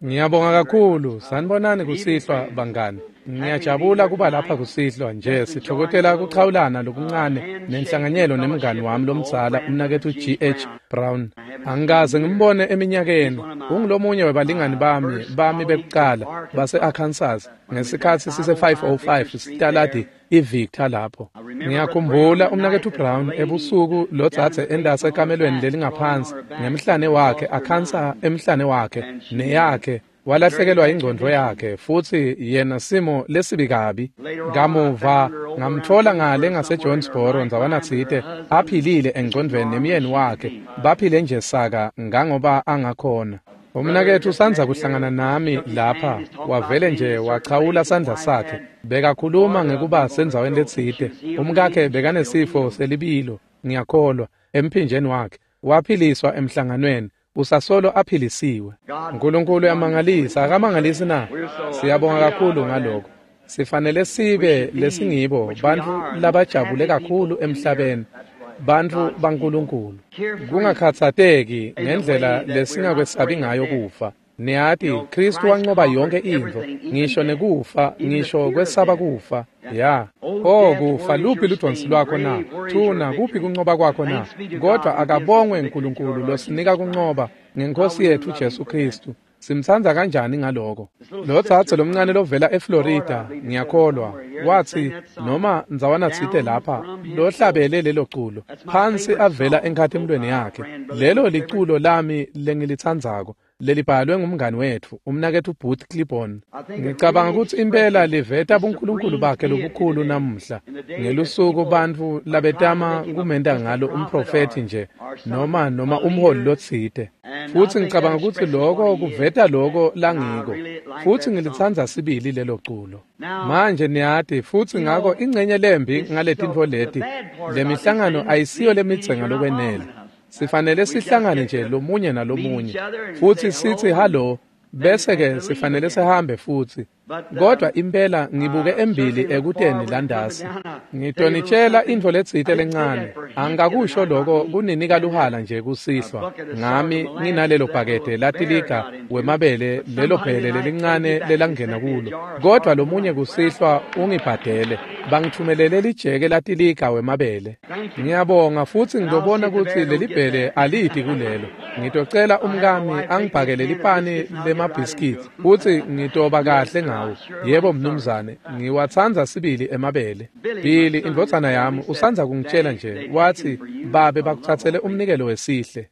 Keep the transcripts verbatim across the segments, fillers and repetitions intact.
Ngiyabonga kakhulu. Sanibonani kusihlwa bangani. Ngiyajabula kuba lapha kusihlwa nje sithokotela kuchawulana lokuncane nenhlanganyelo nemngani wami lomdzala umnaketfu G H Brown. Angikaze ngimbone eminyakeni. Ungulomunye webalingani bami bami bekucala base-Arkansas ngesikhatsi sise five oh five sitaladi iVictor lapho. Ngiyakhumbula umnaketfu Brown ebusuku lodzadze endase ekamelweni lelingaphansi ngemhlane wakhe akhansa emhlane wakhe neyakhe walahlekelwa ingcondvo yakhe futsi yena simo lesibi kabi. Kamuva ngamtfola ngale ngaseJonesboro ndzawanatsite aphilile engcondvweni nemyeni wakhe baphile nje saka ngangoba angakhona. Umnaketfu usandza kuhlangana nami lapha wavele nje wachawula sandla sakhe bekakhuluma ngekuba sendzaweni letsite. Umkakhe bekanesifo selibilo ngiyakholwa emphinjeni wakhe waphiliswa emhlanganweni usasolo aphilisiwe. Nkulunkulu uyamangalisa akamangalisi na? Siyabonga kakhulu ngaloko. Sifanele sibe lesingibo bantfu labajabule kakhulu emhlabeni, bantfu baNkulunkulu. Kungakhatsateki ngendlela lesingakwesabi ngayo kufa. Niyati Kristu wanqoba yonke intfo, ngisho nekufa, ngisho kwesaba kufa. Ya, oh kufa luphi ludonsi lwakho na? Thuna kuphi kunqoba kwakho na? Kodwa akabongwe uNkulunkulu losinika kunqoba ngenkosi yethu Jesu Kristu. Simtsandza kanjani ngaloko? Lo dzadze lomncane lovela eFlorida, ngiyakholwa, watsi noma ndzawanatsite lapha lohlabele lelo culo phansi avela enkhatimulweni yakhe. Lelo liculo lami lengilitsandzako lelibhalwe ngumngani wetfu umnaketfu Booth Clibborn. Ngicabanga kutsi impela liveta buNkulunkulu bakhe lobukhulu namuhla ngelusuku bantfu labetama kumenta ngalo umprofethi nje noma noma umholi lotsite. Futsi ngicabanga kutsi loko kuveta loko langiko futsi ngilitsandza sibili lelo culo. Manje niyati futsi ngako ingcenye lembi ngaletintfo leti lemihlangano ayisiyo lemidze ngalokwenele. Sifanele sihlangane nje lomunye nalomunye futsi sitsi hallo bese ke sifanele sihambe futsi. Kodwa impela ngibuke embili ekuteni landasi. Ngitonitshela intfo letsite lencane. Angikakusho loko kuninika luhala nje kusihlwa. Ngami nginalelo bhakede latiliga wemabele lelo bhele lelincane lelangena kulo. Kodwa lomunye kusihlwa ungibhadele. Bangithumelele lijeke latiliga wemabele. Ngiyabonga futsi ngitobona kutsi leli bhele alidi kulelo. Ngitocela umkami angibhakele lipani lemabhiskiti futsi ngitoba kahle ngawo. Yebo mnumzane, ngiwatsandza sibili emabele. Billy indvodzana yami usandza kungitshela nje watsi babe bakutsatsele umnikelo wesihle.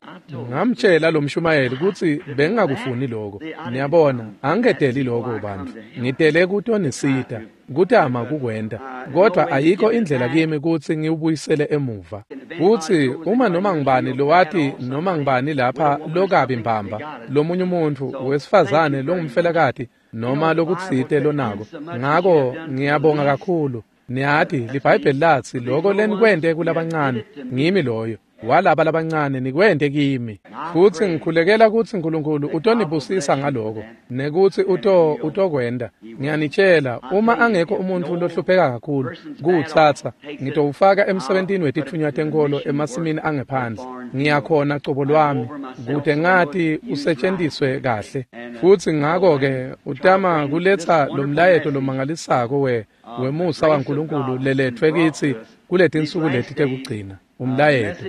Ngamtshela lo mshumayeli kutsi bengingakufuni lokho. Niyabona, angiketeli lokho bantfu. Ngitele kutonisita, kutama kukwenta. Kodwa ayikho indlela kimi kutsi ngiwubuyisele emuva. Kutsi uma noma ngibani lowati noma ngibani lapha lokabi mbamba, lomunye umuntfu wesifazane longumfelakati noma lokutsite lonako. Ngako ngiyabonga kakhulu. Niyati liBhayibheli latsi loko lenikwente kulabancane ngimi loyo. Walaba labancane nikwente kimi. Futsi ngikhulekela kutsi uNkulunkulu utonibusisa ngaloko nekutsi uto utokwenta. Ngiyanitshela uma angekho umuntfu lohlupheka kakhulu kuwutsatsa ngitowufaka emsebentini wetitfunywa tenkolo emasimini angephandle. Ngiyakhona cobo lwami kute ngati usetjentiswe kahle. Futsi ngako-ke utama kuletsa lomlayeto lomangalisako we wemusa waNkulunkulu leletfwe kitsi kuletinsuku leti tekugcina. Umlayeto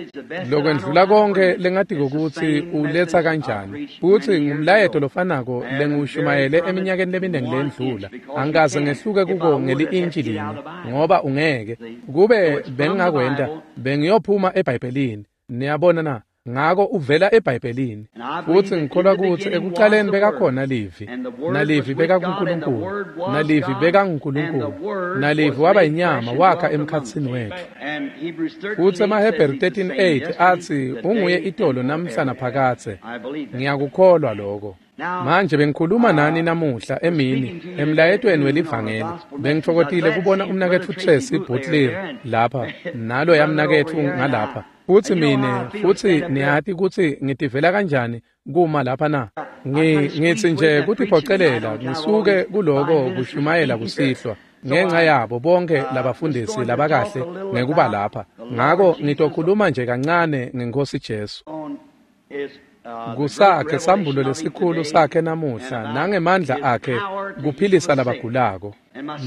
lokwendlula konke lengatiko kutsi uletsa kanjani futsi ngumlayeto lofanako lengiwushumayele eminyakeni leminingi lendlula. Angikaze ngehluke kuko ngeli-intshi linye ngoba ungeke kube bengingakwenta bengiyophuma eBhayibhelini. Niyabona na? Ngako uvela eBhayibhelini. Futsi ngikholwa kutsi ekucaleni bekakhona livi, nalivi bekakuNkulunkulu, nalivi bekanguNkulunkulu, nalivi waba inyama wakha emkhatsini wetfu. Futsi emaHebheru thirteen eight atsi unguye itolo namhla naphakadze. Ngiyakukholwa lokho. Manje bengikhuluma nani namuhla emini emlayetweni welivangeli. Bengitfokotile kubona umnaketfu Tracy Butler lapha nalo yamnaketfu ngalapha. Futsi mine futsi niyati kutsi ngitivela kanjani kuma lapha na? Ngi ngitsi nje kutiphocelela ngisuke kuloko kushumayela kusihlwa ngenxa yabo bonke labafundisi labakahle ngekuba lapha. Ngako ngitokhuluma nje kancane ngeNkosi Jesu. Kusakhe sambulo lesikhulu sakhe namuhla nangemandla akhe kuphilisa labagulako.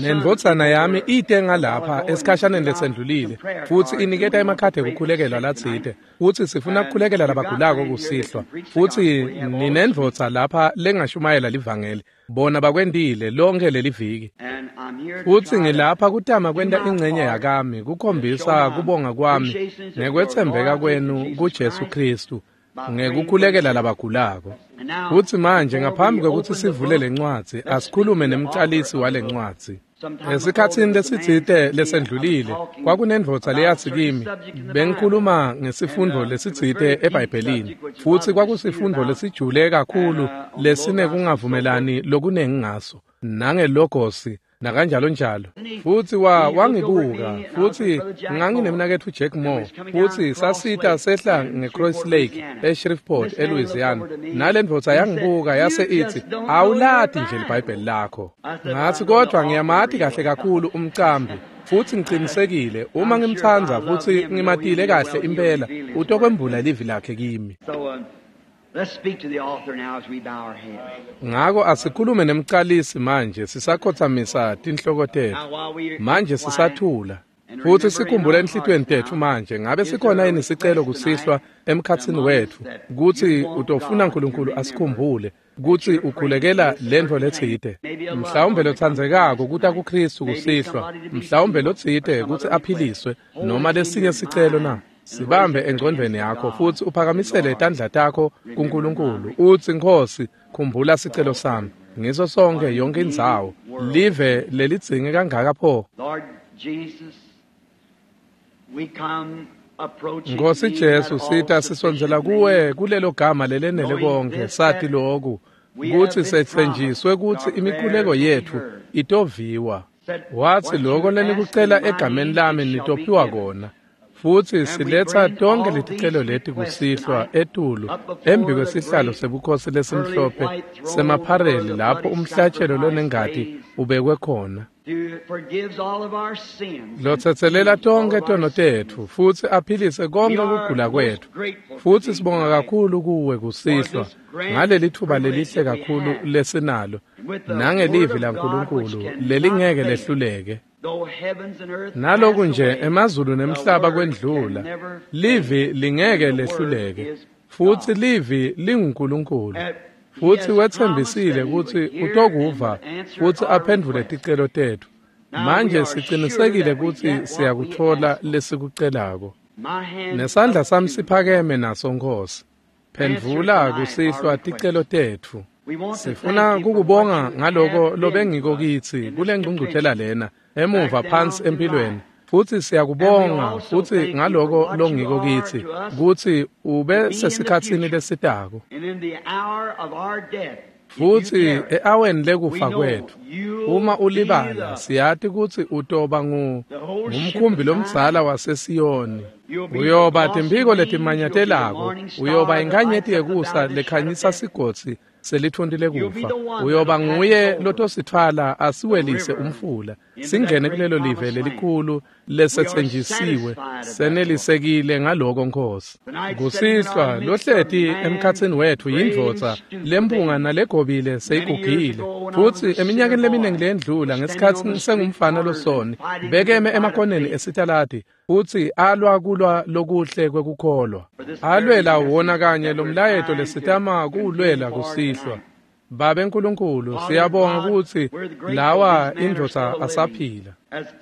Nendvodzana yami ite ngalapha esikhashaneni lesendlulile futsi iniketa emakhadi ekukhulekelwa latsite futsi sifuna kukhulekela labagulako kusihlwa futsi ninendvodza lapha lengashumayela livangeli bona bakwentile lonke leli viki. Futsi ngilapha kutama kwenta ingcenye yakami kukhombisa kubonga kwami nekwetsembeka kwenu kuJesu Kristu ngekukhulekela labagulako. Futsi manje ngaphambi kwekutsi sivule lencwadzi asikhulume nemcalisi walencwadzi. Esikhatsini lesitsite lesendlulile kwakunendvodza leyatsi kimi bengikhuluma ngesifundvo lesitsite eBhayibhelini futsi kwakusifundvo lesijule kakhulu lesinekungavumelani lokunengi ngaso nangelogosi nakanjalo njalo. Futsi wa wangibuka futsi nganginemnaketfu Jack Moore futsi sasita sehla ngeCross Lake eShreveport eLouisiana nalendvodza yangibuka yase itsi awulati nje liBhayibheli lakho. Ngatsi kodwa ngiyamati kahle kakhulu umcambi futsi ngicinisekile uma ngimtsandza futsi ngimatile kahle impela utokwembula livi lakhe kimi. Let's speak to the author now as we bow our heads. Ngako asikhulume nemcalisi manje sisakhothamisa tinhloko tetfu. Manje sisathula. Futsi sikhumbule enhlitiyweni tetfu manje ngabe sikhona yini sicelo kusihlwa emkhatsini wetfu kutsi utofuna uNkulunkulu asikhumbule kutsi ukhulekela lentfo letsite mhlawumbe lotsandzekako kuta kuKristu kusihlwa mhlawumbe lotsite kutsi aphiliswe noma lesinye sicelo na. Sibambe engcondvweni yakho futsi uphakamisele tandla takho kuNkulunkulu utsi Nkhosi khumbula sicelo sami ngiso sonke yonke indzawo live lelidzinge kangaka pho. Nkhosi Jesu sita sisondzela kuwe kulelo gama lelenele konke sati loku kutsi setsenjiswe kutsi imikhuleko yetfu itoviwa. Watsi loko lenikucela egameni lami nitophiwa kona. Futsi siletsa tonke leticelo leti kusihlwa etulu embi kwesihlalo sebukhosi lesimhlophe semaphareli lapho umhlatshelo lonengati ubekwe khona. Lotsetselela tonke tono tetfu futsi aphilise konke kugula kwetfu. Futsi sibonga kakhulu kuwe kusihlwa ngaleli thuba lelihle kakhulu lesinalo nangelivi laNkulunkulu lelingeke lehluleke. Naloku nje emazulu nemhlaba kwendlula livi lingeke lehluleke futsi livi linguNkulunkulu futsi wetsembisile kutsi utokuva futsi aphendvule ticelo tetfu. Manje sicinisekile kutsi siyakutfola lesikucelako. Nesandla sami siphakeme naso Nkhosi. Phendvula kusihlwa ticelo tetfu. Sifuna kukubonga ngaloko lobengiko kitsi kule ngcungcuthela lena emuva phansi empilweni futsi siyakubonga futsi ngaloko longiko kitsi kutsi ube sesikhatsini lesitako futsi e-aweni lekufa kwetfu uma ulibala siyati kutsi utoba ngumkhumbi lomdzala waseSiyoni uyoba timphiko letimanyatelako uyoba inkhanyeti yekusa lekhanyisa sigodzi selithunti lekufa uyoba nguye lotosithwala asiwelise umfula singene kulelo live lelikhulu lesetsenjisiwe senelisekile ngaloko Nkhosi. Kusihlwa lohleti emkhatsini wetfu yindvodza lempunga nalegobile seyigugile futsi eminyakeni leminingi leyendlula ngesikhatsi sengumfana losoni bekeme emakoneni esitaladi futsi alwa kulwa lokuhle kwekukholwa alwela wona kanye lomlayeto lesitama kuwulwela kusihlwa. Babe Nkulunkulu siyabonga kutsi lawa indvodza asaphila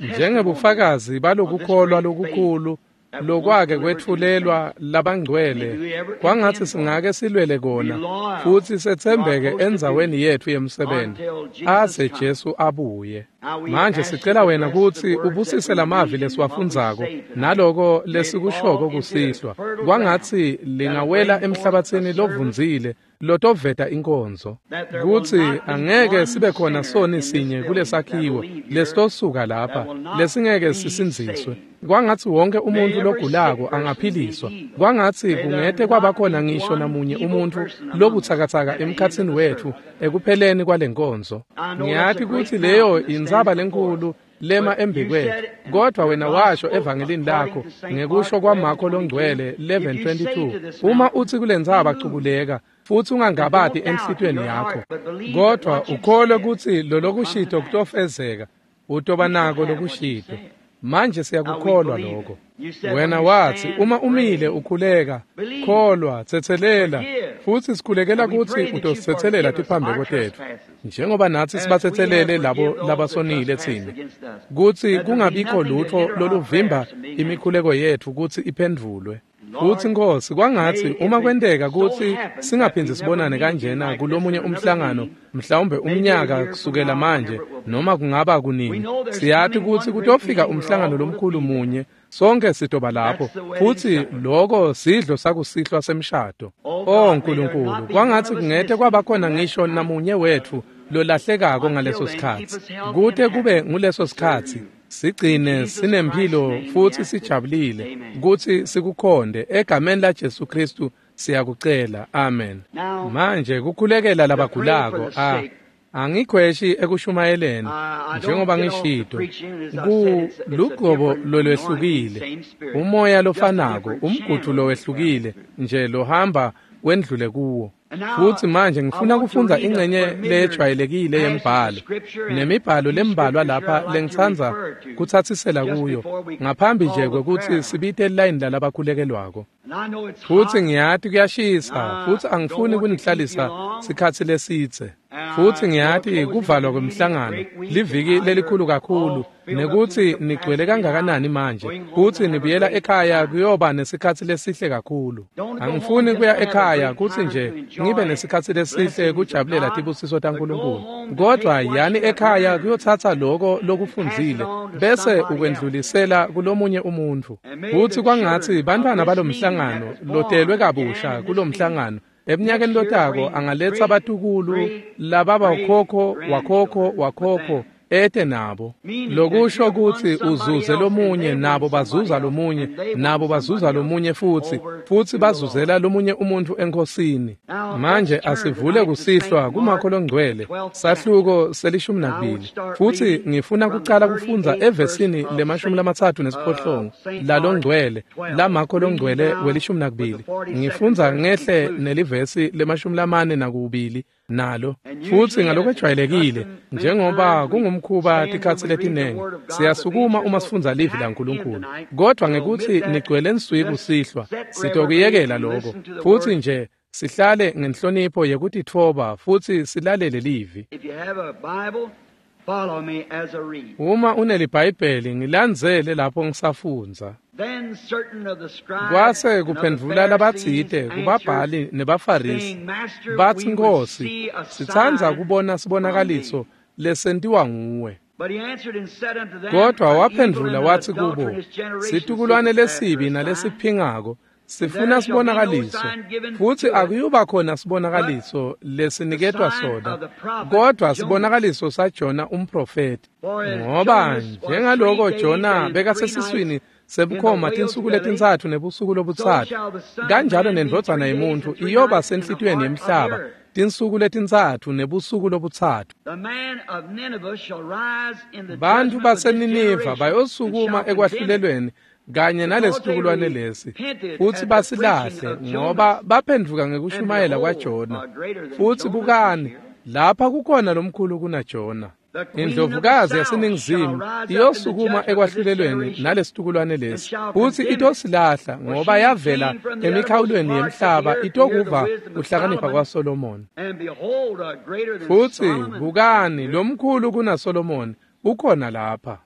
njengebufakazi balokukholwa lokukhulu lokwake kwetfulelwa labangcwele kwangatsi singake silwele kona futsi setsembeke endzaweni yetfu yemsebenti aze Jesu abuye. Manje sicela wena kutsi ubusise lamavi lesiwafundzako naloko lesikushoko kusihlwa kwangatsi lingawela emhlabatsini lovundzile lotoveta inkonzo kutsi angeke sibe khona soni sinye kulesakhiwo lesitosuka lapha lesingeke sisindziswe. Kwangatsi wonke umuntu logulako angaphiliswa kwangatsi kungete kwaba khona ngisho namunye umuntfu lobutsakatsaka emkhatsini wetfu ekupheleni kwalenkonzo. Ngiyati kutsi leyo intsaba lenkulu lema embikwethu. Kodwa wena washo evangelini lakho ngekusho kwaMarko longcwele eleven twenty-two, uma uthi kulentsaba cukuleka futhi ungangabati enhlitiyweni yakho, kodwa ukholwe kutsi lolokushito kutofezeka, utoba nako lokushito. Manje siyakukholwa lokho. Wena wathi uma umile ukhuleka, kholwa, tsetselela, futhi sikhulekela kutsi utositsetselela tiphambeko tetfu, njengoba natsi sibatsetselele labo labasonile tsine, kutsi kungabikho lutfo loluvimba imikhuleko yetfu kutsi iphendvulwe. Futsi Nkosi, kwangatsi uma kwenteka kutsi singaphindzi sibonane kanjena kulomunye umhlangano, mhlawumbe umnyaka kusukela manje, noma kungaba kunini, siyati kutsi kutofika umhlangano lomkhulu munye, sonke sitoba lapho, futsi loko sidlo sakusihlwa semshado. Oh Nkulunkulu, kwangatsi kungete kwabakhona ngisho namunye wetfu lolahlekako ngaleso sikhatsi. Kute kube nguleso sikhatsi, sigcine sinemphilo futhi sijabulile kutsi sikukhonde egameni la Jesu Kristu siyakucela, amen. Manje kukhulekela labagulako, a angikhweshi ekushumayeleni njengoba ngishito, ku lugobo lolwehlukile, umoya lofanako, umgudu lowehlukile nje lohamba wendlule kuwo. Futhi manje ngifuna kufundza ingcenye lejwayelekile yembhalo nemibhalo lembalwa lapha lengitsandza kutsatsisela kuyo ngaphambi nje kwekutsi sibite line lalabakhulekelwako. Futhi ngiyati kuyashisa, futhi angifuni kunihlalisa sikhatsi lesidze. Futhi ngiyati kuvalwa kwemhlangano liviki lelikhulu kakhulu, nekutsi nigcwele kangakanani manje, futhi nibuyela ekhaya kuyoba nesikhatsi lesihle kakhulu. Angifuni kuya ekhaya kutsi nje ngibe nesikhatsi lesihle kujabulela tibusiso taNkulunkulu, kodwa yani ekhaya kuyotsatsa loko lokufundzile bese ukwendlulisela kulomunye umuntfu. Futhi kwangatsi bantfwana balomhlangano lotelwe kabusha kulomhlangano eminyakeni lotako angaletsa batukulu lababa ukhokho wakhokho wakhokho ete nabo, lokusho kutsi uzuze lomunye, nabo bazuza lomunye, nabo bazuza lomunye futhi, futhi bazuzela lomunye umuntu enkosini. Manje asivule kusihlwa kuMarko longcwele sahluko selishumi nakubili, futhi ngifuna kucala kufundza evesini lemashumi lamatsatfu nesiphohlongo lalongcwele laMarko longcwele welishumi nakubili. Ngifundza ngehle nelivesi lemashumi lamane nakubili nalo. Futhi ngalokwejwayelekile njengoba kungumkhuba tikhatsi letinengi, siyasukuma uma sifundza livi laNkulunkulu, kodwa ngekuthi nigcwele nswi kusihlwa sitokuyekela lokho, futhi nje sihlale ngenhlonipho yekutitfoba futhi silalele livi. Uma uneliBhayibheli ngilandzele lapho ngisafundza. Kwase kuphendvula labatsite kubabhali nebaFarisi, batsi, Nkosi, sitsandza kubona sibonakaliso lesentiwa nguwe. Kodwa waphendvula watsi kubo, situkulwane lesibi nalesiphingako sifuna sibonakaliso, futhi akuyuba khona sibonakaliso lesiniketwa sona, kodwa sibonakaliso saJona umprofeti. Ngoba njengaloko Jona bekasesiswini sebukhoma tinsuku letintsatfu nebusuku lobutsatfu, kanjalo nendvodzana yemuntfu iyoba senhlitiyweni yemhlaba tinsuku letintsatfu nebusuku lobutsatfu. Bantfu baseNiniva bayosukuma ekwahlulelweni kanye nalesitukulwane lesi, futhi basilahle, ngoba baphendvuka ngekushumayela kwaJona. Futhi bukani, lapha kukhona lomkhulu kunaJona. Indlovukazi yaseNingizimu iyosukuma ekwahlulelweni nalesitukulwane lesi, futhi itosilahla, ngoba yavela emikhawulweni yemhlaba itokuva kuhlakanipha kwaSolomoni. Futhi bukani, lomkhulu kunaSolomoni ukhona lapha.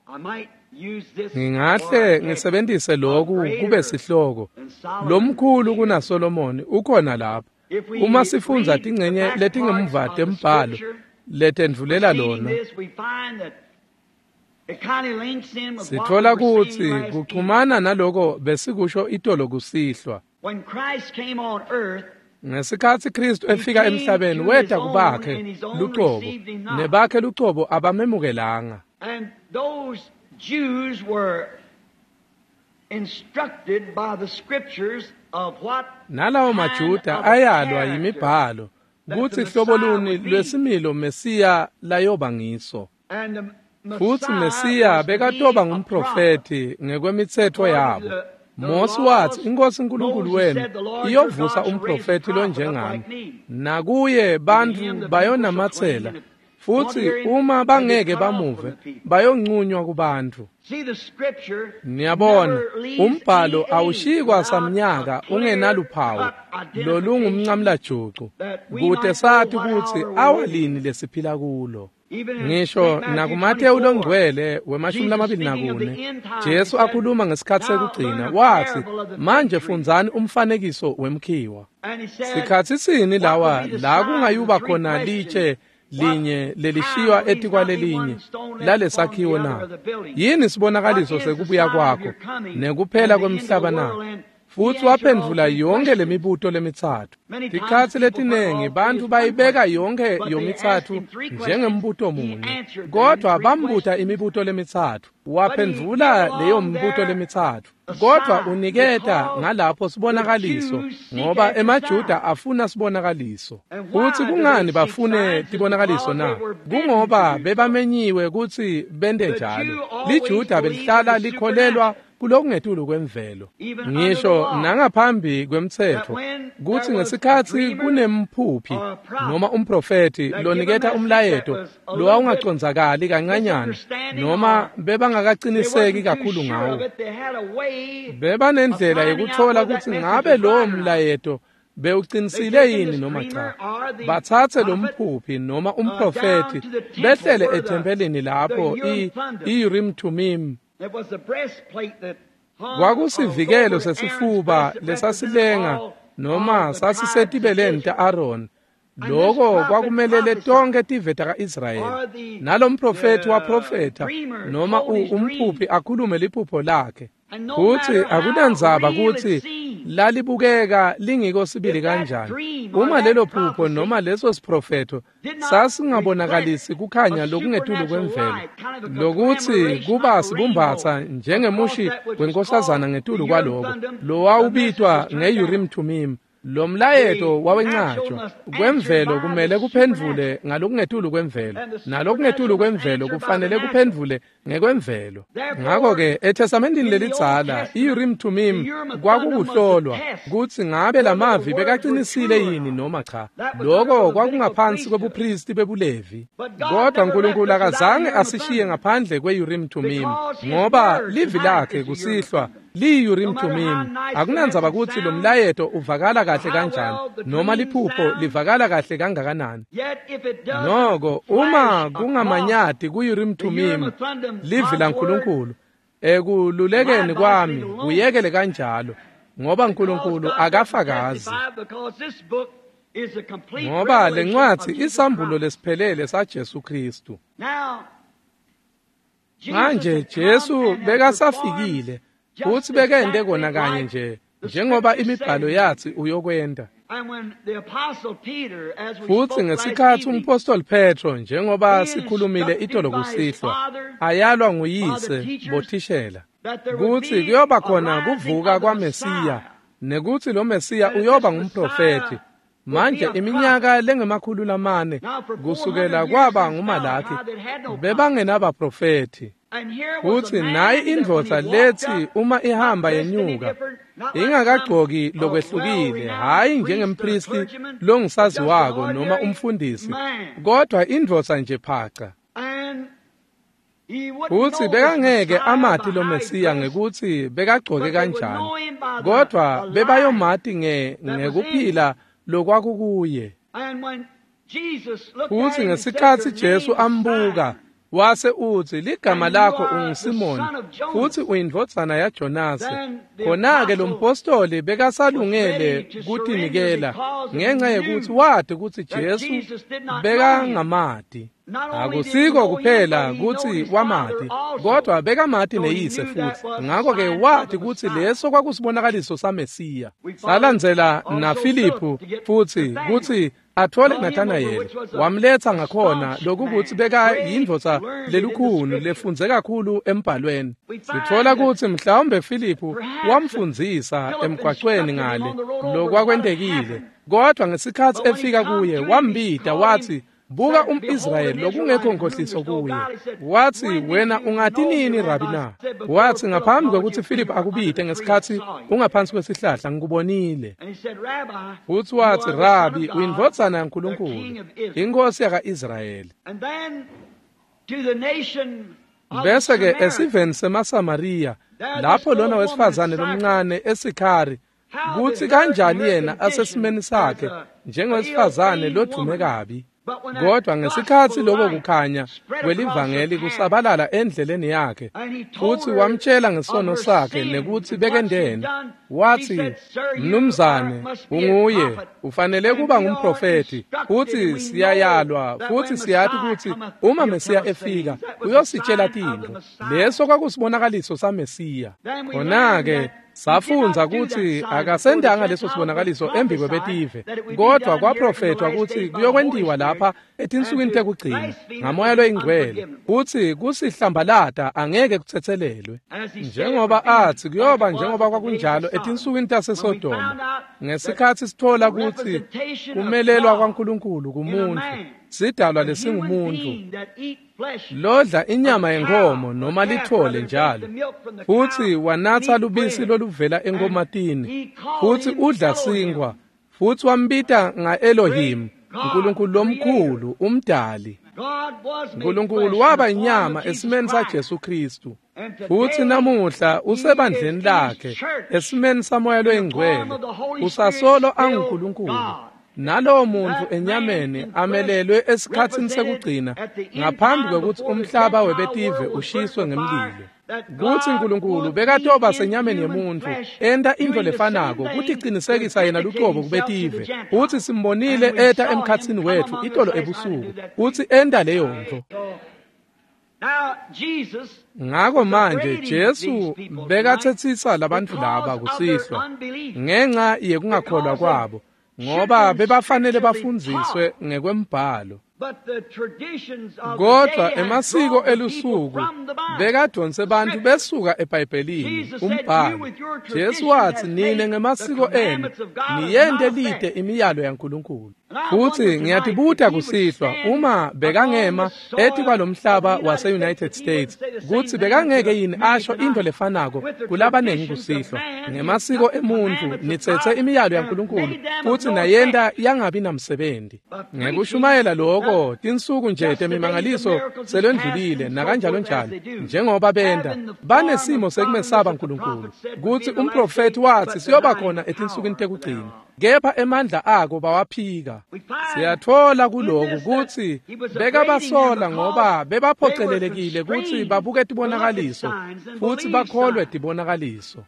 Ngingahle ngisebentise lokhu kube sihloko, lomkhulu kunaSolomoni ukhona lapha. Uma sifundza tingcenye letingemuva tembhalo letendvulela lona, sitfola kutsi kuchumana naloko besikusho itolo kusihlwa. Ngesikhatsi Kristu efika emhlabeni, weta kubakhe lucobo, nebakhe lucobo abamemukelanga. Jews were instructed by the scriptures of what nalawo maJuda ayalwa yimibhalo kutsi hlobo luni lwesimilo Mesiya layoba ngiso. And the Futsi Mesiya bekatoba ngumprofethi ngekwemitsetfo yabo. Mosi watsi iNkosi uNkulunkulu wenu iyovusa umprofethi lonjengami, nakuye bantfu bayonamatsela, futsi uma bangeke bamuve bayonqunywa kubantfu. Niyabona, umbhalo awushikwa samnyaka ungenaluphawu lolungumncamlajucu kute sati kutsi awalini lesiphila kulo. Ngisho nakuMateyu longcwele wemashumi lamabili nakune, Jesu akhuluma ngesikhatsi sekugcina watsi, manje fundzani umfanekiso wemkhiwa. Sikhatsi sini lawa la kungayuba khona litshe linye lelishiywa etikwalelinye lalesakhiwo na? Yini sibonakaliso sekubuya kwakho nekuphela kwemhlaba na? Futsi waphendvula yonke lemibuto lemitsatfu. Tikhatsi letinengi bantfu bayibeka yonke yomitsatfu njengembuto munye, kodvwa bambuta imibuto lemitsatfu, waphendvula leyo mibuto lemitsatfu. Kodvwa uniketa ngalapho sibonakaliso, ngoba emaJuda afuna sibonakaliso. Futsi kungani bafune tibonakaliso na? Kungoba bebamenyiwe kutsi bente njalo. LiJuda belihlala likholelwa kulokungetulu kwemvelo, ngisho nangaphambi kwemtsetfo, kutsi ngesikhatsi kunemphuphi noma umprofethi loniketa umlayeto lowawungacondzakali kancanyana noma bebangakaciniseki kakhulu ngawo, bebanendlela yekutfola kutsi ngabe lowo mlayeto bewuqinisile yini noma cha. Batsatse lomphuphi noma umprofethi behlele ethempelini lapho i-Urim Thummim kwakusivikelo sesifuba lesasilenga noma sasisetibeleni ta-Aaron. Loko kwakumelele tonke tive taka-Israyeli. Nalomprofethi waprofetha noma umphuphi akhulume liphupho lakhe. Futsi akunandzaba kutsi lalibukeka lingiko sibili kanjani, uma lelo phupho noma leso siprofetho sasingabonakalisi kukhanya lokungetulu kwemvelo, lokuthi kuba sibumbatsa njengemushi wenkosazana ngetulu kwaloko lowawubitwa nge-Urim Thummim, lo mlayeto wawencatshwa kwemvelo kumele kuphendvule ngalokungetulu kwemvelo, nalokungetulu kwemvelo kufanele kuphendvule ngekwemvelo. Ngakho-ke eTestamentini lelidzala i-Urim Thummim kwakukuhlolwa kutsi ngabe lamavi bekaqinisile yini noma cha. Loko kwakungaphansi kwebupristi bebuLevi. Kodwa uNkulunkulu akazange asishiye ngaphandle kwe-Urim Thummim, ngoba livi lakhe kusihlwa liyi-Urim Thummim. Akunandzaba kutsi lo mlayeto uvakala kahle kanjani noma liphupho livakala kahle kangakanani, noko uma kungamanyati ku-Urim Thummim livi laNkulunkulu ekululekeni kwami kuyekele kanjalo, ngoba uNkulunkulu akafakazi. Ngoba lencwadzi isambulo lesiphelele saJesu Kristu. Manje Jesu bekasafikile futsi bekente kona kanye nje njengoba imibhalo yathi uyokwenta. Futsi ngesikhatsi umpostoli Petro, njengoba sikhulumile itolo kusihlwa, ayalwa nguyise bothishela kutsi kuyoba khona kuvuka kwaMesiya nekutsi lo Mesiya uyoba ngumprofethi. Manje iminyaka lengemakhulu lamane kusukela kwaba nguMalaki bebangenabaprofethi. Futsi nayi indvodza lethi uma ihamba yenyuka ingakagcoki lokwehlukile, hhayi njengempristi longisaziwako noma umfundisi, kodwa indvodza nje phaca. Futsi bekangeke amati lo Mesiya ngekutsi bekagcoke kanjani, kodwa bebayomati nge ngekuphila lokwakukuye. Futsi ngesikhatsi Jesu ambuka wase utsi, ligama lakho unguSimoni futsi uyindvodzana yaJonasi. Khona-ke lo mpostoli bekasalungele kutinikela ngenxa yekutsi wati kutsi Jesu bekangamati. Akusiko kuphela kutsi wamati, kodwa bekamati neyise futsi. Ngakho-ke wati kutsi leso kwakusibonakaliso saMesiya. Salandzela naFiliphu futsi kutsi atfole Nathanayeli, wamletsa ngakhona lokukutsi beka yindvodza lelukhuni lefundze kakhulu embhalweni. Sitfola kutsi mhlawumbe Filiphu wamfundzisa emgwacweni ngale lokwakwentekile, kodwa ngesikhatsi efika kuye wambita watsi, Buka um-Israyeli lokungekho nkohliso kuye. Watsi, wena ungati nini Rabi na? Watsi, ngaphambi kwekutsi Philip akubite ngesikhatsi ungaphansi kwesihlahla ngikubonile. Futsi watsi, Rabi, uyindvodzana yaNkulunkulu, inkosi yaka-Israyeli. Bese-ke esiveni semaSamariya, lapho lona wesifazane lomncane eSikhari, kutsi kanjani yena asesimeni sakhe njengowesifazane lodvume kabi. Kodwa ngesikhatsi lokho kukhanya kwelivangeli kusabalala endleleni yakhe, futsi wamtshela ngesono sakhe nekutsi bekendeni, watsi, mnumzane, unguye, ufanele kuba ngumprofethi, futsi siyayalwa, futsi siyati kutsi uma Mesiya efika, uyositshela tintfo. Leso kwakusibonakaliso saMesiya. Khona-ke safundza kutsi akasendanga leso sibonakaliso embi kwebetive, kodwa kwaprofethwa kutsi kuyokwentiwa lapha etinsukwini tekugcina ngaMoya loyiNgcwele, kutsi kusihlambalata angeke kutsetselelwe. Njengoba atsi kuyoba njengoba kwakunjalo etinsukwini taseSodoma, ngesikhatsi sithola kutsi kumelelwa kwaNkulunkulu kumuntfu, sidalwa lesingumuntfu lodla inyama yenkomo noma lithole njalo, futsi wanatsa lubisi loluvela enkomatini, futsi udla sinkhwa, futsi wambita nga-Elohim, Nkulunkulu lomkhulu, umdali. Nkulunkulu waba inyama esimeni saJesu Kristu, futsi namuhla usebandleni lakhe esimeni saMoya loyiNgcwele, usasolo anguNkulunkulu. Nalowo muntu enyameni amelelwe esikhatsini sekugcina ngaphambi kwekutsi umhlaba webetive ushiswe ngemlilo. Kutsi Nkulunkulu bekatoba senyameni yemuntfu enta intfo lefanako kuticinisekisa yena lucobo kubetive, futsi simbonile eta emkhatsini wetfu itolo ebusuku kutsi enta leyo ntfo. Ngako manje Jesu bekatsetsisa labantfu laba kusihlwa ngenca yekungakholwa kwabo, ngoba bebafanele bafundziswe ngekwembhalo. Kodwa emasiko elusuku bekadonse bantfu besuka eBhayibhelini umbhalo. Jesu watsi, nine ngemasiko enu niyente lite imiyalo yaNkulunkulu. Futsi ngiyatibuta kusihlwa, uma bekangema etikwalomhlaba wase-United States, kutsi bekangeke yini asho intfo lefanako kulabanengi kusihlwa. Ngemasiko emuntfu nitsetse imiyalo yaNkulunkulu futsi nayenta yangabi namsebenti. Ngekushumayela lokho tinsuku nje temimangaliso selwendlulile nakanjalo njalo, njengoba benta banesimo sekumesaba Nkulunkulu, kutsi umprofethi watsi siyoba khona etinsukwini tekugcina, kepha emandla ako bawaphika. Siyatfola kuloku kutsi bekabasola ngoba bebaphocelelekile kutsi babuke tibonakaliso futsi bakholwe tibonakaliso.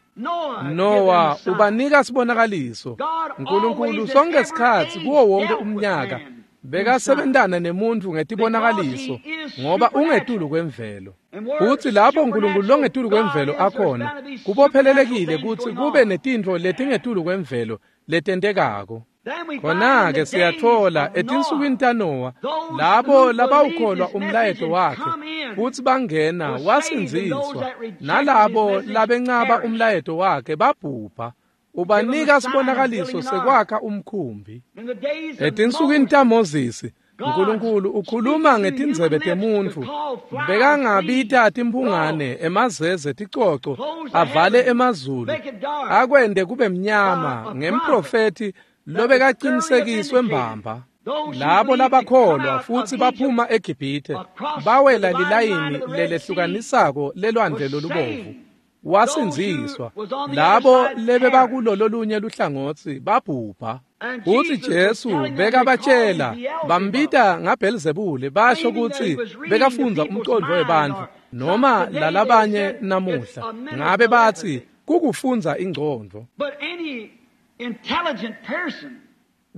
Noah ubanika sibonakaliso. Nkulunkulu sonke sikhatsi kuwo wonke umnyaka bekasebentana nemuntfu ngetibonakaliso ngoba ungetulu kwemvelo. Futsi lapho Nkulunkulu longetulu kwemvelo akhona, kubophelelekile kutsi kube netintfo letingetulu kwemvelo letentekako. Khona-ke siyatfola etinsukwini taNowa, labo labawukholwa umlayeto wakhe futsi bangena wasindziswa, nalabo labencaba umlayeto wakhe babhubha. Ubanika sibonakaliso sekwakha umkhumbi. Etinsukwini taMoses, Nkulunkulu ukhuluma ngetindzebe temuntfu, bekangabita timphungane, emazeze, ticoco, avale emazulu, akwente kube mnyama ngemprofethi lobekaqinisekiswe mbamba. Labo labakholwa futsi baphuma eGibhithe, bawela lilayini lelehlukanisako lelwandle lolubovu, wasindziswa. Labo lebebakulo lolunye luhlangotsi babhubha. Futsi Jesu bekabatshela, bambita ngaBhelzebule, basho kutsi bekafundza umcondvo webantfu noma lalabanye namuhla ngabe batsi kukufundza ingcondvo.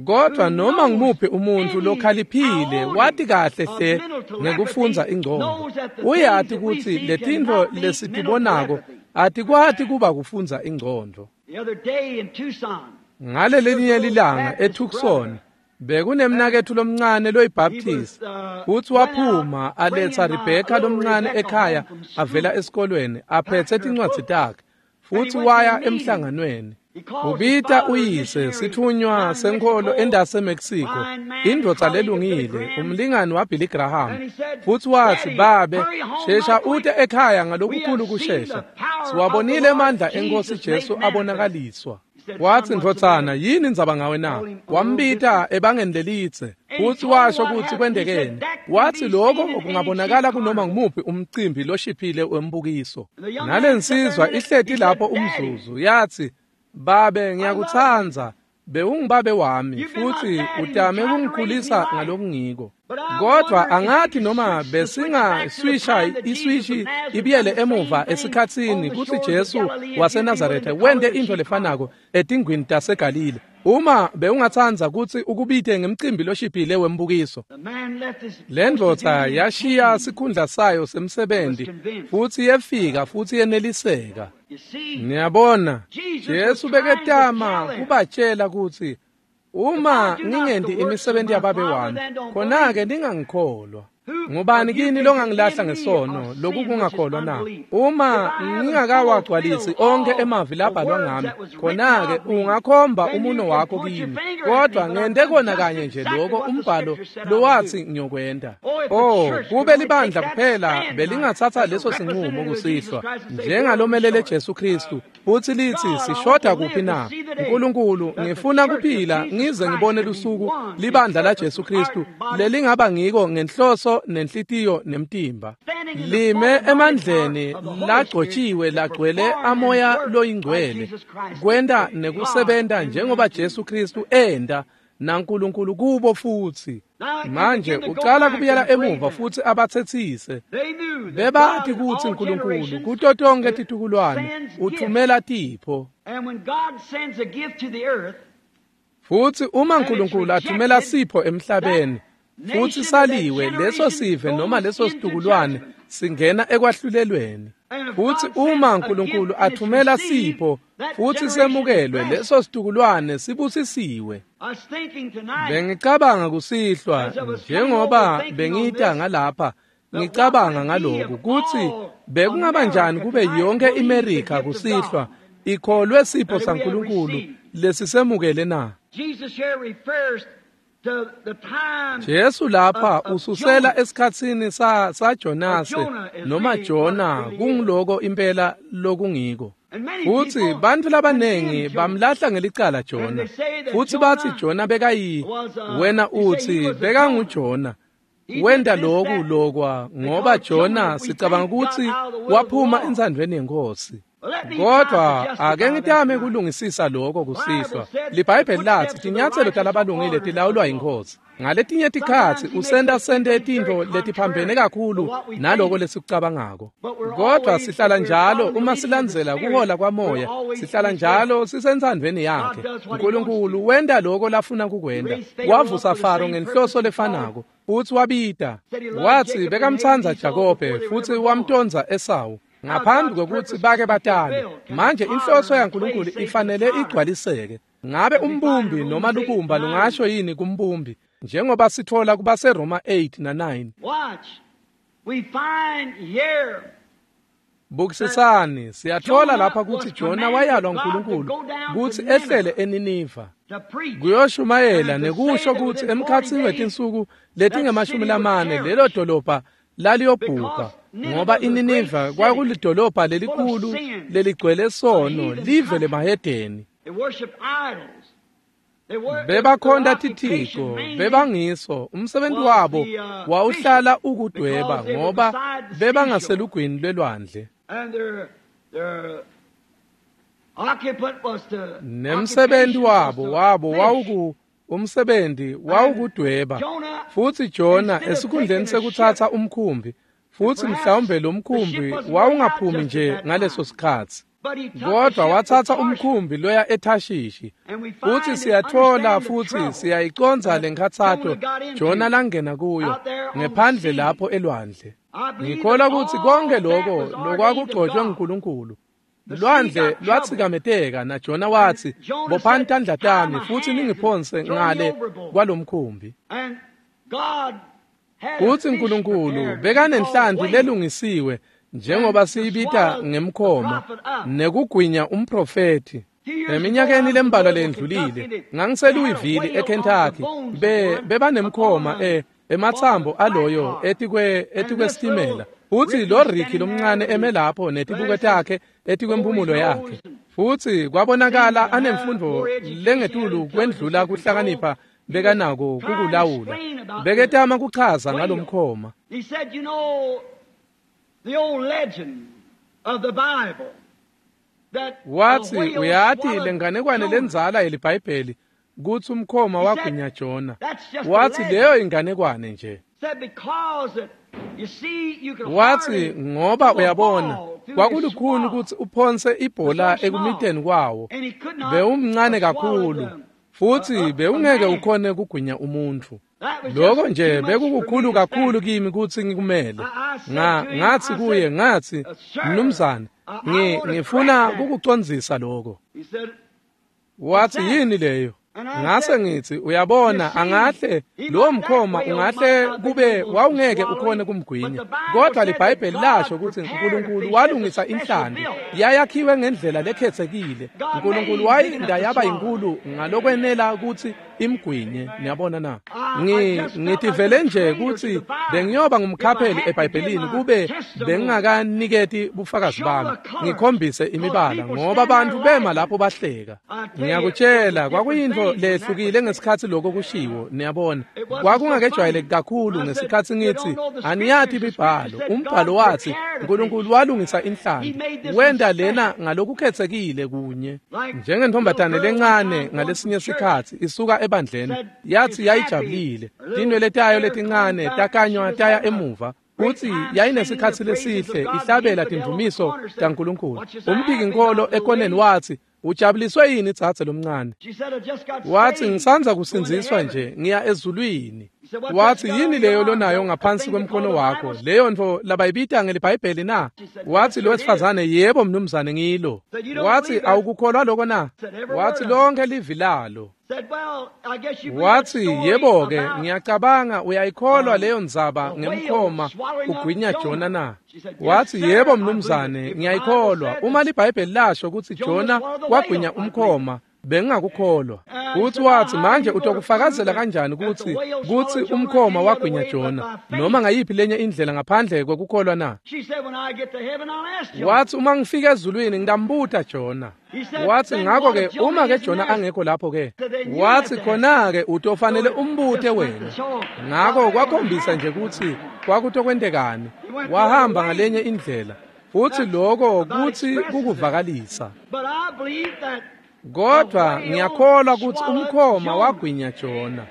Kodwa noma ngumuphi umuntfu lokhaliphile wati kahle hle ngekufundza ingcondvo, uyati kutsi letintfo lesitibonako atikwati kuba kufundza ingcondvo. Ngalelinye lilanga eTucson, bekunemnaketfu lomncane loyiBaptist, futsi waphuma aletsa Rebecca lomncane ekhaya avela esikolweni aphetse tincwadzi takhe, futsi waya emhlanganweni. Ubita uyise sithunywa senkholo endase Mexico, indvodza lelungile, umlingani waBilly Graham. Futsi watsi, "Babe, shesha ute ekhaya ngalokukhulu kushesha. Siwabonile emandla eNkosi Jesu abonakaliswa." Watsi, "Ndvodzana, yini indzaba ngawe na?" Wambita ebangeni lelitse futsi washo kutsi kwentekeni. Watsi lokho kungabonakala kunoma ngumuphi umcimbi loshiphile wembukiso. Nalensizwa ihleti lapho umzuzu yathi, "Babe, ngiyakutsandza, bewungibabe wami futsi utame kungikhulisa ngalokungiko. Kodwa angathi noma besingaswisha iswishi ibiyele emuva esikhatsini kutsi Jesu waseNazaretha wente intfo lefanako etingwini taseGalile. Uma bewungatsandza kutsi ukubite ngemcimbi loshiphile wembukiso." Le ndvodza yashiya sikhundla sayo semsebenzi futsi yefika futsi yeneliseka. Niyabona, Jesu beketama kubatshela kutsi uma ngingenti imisebenti yababe wami, khona-ke ningangikholwa. Ngubani kini longangilahla ngesono loku kungakholwa na? Uma ngingakawagcwalisi onkhe emavi labhalwa ngami, khona-ke ungakhomba umuno wakho kimi, kodwa ngente kona kanye nje lokho umbhalo lowathi ngiyokwenta. Oh, kube libandla kuphela belingatsatsa leso sinqumo kusihlwa njengalomelele Jesu Kristu futsi litsi, "Sishoda kuphi na? Nkulunkulu, ngifuna kuphila ngize ngibone lusuku libandla la Jesu Kristu lelingaba ngiko ngenhloso nenhlitiyo nemtimba, lime emandleni lagcotshiwe lagcwele amoya loyingcwele, kwenta nekusebenta njengoba Jesu Kristu enta naNkulunkulu kubo." Futsi manje ucala kubuyela emuva futsi abatsetsise. Bebati kutsi Nkulunkulu kuto tonkhe titukulwane uthumela tipho. Futsi uma Nkulunkulu athumela sipho emhlabeni futsi saliwe, leso sive noma leso situkulwane singena ekwahlulelweni. Futsi uma Nkulunkulu athumela sipho futsi semukelwe, leso situkulwane sibusisiwe. Bengicabanga kusihlwa njengoba bengita ngalapha, ngicabanga ngaloku kutsi bekungaba njani kube yonke iMerika kusihlwa ikholwe sipho saNkulunkulu lesisemukele na? Jesu lapha ususela esikhatsini sa saJonase noma Jona, kungiloko impela lokungiko. Futsi bantfu labanengi bamlahla ngelicala Jona, futsi batsi Jona bekayi, wena utsi bekanguJona, wenta loku lokwa ngoba Jona sicabanga kutsi waphuma entsandvweni yeNkhosi. Kodwa ake ngitame kulungisisa lokho kusihlwa. LiBhayibheli lathi tinyatselo talabalungile tilawulwa yiNkhosi. Ngaletinye tikhatsi usenta sente tintfo letiphambene kakhulu naloko lesikucabangako. Kodwa sihlala njalo uma silandzela kuhola kwamoya, sihlala njalo sisentsandvweni yakhe. Nkulunkulu wenta loko lafuna kukwenta. Wavusa Faro ngenhloso lefanako futsi wabita. Watsi bekamtsandza Jakobe futsi wamtondza Esawu ngaphambi kwekutsi bake batale. Manje inhloso yaNkulunkulu ifanele igcwaliseke. Ngabe umbumbi noma lubumba lungasho yini kumbumbi, njengoba sitfola kubaseRoma eight na nine? Bukisisani, siyatfola lapha kutsi Jona wayalwa nguNkulunkulu kutsi ehlele eNiniva kuyoshumayela nekusho kutsi emkhatsini wetinsuku letingemashumi lamane lelo dolobha laliyobhubha, ngoba iNiniva kwakulidolobha lelikhulu leligcwele sono, live lemahedeni. Bebakhonta tithico, bebangiso, umsebenzi wabo wawuhlala ukudweba ngoba bebangaselugwini lwelwandle. Nemsebenzi wabo wabo wawuku umsebenzi wawukudweba. Futsi Jona esikhundleni sekutsatsa umkhumbi, futsi mhlawumbe lo mkhumbi wawungaphumi nje ngaleso sikhatsi, kodwa watsatsa umkhumbi loya eThashishi. Futsi siyatfola futsi siyayicondza lenkhatsato Jona langena kuyo ngephandle lapho elwandle. Ngikholwa kutsi konke lokho lokwakugcotshwe nguNkulunkulu. Lwandle lwatsikameteka na Jona wathi, "Bophani tandla tami futsi ningiphonse ngale kwalomkhumbi." Kutsi Nkulunkulu bekanenhlanti lelungisiwe njengoba siyibita ngemkhoma nekugwinya umprofethi. Eminyakeni lembalwa lendlulile ngangiseLouisville eKentucky, be bebanemkhoma e ematsambo aloyo etikwe etikwesitimela, futsi lo Ricky lomncane eme lapho netibuko takhe etikwemphumulo yakhe, futsi kwabonakala anemfundo lengetulu kwendlula kuhlakanipha bekanako kukulawula. Beketama kuchaza ngalomkhoma. He said, you know, the old legend of the Bible that Wathi the whale uyati swallowed lenganekwane Jonah. lendzala yeliBhayibheli kutsi umkhoma wagwinya Jona. That's just a Wathi legend. leyo inganekwane nje. Said because that, you see, you could Wathi hardly ngoba throw a uyabona ball through his kwakulukhuni swallow. kutsi uphonse ibhola So small. ekumiteni kwawo. And he could not Bewumncane have swallowed kakhulu them. futsi A- a- bewungeke a man. ukhone kugwinya umuntfu. That was Lokho just nje too much for me bekukukhulu to kakhulu stand. kimi kutsi ngikumele. I- I said Nga to him, ngathi I kuye said, ngathi "Uh, sir, mnumzane I- I ngi wanna ngifuna correct that." kukucondzisa lokho. He said, Wathi that? yini leyo? And I Ngase said, ngithi uyabona "You see, angahle he lo might- mkhoma that whale ungahle might not be kube able to wawungeke swallow ukhone him, kumgwinya. but the Bible Kodwa said that liBhayibheli God lasho kutsi prepared a uNkulunkulu fish walungisa that's a special inhlanti built. yayakhiwe ngendlela lekhethekile. God uNkulunkulu made him big wayinda enough to yaba swallow. inkulu ngalokwenela kutsi imgwinye. Niyabona na? I- I Ngi just felt ngitivele like a nje traitor to kutsi the Bible. bengiyoba If I ngumkhapheli had to give eBhayibhelini my kube testimony, bengingakaniketi bufakazi show bami the colors, ngikhombise because imibala people ngoba stand abantu there bema laughing. lapho bahleka. I tell you, it was a Ngiyakutshela different kwakuyintfo thing when that was lehlukile said. ngesikhatsi lokho kushiwo. Niyabona It wasn't so kwakungakejwayeleki funny. kakhulu I said, ngesikhatsi you ngithi don't know the aniyati scriptures. The imibhalo. scripture said God Umbhalo wathi prepared a fish. uNkulunkulu walungisa He inhlanti made this wenta one lena special. ngalokukhethekile kunye. Like little Njengentombazane girl one lencane time going ngalesinye from church sikhatsi isuka ebandleni said yathi she's happy. yayijabulile Her little tinwele tayo hair letincane combed back. She takanywa was taya having a emuva great kutsi time singing the yayinesikhatsi praises of lesihle God. The ihlabela infidel on the tindumiso corner said, taNkulunkulu. what you so happy Umphikinkholo about, little ekoneni lady? wathi ujabuliswe yini dzadze lomncane? She said, I just got Wathi saved, ngisandza going to kusindziswa heaven. nje ngiya ezulwini. He said, what Wathi that's got yini on your leyo arm? lonayo A ngaphansi thing they call kwemkhono the wakho? Bible? Leyo ntfo labayibita ngeliBhayibheli na? She said, yes, Wathi sir, lo it is. wesifazane yebo mnumzane ngilo. Said, you don't Wathi believe that? awukukholwa lokho na? Said, every word Wathi of it. lonke livi lalo. Said, well, I guess you believe that Wathi story yebo ke about ngiyacabanga uyayikholwa um, leyo ndzaba the whale ngemkhoma swallowing up ugwinya Jona Jonah. na? She said, yes, Wathi sir, yebo I believe it. mnumzane If the Bible ngiyayikholwa. said Uma that liBhayibheli lasho kutsi Jonah Jona swallowed the whale, wagwinya I believe it. umkhoma bengingakukholwa. And he Futhi said, now wathi how are manje you going to prove utokufakazela that, kanjani that the kutsi whale kutsi swallowed Jonah umkhoma any other wagwinya way but Jona by noma faith? ngayiphi lenye indlela ngaphandle kwekukholwa na? She said, when I get to heaven, I'll ask Jonah. Wathi uma ngifika ezulwini ngitambuta Jona. He said, Wathi then ngakho what ke if Jonah uma ke isn't Jona there? angekho lapho ke Said, then you have wathi to ask him. khona ke utofanele So it umbute just went to wena. show Ngakho what was going to kwakhombisa nje happen. kutsi kwakutokwentekani. He went the other Wahamba way. ngalenye indlela futsi That's lokho about kutsi expresses it. kukuvakalisa. But I believe that the Kodwa whale ngiyakholwa kutsi swallowed umkhoma Jonah. wagwinya Jona.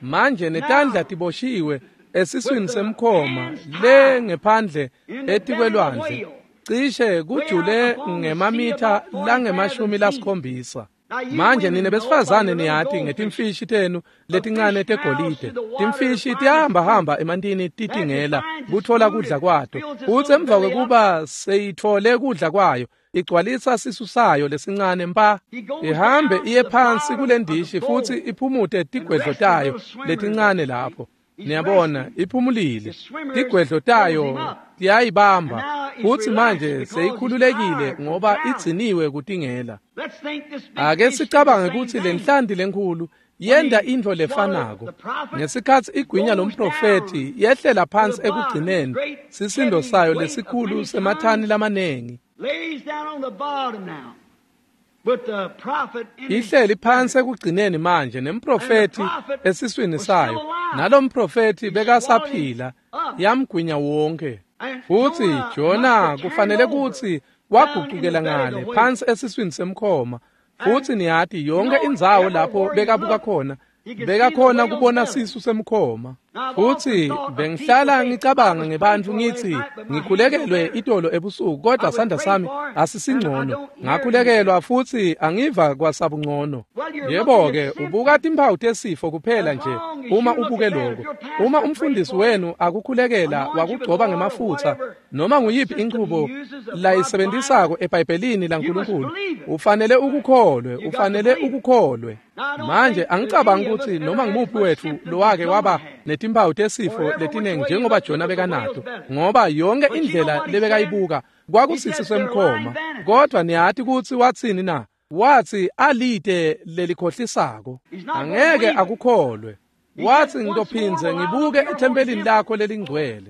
Manje netandla Now, tiboshiwe with esiswini the semkhoma hands le tied ngephandle in the belly of the etikwelwandle whale, cishe way out kujule upon the sea ngemamitha about forty langemashumi fathoms deep. lasikhombisa. Now, you Manje women nine know by besifazane your little niyati goldfish, ngetimfishi tenu a fish letincane piles tegolide. through the water to Timfishi find its tiyahamba food. hamba emantini As it titingela finds its kutfola food, kudla it kwato. fills its Futsi little emva belly up. kwekuba seyitfole kudla kwayo igcwalisa sisu sayo lesincane mpa He goes ihambe down to iye the phansi bottom kule of the ndishi futsi bowl iphumute and tigwedlo rests the tayo little swimmers letincane there. See? lapho. He's Niyabona resting. iphumulile The swimmers tigwedlo holds him tayo up. And tiyayibamba now he's futsi relaxed manje because he's seyikhululekile tired from ngoba drowning. igciniwe kutingela. Let's think this big Ake fish did the sicabange same kutsi thing. lenhlanti lenkhulu When yenta he intfo swallowed lefanako. the prophet, Ngesikhatsi igwinya goes lomprofethi down yehlela to phansi the bottom, ekugcineni great sisindo heavy sayo weight of lesikhulu many semathani tons, lamanengi. lays down on the bottom now. But the prophet in his Ihleli phansi belly, ekugcineni manje and the nemprofethi prophet esiswini was still sayo. alive. Nalomprofethi He swallowed him bekasaphila up. yamgwinya wonke. And Futsi Jonah must Jona have turned kufanele over kutsi down in the wagucukela belly of the ngale whale. phansi esiswini semkhoma. And Futsi niyati you yonke know, indzawo lapho everywhere he bekabuka looked, khona he could see the bekakhona whale's kubona belly. sisu semkhoma. Now, I've often Futsi thought of people bengihlala say, I ngicabanga was prayed ngebantfu for last ngitsi night, but my hands no ngikhulekelwe better. itolo ebusuku I kodwa was sandla prayed sami for, and I asisingcono. don't hear anything. Ngakhulekelwa futsi angiva kwasabungcono. Well, you're looking Yebo-ke at ubuka symptoms. timphawu tesifo kuphela As nje long as uma you look ubuke at that, if lokho. your Uma pastor prayed umfundisi for you, wenu akukhulekela anoint you with wakugcoba oil or ngemafutsa whatever noma nguyiphi system he inchubo uses of God's layisebenzisako Bible, eBhayibhelini you must laNkulunkulu believe it. ufanele ukukholwe You got to ufanele believe it. ukukholwe. Now, I don't Manje think there's angicabangi any of us kutsi ever noma had as ngumuphi much wethu symptoms as lowake Jonah waba had. netimphawu tesifo Or every which letinengi way you njengoba looked, it Jona was a whale's bekanato belly. ngoba yonke But you know indlela what he said? lebekayibuka He kwakusisi said they're lying semkhoma. vanities. Kodwa niyati kutsi watsini na? Wathi alite lelikhohlisako, angeke akukholwe. Wathi ngitophindze ngibuke ethempelini lakho lelingcwele.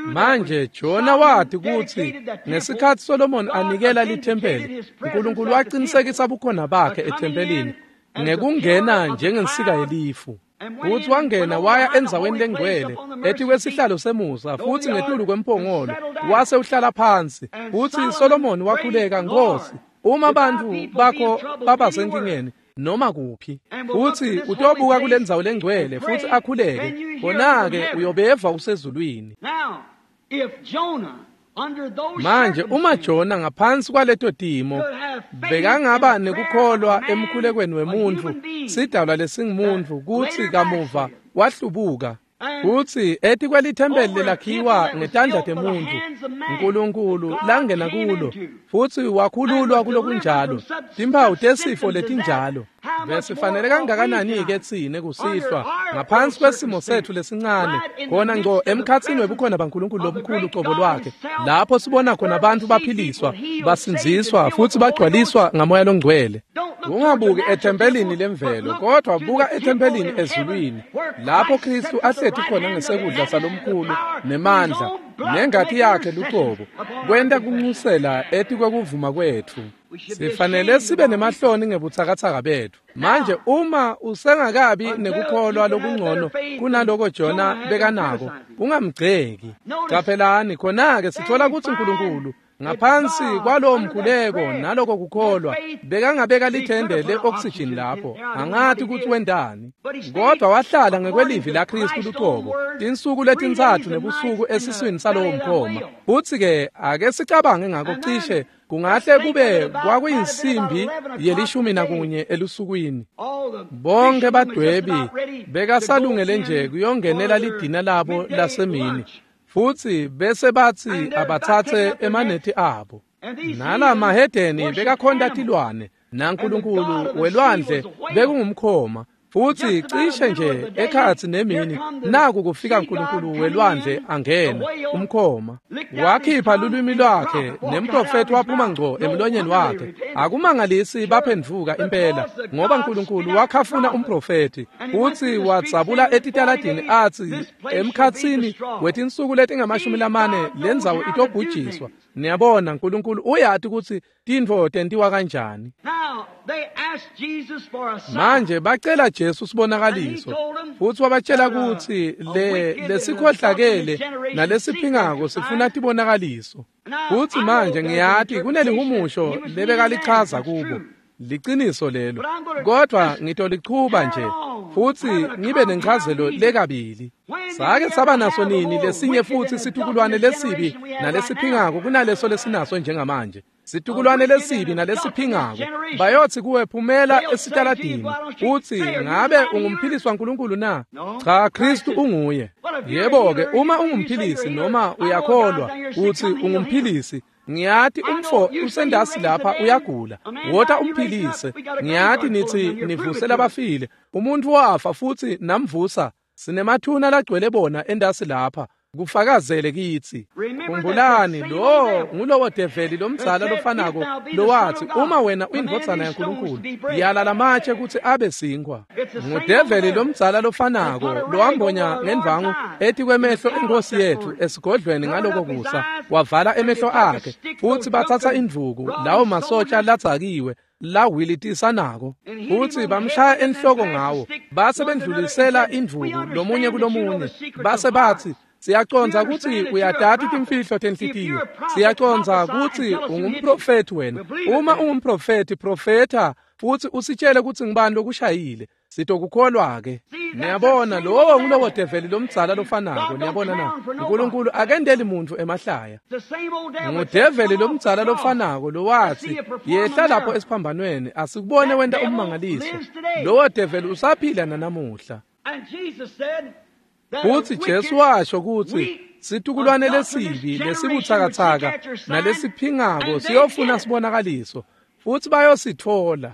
Manje Jona wathi kutsi ngesikhatsi Solomon anikela lithempeli, uNkulunkulu waqinisekisa bukhona bakhe ethempelini ngekungena njengensika yelifu. Futhi wangena waya endzaweni lengcwele etikwesihlalo semusa futhi ngetulu kwemphongolo wase uhlala phansi. Futhi Solomon wakhuleka, Nkosi, uma bantu bakho baba senkingeni noma kuphi, futhi utobuka kule ndzawo lengcwele futhi akhuleke, khona-ke uyobeva usezulwini. Manje uma Jona ngaphansi kwaleto timo bekangaba nekukholwa emkhulekweni wemuntfu, sidalwa lesingumuntu, kutsi kamuva wahlubuka kutsi etikwelithempeli lelakhiwa ngetandla temuntfu uNkulunkulu langena kulo futhi wakhululwa kulokunjalo, timphawu tesifo letinjalo. Besifanele kangakanani-ke tsine kusihlwa ngaphansi kwesimo setfu lesincane, khona ngco emkhatsini webukhona baNkulunkulu lomkhulu cobo lwakhe, lapho sibona khona abantu baphiliswa, basindziswa futhi bagcwaliswa ngamoya longcwele. Ungabuki ethempelini lemvelo, kodwa buka ethempelini ezulwini, lapho Kristu ahleti khona ngesekudla salomkhulu nemandla nengati yakhe lucobo, kwenta kunxusela etikwekuvuma kwetfu. Sifanele sibe nemahloni ngebutsakatsaka betfu. Manje uma usengakabi nekukholwa lokungcono kunaloko Jona bekanako, ungamgceki. Qaphelani khona-ke sithola kutsi uNkulunkulu ngaphansi kwalowo mkhuleko naloko kukholwa bekangabeka lithende le-oxygen lapho, angathi kutsi wendani, kodwa wahlala ngekwelivi laKristu lucobo tinsuku letintsatfu nebusuku esiswini salowo mkhoma. Futsi-ke ake sicabange ngako, cishe kungahle kube kwakuyinsimbi yelishumi nakunye elusukwini. Bonke badwebi bekasalungele nje kuyongenela lidina labo lasemini, futhi bese bathi abathathe emanethi abo. Nala mahedeni bekakhonta tilwane, naNkulunkulu welwandle bekungumkhoma. Futhi cishe nje ekhatsi nemini naku kufika uNkulunkulu welwandle angena umkhoma, wakhipha lulwimi lwakhe nemprofethi waphuma ngco emlonyeni wakhe. Akumangalisi baphendvuka impela, ngoba uNkulunkulu wakhafuna umprofethi futhi wadzabula etitaladini athi emkhatsini wetinsuku letingamashumi lamane lendzawo itobhujiswa. Niyabona, uNkulunkulu uyati kutsi tintfo tentiwa kanjani. Manje bacela Jesu sibonakaliso, futhi wabatshela kutsi le lesikhohlakele nalesiphingako sifuna tibonakaliso. Futhi manje ngiyati kunelihumusho lebekalichaza kubo, liciniso lelo, kodwa ngitolichuba nje futhi ngibe nenchazelo lekabili. Sake saba naso nini lesinye futhi situkulwane lesibi nalesiphingako kunaleso lesinaso njengamanje? Situkulwane lesibi nalesiphingako bayothi kuwe, phumela esitaladini, uthi ngabe ungumphilisi waNkulunkulu na? Cha, Kristu unguye. Yebo-ke, uma ungumphilisi noma uyakholwa uthi ungumphilisi, ngiyati umfo usendasi lapha uyagula, wota umphilise. Ngiyati nithi nivuse labafile, umuntu wafa futhi namvusa, sinemathuna lagcwele bona endasi lapha, kufakazele kitsi. Khumbulani, lo ngulowo develi lomdzala lofanako lowathi uma wena uyindvodzana yaNkulunkulu yala lamatshe kutsi abe sinkhwa. Ngudeveli lomdzala lofanako lowambonya ngendvangu etikwemehlo enkosi yetfu esigodlweni ngaloko kusa, wavala emehlo akhe, futhi batsatsa indvuku lawo masotsha ladzakiwe lawilitisanako futhi bamshaya enhloko ngawo, base bendlulisela indvuku lomunye kulomunye, base bathi siyacondza kutsi uyatati timfihlo tenhlitiyo, siyacondza kutsi ungumprofethi wena. Uma ungumprofethi, profetha futhi usitshele kutsi ngubani lokushayile, sitokukholwa-ke. Niyabona, lowo ngulowo develi lomdzala lofanako. Niyabona na? uNkulunkulu akendeli muntfu emahlaya. Ngudeveli lomdzala lofanako lowathi yehla lapho esiphambanweni asikubone wenta ummangaliso. Lowo develi usaphila nanamuhla. Futhi Jesu washo kutsi situkulwane lesibi lesibutsakatsaka nalesiphingako siyofuna sibonakaliso, futhi bayosithola.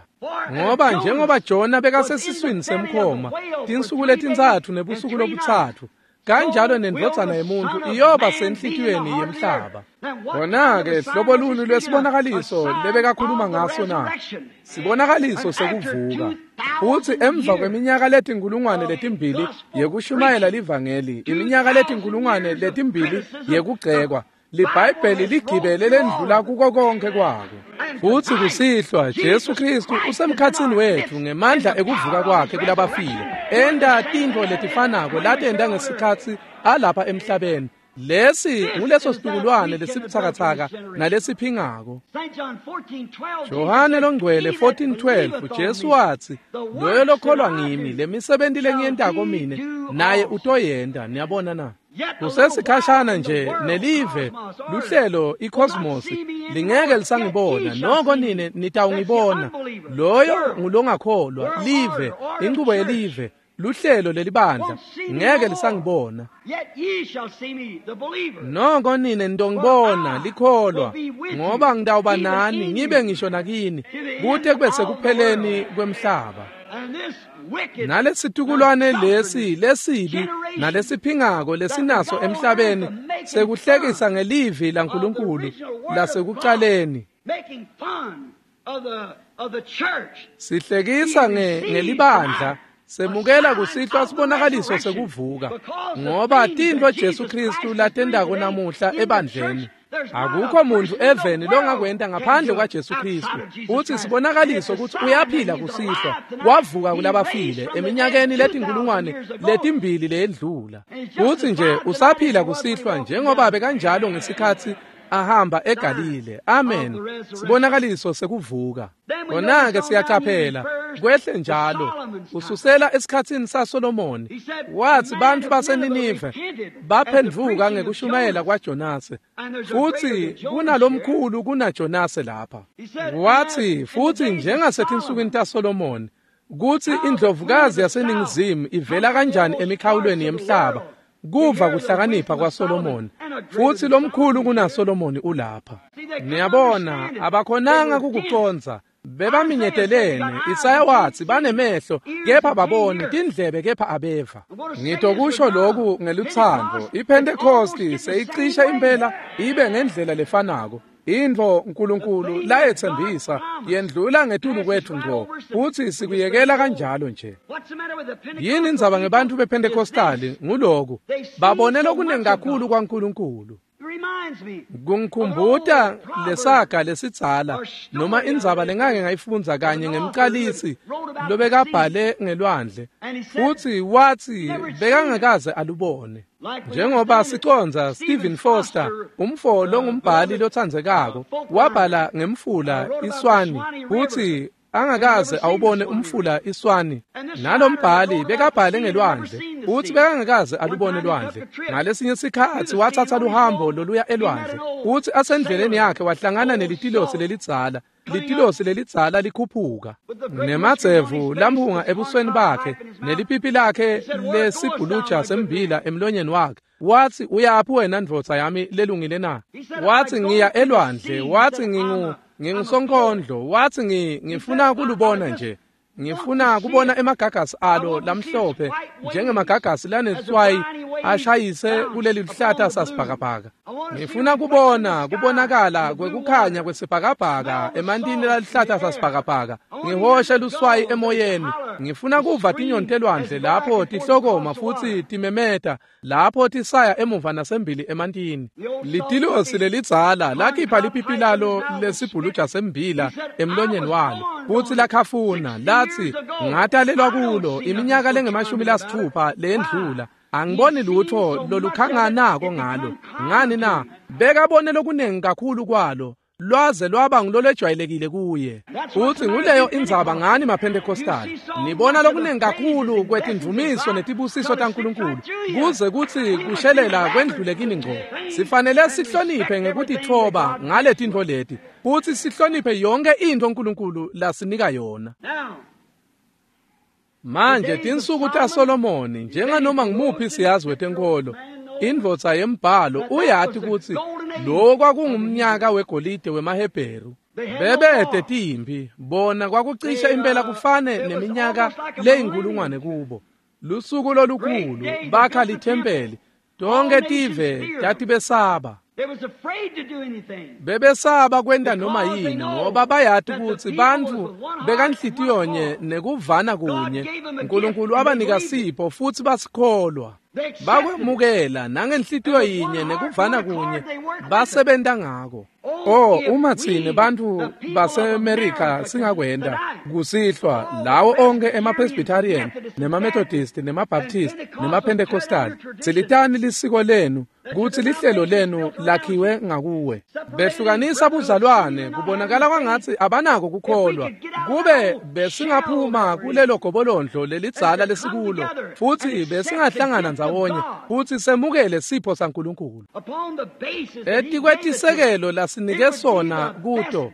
Ngoba njengoba Jona bekasesiswini semkhoma tinsuku letintsatfu nebusuku lobutsatfu, Kanjalo nendvodzana yemuntu iyoba senhlitiyweni yemhlaba. Kona-ke hlobo luni lwesibonakaliso lebekakhuluma ngaso na? Sibonakaliso sekuvuka. Futsi emva kweminyaka letinkulungwane letimbili yekushumayela livangeli, iminyaka letinkulungwane letimbili yekugcekwa, liBhayibheli ligibele lendlula kuko konke kwako. Futsi kusihlwa Jesu Kristu usemkhatsini wetfu ngemandla ekuvuka kwakhe kulabafile, enta tintfo letifanako latenta ngesikhatsi alapha emhlabeni. Lesi nguleso situkulwane lesibutsakatsaka nalesiphingako. Johane longcwele fourteen twelve Jesu watsi, loyo lokholwa ngimi, lemisebenti lengiyentako mine naye utoyenta. Niyabona na? Kusesikhashana nje nelive luhlelo icosmos lingeke lisangibona, noko nine nitawungibona. Loyo ngulongakholwa, live, inchubo yelive, luhlelo lelibandla ngeke lisangibona. Noko nine nitongibona, likholwa, ngoba ngitawuba nani ngibe ngisho nakini kute kube sekupheleni kwemhlaba. Nalesitukulwane lesi lesibi nalesiphingako lesinaso emhlabeni sekuhlekisa ngelivi laNkulunkulu lasekucaleni, sihlekisa ngelibandla, semukela kusihlwa sibonakaliso sekuvuka, ngoba tintfo Jesu Kristu latentako namuhla ebandleni akukho muntu eveni longakwenta ngaphandle kwaJesu Kristu. Uthi sibonakaliso ukuthi uyaphila kusihlwa, wavuka kulabafile eminyakeni letinkulungwane letimbili leyendlula. Uthi nje usaphila kusihlwa njengoba bekanjalo ngesikhatsi ahamba eGalile. Amen. Sibonakaliso sekuvuka. Kona-ke siyacaphela kwehle njalo ususela esikhatsini saSolomoni. Wathi bantfu baseNinive baphendvuka ngekushumayela kwaJonase, futsi kunalomkhulu kunaJonase lapha. Wathi futsi njengasetinsukwini taSolomoni kutsi indlovukazi yaseNingizimu ivela kanjani emikhawulweni yemhlaba kuva kuhlakanipha kwaSolomoni, futsi lomkhulu kunaSolomoni ulapha. Niyabona, abakhonanga kukucondza, bebaminyetelene. Isaya watsi banemehlo kepha baboni, tindlebe kepha abeva. Ngitokusho lokhu ngelutsandvo, iPhentekosti seyicishe impela ibe ngendlela lefanako. Intfo uNkulunkulu layetsembisa yendlula ngetulu kwetfu ngco, futsi sikuyekela kanjalo nje. Yini indzaba ngebantfu bePhentekostali? Nguloku babone lokunengi kakhulu kwaNkulunkulu. Kungikhumbuta lesaga lesidzala noma indzaba lengake ngayifundza kanye ngemcalisi lobekabhale ngelwandle, futsi watsi bekangakaze alubone. Njengoba siconza Stephen Foster, umfo longumbhali lotsandzekako, wabhala ngemfula iSwani, futsi angakaze awubone umfula iSwani. Nalombhali bekabhale ngelwandle, utsi bekangakaze alubone lwandle. Ngalesinye sikhatsi watsatsa luhambo loluya elwandle, utsi asendleleni yakhe wahlangana nelitilosi lelidzala. Litilosi lelidzala likhuphuka nemadzevu lamhunga ebusweni bakhe nelipipi lakhe lesibhuluja sembila emlonyeni wakhe. Wathi, uyaphi wena ndvodza yami lelungile na? Wathi, ngiya elwandle. Wathi, ngingu ngingusonkondlo. Wathi, ngifuna kulubona nje, ngifuna kubona emagagasi alo lamhlophe njengemagagasi laneswayi ashayise kuleli luhlata sasibhakabhaka. Ngifuna kubona kubonakala kwekukhanya kwesibhakabhaka emantini laluhlata sasibhakabhaka, ngihoshe luswayi emoyeni. Ngifuna kuva tinyoni telwandle lapho tihlokoma futsi timemeta lapho tisaya emuva nasembili emantini. Litilosi lelidzala lakhipha lipipi lalo lesibhuluja sembila emlonyeni walo, futsi lakhafuna lathi, ngatalelwa kulo iminyaka lengemashumi lasithupha leyendlula, angiboni lutho lolukhanganako ngalo. Ngani na? Bekabone lokunengi kakhulu kwalo, lwaze lwaba ngulolwejwayelekile kuye. Futsi nguleyo indzaba ngani maPhentekostali, nibona lokunengi kakhulu kwetindvumiso netibusiso taNkulunkulu kuze kutsi kushelela kwendlule kini ngco. Sifanele sihloniphe ngekutitfoba ngale tintfo leti, futsi sihloniphe yonke intfo uNkulunkulu lasinika yona. Manje tinsuku taSolomoni, njenganoma ngumuphi siyazi wetenkolo, indvodza yembhalo uyati kutsi lo kwakungumnyaka wegolide wemaHebheru. Bebete timphi, bona kwakucishe impela kufane neminyaka leyinkulungwane kubo. Lusuku lolukhulu bakha lithempeli. Tonke tive tatibesaba. Bebesaba kwenta noma yini ngoba bayati kutsi bantfu bekanhlitiyonye nekuvana kunye. Nkulunkulu wabanika sipho futsi basikholwa. Bakwemukela nangenhlitiyo yinye nekuvana kunye basebenta ngako. Oh, uma tsine bantfu baseMerica singakwenta kusihlwa lawo onke ema-Presbyterian nema-Methodist nema-Baptist nema-Pentecostal, tsilitani lisiko lenu kutsi lihlelo lenu lakhiwe ngakuwe. Behlukanisa buzalwane kubonakala kwangatsi abanako kukholwa. Kube besingaphuma kulelo gobolondlo lelidzala lesikulo futsi besingahlangana ndzawonye futsi semukele sipho saNkulunkulu. Etikwetisekelo lasinike sona kuto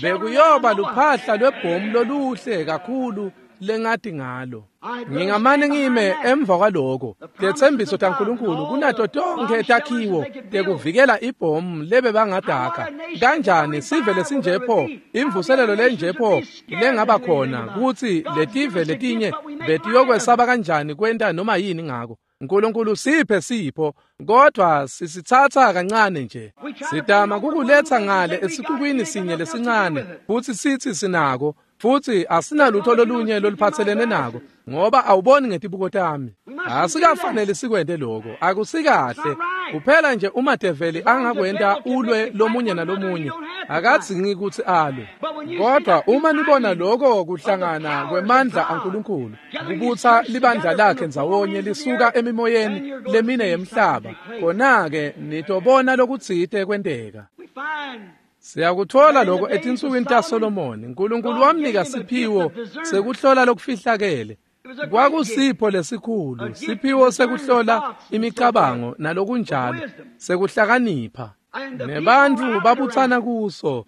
bekuyoba luphahla lwebhomu loluhle kakhulu lengati ngalo. Ngingamane ngime emva kwaloko. Tetsembiso taNkulunkulu kunato tonkhe takhiwo tekuvikela ibhomu lebe bangadaka. Kanjani sive lesinjepho, imvuselelo lenjepho lengaba khona kutsi letive letinye betiyokwesaba kanjani kwenta noma yini ngako. Nkulunkulu siphe sipho, kodwa sisitsatsa kancane nje. Sitama kukuletsa ngale esixukwini sinye lesincane futsi sithi sinako, futsi asinalutho lolunye loluphatselene nako ngoba awuboni ngetibuko tami. Asikafanele sikwente lokho, akusikahle. Kuphela nje uma develi angakwenta ulwe lomunye nalomunye, akadzingi kutsi alwe. Kodwa uma nibona lokho kuhlangana kwemandla aNkulunkulu kubutsa libandla lakhe ndzawonye lisuka emimoyeni lemine yemhlaba, khona-ke nitobona lokutsite kwenteka. Siyakuthola lokho etinsukwini taSolomoni. Nkulunkulu wamnika siphiwo sekuhlola lokufihlakele. Kwakusipho lesikhulu, siphiwo sekuhlola imicabango nalokunjalo, sekuhlakanipha. Nebantfu babutsana kuso,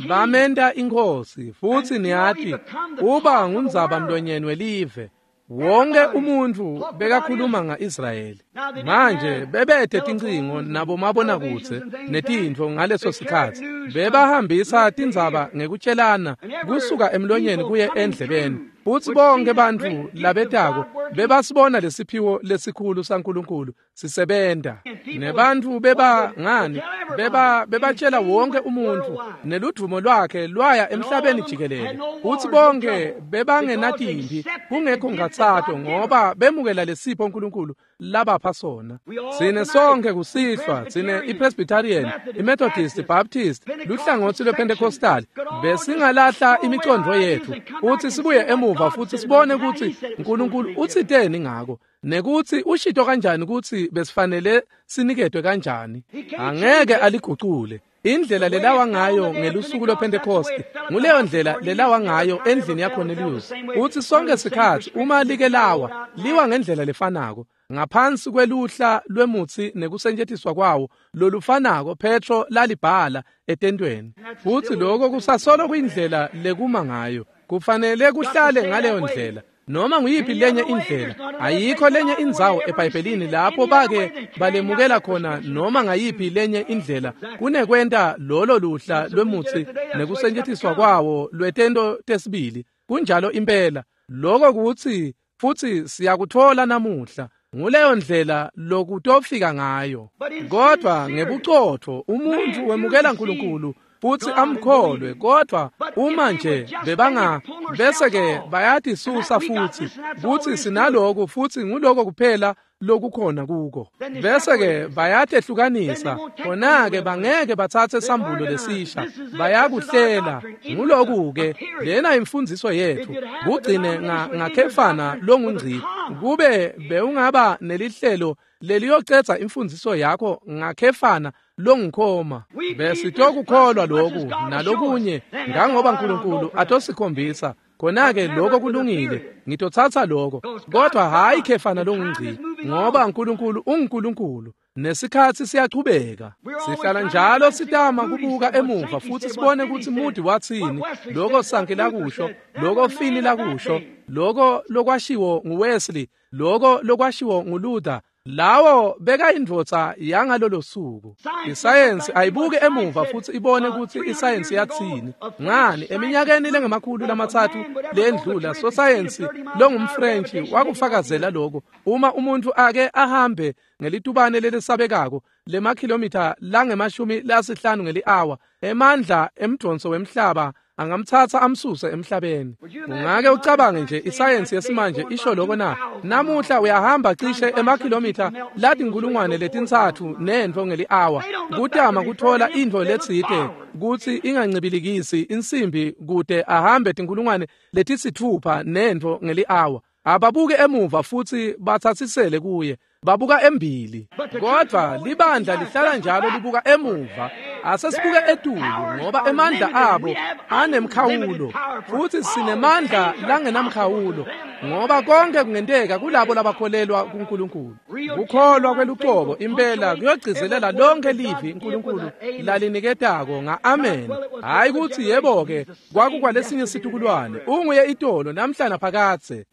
bamenta inkhosi, futsi niyati uba ngundzaba mlonyeni welive. Wonke umuntfu bekakhuluma nga-Israyeli. Manje bebete tincingo nabomabonakudze netintfo ngaleso sikhatsi. Bebahambisa tindzaba ngekutshelana kusuka emlonyeni kuye endlebeni. Futsi bonke bantfu labetako bebasibona lesiphiwo lesikhulu saNkulunkulu sisebenta. Nebantfu beba ngani beba bebatshela wonke umuntfu neludvumo lwakhe lwaya emhlabeni jikelele. Futsi bonke bebangenatimpi kungekho ngatsato ngoba bemukela lesipho uNkulunkulu labapha sona. Sine sonke kusihlwa, sine iPresbyterian, iMethodist, Baptist, luhlangotsi lwePentecostal, besingalahla imicondvo yetfu futsi sibuye emuva futsi sibone kutsi uNkulunkulu utsiteni ngako nekutsi ushito kanjani kutsi besifanele siniketwe kanjani. Angeke aligucule. Indlela lelawa ngayo ngelusuku lwePentecost nguleyo ndlela lelawa ngayo endlini yaCornelius. Utsi sonke sikhatsi uma like lawa liwa ngendlela lefanako ngaphansi kweluhla lwemutsi nekusetjentiswa kwawo lolufanako Petro lalibhala etentweni. Futsi lokho kusasolo kuyindlela lekuma ngayo. Kufanele kuhlale ngaleyo ndlela. Noma nguyiphi lenye indlela, ayikho lenye indzawo eBhayibhelini lapho bake balemukela khona noma ngayiphi lenye indlela kunekwenta lolo luhla lwemutsi nekusetjentiswa kwawo lwetento tesibili. Kunjalo impela. Lokho kutsi futsi siyakuthola namuhla. Nguleyo ndlela lokutofika ngayo. Kodwa ngebucotfo umuntfu wemukela uNkulunkulu futsi amkholwe, kodwa uma nje bebanga bese ke bayatisusa futsi kutsi sinaloku futsi nguloko kuphela lokukhona kuko, bese ke bayatehlukanisa. Khona-ke bangeke batsatse sambulo lesisha, bayakuhlela. Nguloku-ke lena imfundziso yethu, kugcine ngakhefana longungci. Kube bewungaba nelihlelo leliyocedza imfundziso yakho ngakhefana longikhoma, besitokukholwa loku nalokunye ngangoba uNkulunkulu atosikhombisa. Khona-ke lokho kulungile, ngitotsatsa lokho, kodwa hhayi khefana longungci, ngoba uNkulunkulu unguNkulunkulu nesikhatsi siyachubeka. Sihlala njalo sitama kubuka emuva futsi sibone kutsi Moody watsini, lokho Sankey lakusho, lokho Finney lakusho, lokho lokwashiwo nguWesley, lokho lokwashiwo nguLuther. Lawo bekayindvodza yangalolo suku. Isayensi ayibuke emuva futsi ibone kutsi isayensi yatsini. Ngani, eminyakeni lengemakhulu lamatsatfu lendlula, sosayensi longumFrentshi wakufakazela lokho. Uma umuntu ake ahambe ngelitubane lelisabekako lemakhilomitha langemashumi lasihlanu ngeli-awa, emandla emdonso wemhlaba angamtsatsa amsuse emhlabeni. Ungake ucabange nje isayensi yesimanje isho lokho na? Namuhla uyahamba cishe emakhilomitha latinkulungwane letintsatfu nentfo ngeli-awa kutama kuthola intfo letsite kutsi ingancibilikisi insimbi kute ahambe tinkulungwane letisitfupha nentfo ngeli-awa. Ababuke emuva futsi batsatsisele kuye, babuka embili. Kodvwa libandla lihlala njalo libuka emuva, asesibuke etulu, ngoba emandla abo anemkhawulo, futsi sinemandla langenamkhawulo, ngoba konke kungenteka kulabo labakholelwa kuNkulunkulu. Kukholwa kwelucobo impela kuyogcizelela lonke livi uNkulunkulu laliniketako nga-amen. Hhayi kutsi yebo-ke kwakukwalesinye situkulwane, unguye itolo namhla naphakadze.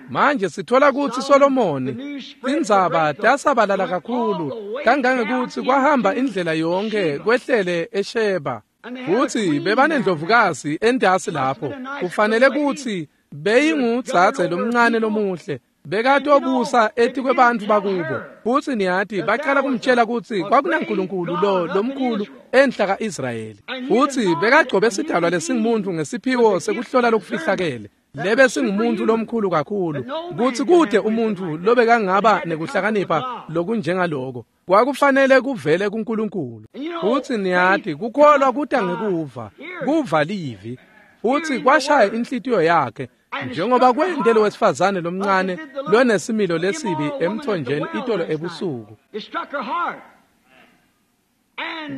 Manje sithola kutsi Solomoni tindzaba tasabalala kakhulu kangangekutsi kwahamba indlela yonke kwehlele eSheba. Futsi bebanendlovukazi entasi lapho, kufanele kutsi beyingudzadze lomncane lomuhle, bekatobusa etikwebantfu bakubo. Futsi niyati bacala kumtshela kutsi kwakunaNkulunkulu lo lomkhulu enhla ka-Israyeli. Futsi bekagcobe sidalwa lesingumuntu ngesiphiwo sekuhlola lokufihlakele, lebe singumuntu lomkhulu kakhulu kutsi kude umuntfu lobekangaba nekuhlakanipha lokunjengaloko. Kwakufanele kuvele kuNkulunkulu. Futsi niyati kukholwa kuta ngekuva, kuva livi. Futsi kwashaya inhlitiyo yakhe, njengoba kwente lo wesifazane lomncane lonesimilo lesibi emthonjeni itolo ebusuku.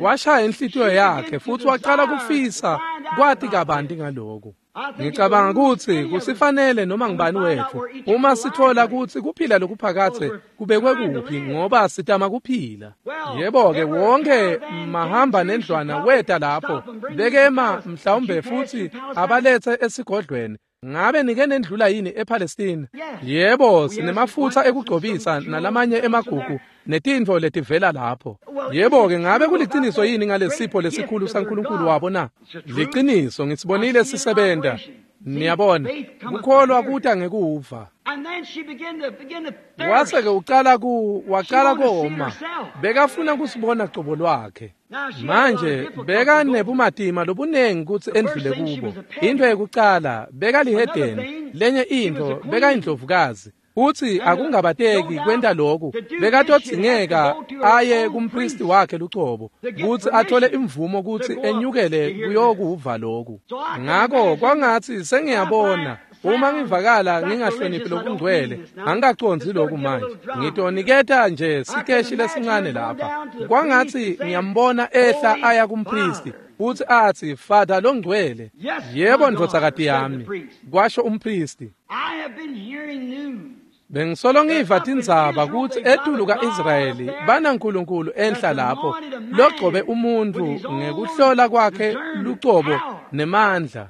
Kwashaya inhlitiyo yakhe futsi wacala kufisa kwati kabanti ngaloko. Ngicabanga kutsi kusifanele noma ngubani wetfu uma sithola kutsi kuphila lokuphakadze kubekwe kuphi, ngoba sitama kuphila. Yebo-ke, wonke mahamba nendlwana weta lapho bekema mhlawumbe futsi abalethe esigodlweni. Ngabe nike nendlula yini ePalestina? Yebo, sinemafutsa ekugcobisa nalamanye emagugu netintfo letivela lapho. Yebo-ke, ngabe kuliciniso yini ngalesipho lesikhulu saNkulunkulu wabo na? Liciniso, ngisibonile sisebenta. Niyabona, kukholwa kuta ngekuva. Wase-ke ucala ku wacala koma, bekafuna kusibona cobo lwakhe. Manje bekanebumatima lobunengi kutsi endlule kubo. Into yekucala bekalihedeni, lenye intfo bekayindlovukazi. Futsi akungabateki kwenta lokhu, bekatodzingeka aye kumpristi wakhe lucobo kutsi athole imvumo kutsi enyukele kuyokuva lokhu. Ngako kwangatsi sengiyabona uma ngivakala ngingahloniphi lokungcwele, angikacondzi lokhu manje. Ngitoniketa nje sikeshi lesincane lapha. Kwangatsi ngiyambona ehla aya kumpristi futsi atsi, "Father longcwele." "Yebo ndvodzakati yami," kwasho umpristi. Bengisolo ngiva tindzaba kutsi etulu ka-Israyeli banaNkulunkulu enhla lapho logcobe umuntu ngekuhlola kwakhe lucobo nemandla.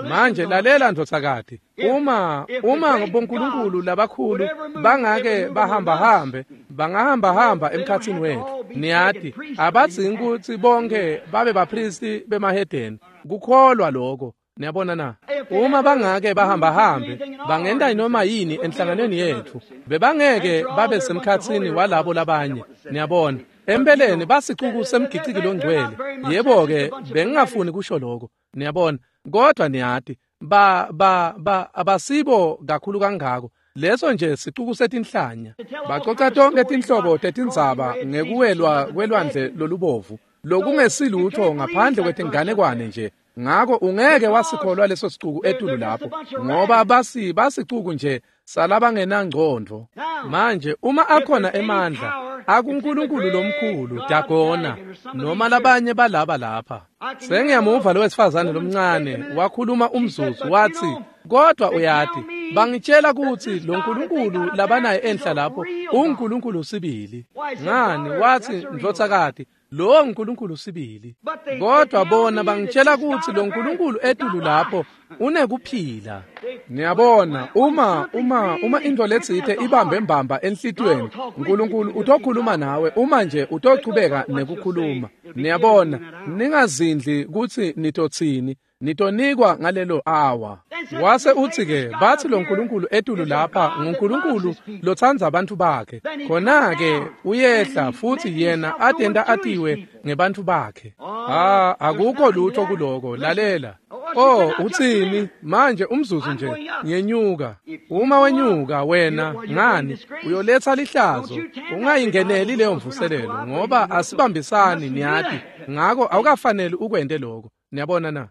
Manje lalela ndvodzakati, uma uma bonkulunkulu labakhulu bangake bahambahambe, bangahambahamba emkhatsini wetfu. Niyati, abadzingi kutsi bonke babe bapristi bemahedeni. Kukholwa lokho. Niyabona na? Uma bangake bahambahambe, bangenta noma yini enhlanganweni yetfu, bebangeke babe semkhatsini walabo labanye. Niyabona, empeleni basicuku semgiciki longcwele. Yebo-ke, bengingafuni kusho lokho. Niyabona, kodwa niyati, ba ba ba abasibo kakhulu kangako. Leso nje sicuku setinhlanya. Bacoca tonke tinhlobo tetindzaba ngekuwelwa kwelwandle lolubovu, lokungesilutho ngaphandle kwetinganekwane nje. Ngako ungeke wasikholwa leso sicuku etulu lapho, ngoba basi basicuku nje salabangenangcondvo. Manje uma akhona emandla akuNkulunkulu lomkhulu Dagona noma labanye balaba lapha. Sengiyamuva lo wesifazane lomncane wakhuluma umzuzu wathi, Kodwa uyati, bangitshela kutsi lo Nkulunkulu labanaye enhla lapho uNkulunkulu sibili. Ngani, wathi, ndvodzakati, lo Nkulunkulu sibili. Kodwa bona bangitshela kutsi lo Nkulunkulu etulu lapho unekuphila. Niyabona, uma uma uma into letsite ibambe mbamba enhlitiyweni, Nkulunkulu utokhuluma nawe uma nje utochubeka nekukhuluma. Niyabona, ningazindli kutsi nitotsini, nitonikwa ngalelo awa. Wase uthi ke, bathi lo Nkulunkulu etulu lapha nguNkulunkulu lotsandza abantu bakhe. Khona ke uyehla futhi yena atenda atiwe ngebantfu bakhe. Ah, akukho lutho kuloko, lalela. Oh, utsini? Manje umzuzu nje, ngenyuka. Uma wenyuka wena, ngani, uyoletha lihlazo. Ungayingeneli leyo mvuselelo ngoba asibambisani, niyati. Ngako awukafaneli ukwente lokho. Niyabona na?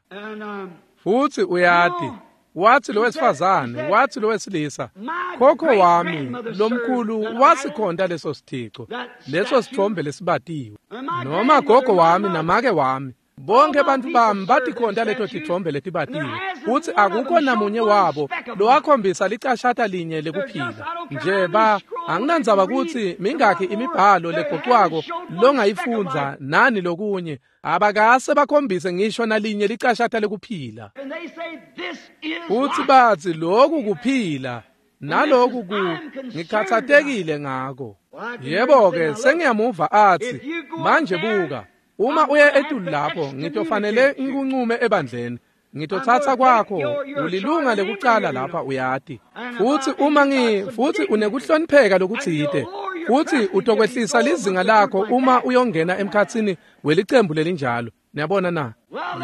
Futhi uyati, wathi lo wesifazane, wathi lo wesilisa, khokho wami lomkhulu wasikhonta leso sithixo, leso sithombe lesibatiwe. Noma gogo wami namake wami, bonke bantu bami batikhonta leto tithombe letibatiwe. Futhi akukho namunye wabo lowakhombisa licashata linye lekuphila. Nje ba anginandzaba kutsi mingakhi imibhalo legoqwako longayifundza nani lokunye, abakase bakhombise ngisho nalinye licashata lekuphila. Futhi bathi lokhu kuphila naloku ku ngikhathatekile ngako. Yebo ke, sengiyamuva athi, manje buka, uma uye etulu lapho ngitofanele ngikuncume ebandleni. Ngitothatha kwakho, ulilunga lekucala lapha, uyati. Futhi uma ngi futhi unekuhlonipheka lokutsite, futhi utokwehlisa lizinga lakho uma uyongena emkhatsini welicembu lelinjalo. Niyabona na?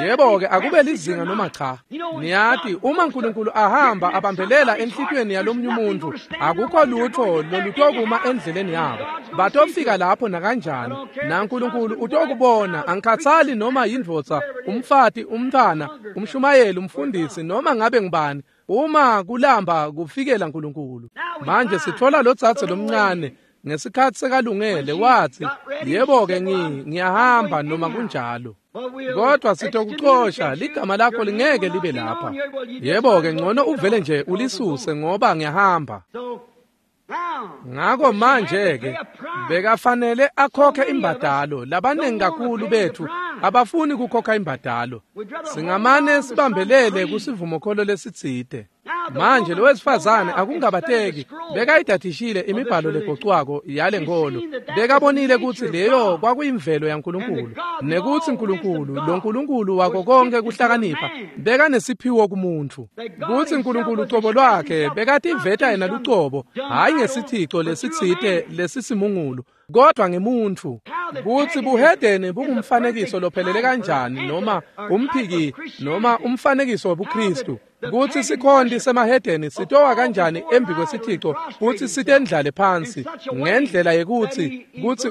Yebo ke, akube lizinga noma cha. Niyati, uma uNkulunkulu ahamba abambelela enhlitiyweni yalomunye umuntu, akukho lutho lolutokuma endleleni yabo. Batofika lapho nakanjani, naNkulunkulu utokubona. Angikhathali noma yindvodza, umfati, umntwana, umshumayeli, umfundisi, noma ngabe ngubani, uma kulamba kufikela uNkulunkulu. Manje sithola lo dzadze lomncane ngesikhathi sekalungele, wathi, yebo ke, ngiyahamba noma kunjalo. Kodwa sitokuxosha, ligama lakho lingeke libe lapha. Yebo ke, ngcono uvele nje ulisuse ngoba ngiyahamba. Ngako manje ke bekafanele akhokhe imbadalo. Labanengi kakhulu bethu abafuni kukhokha imbadalo. Singamane sibambelele kusivumokholo lesitsite. Manje lo wesifazane akungabateki bekayidadishile imibhalo legocwako yale nkolo. Bekabonile kutsi leyo kwakuyimvelo yaNkulunkulu, nekutsi uNkulunkulu, lo Nkulunkulu wako konke kuhlakanipha, bekanesiphiwo kumuntu. Kutsi uNkulunkulu ucobo lwakhe bekativeta yena lucobo, hayi ngesithixo lesitsite lesisimungulu, kodwa ngemuntfu. Kutsi buhedeni bungumfanekiso lophelele kanjani, noma umphiki, noma umfanekiso webuKristu. Kutsi sikhonti semahedeni sitowa kanjani embi kwesithixo futsi sitendlale phansi ngendlela yekutsi kutsi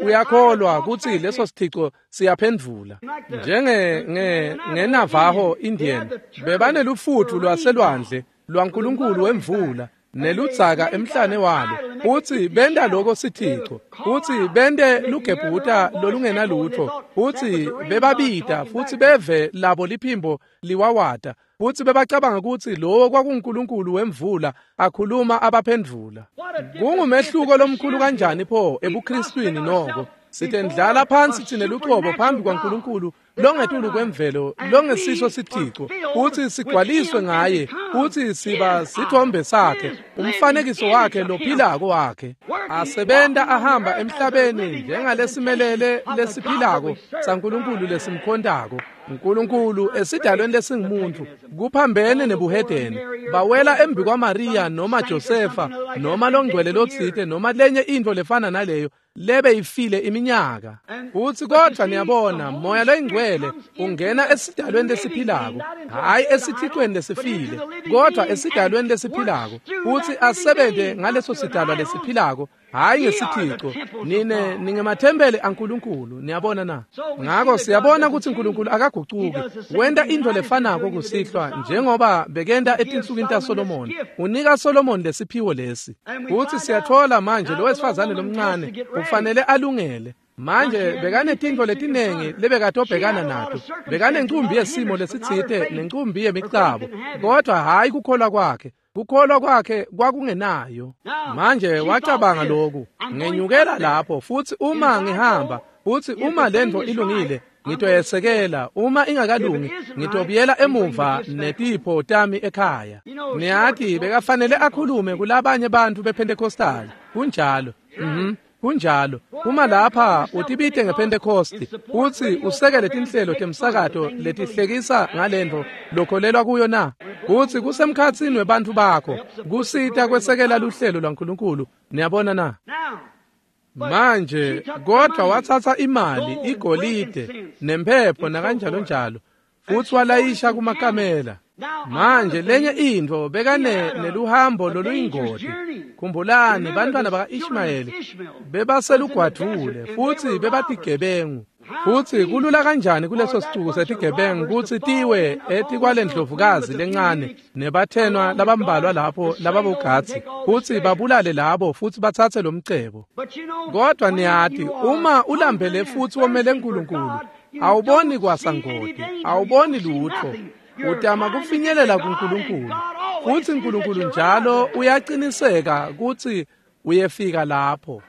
uyakholwa kutsi leso sithixo siyaphendvula. Njenge nge ngeNavajo Indian bebanelufutfu lwaselwandle lwaNkulunkulu wemvula neludzaka emhlane walo, futsi benta loko sithixo, futsi bente lugebhuta lolungenalutho, futsi bebabita futsi beve labo liphimbo liwawata, futsi bebacabanga kutsi lowo kwakunguNkulunkulu wemvula akhuluma abaphendvula. Kungumehluko lomkhulu kanjani pho ebuKristwini noko. Sitendlala phansi thine lucobo phambi kwaNkulunkulu longetulu kwemvelo, longesiso sithixo, futsi sigcwaliswe ngaye, futsi siba sithombe sakhe, umfanekiso wakhe lophilako wakhe, asebenta ahamba emhlabeni njengalesimelele lesiphilako saNkulunkulu lesimkhontako. uNkulunkulu esidalweni lesingumuntu kuphambene nebuhedeni. Bawela embi kwaMaria noma Josefa noma longcwele lotsite noma lenye intfo lefana naleyo lebe ifile iminyaka. Futsi kodwa niyabona, Moya loyingcwele ungena esidalweni lesiphilako, hayi esithixweni lesifile, kodwa esidalweni lesiphilako, futsi asebente ngaleso sidalwa lesiphilako, hayi ngesithixo. Nine ningemathempeli aNkulunkulu. Niyabona na? Ngako siyabona kutsi uNkulunkulu akagucuki. Wenta intfo lefanako kusihlwa njengoba bekenta etinsukwini taSolomoni. Unika Solomoni lesiphiwo lesi. Futsi siyatfola manje lo wesifazane lomncane ufanele alungele. Manje bekanetintfo letinengi lebekatobhekana nato. Bekanencumbi yesimo lesitsite nencumbi yemicabo, kodwa hhayi kukholwa kwakhe. Kukholwa kwakhe kwakungenayo. Manje wacabanga lokhu, ngenyukela lapho futsi uma ngihamba, futsi uma lentfo ilungile ngitoyesekela, uma ingakalungi ngitobuyela emuva netipho tami ekhaya. Niyati bekafanele akhulume kulabanye bantfu bePentecostal. Kunjalo. Mhm. Kunjalo. Uma lapha utibite ngePentecost utsi usekele tinhlelo temsakato letihlekisa ngalentfo lokholelwa kuyo na? Utsi kusemkhatsini webantfu bakho kusita kwesekela luhlelo lwaNkulunkulu. Niyabona na? Manje kodwa watsatsa imali, igolide, nemphepho nakanjalo njalo, futsi walayisha kumakamela. Manje lenye intfo bekane neluhambo loluyingoti. Khumbulani bantwana baka-Ishmayeli bebaselugwadvule futsi bebatigebengu. Futsi kulula kanjani kuleso sicuku setigebengu kutsi tiwe etikwalendlovukazi lencane nebathenwa labambalwa lapho lababogatsi futsi babulale labo futsi batsatse lomcebo. Kodwa niyati uma ulambele futsi womele uNkulunkulu, awuboni kwasangoti, awuboni lutfo. Utama kufinyelela kuNkulunkulu, futsi uNkulunkulu njalo uyaqiniseka kutsi uyefika lapho.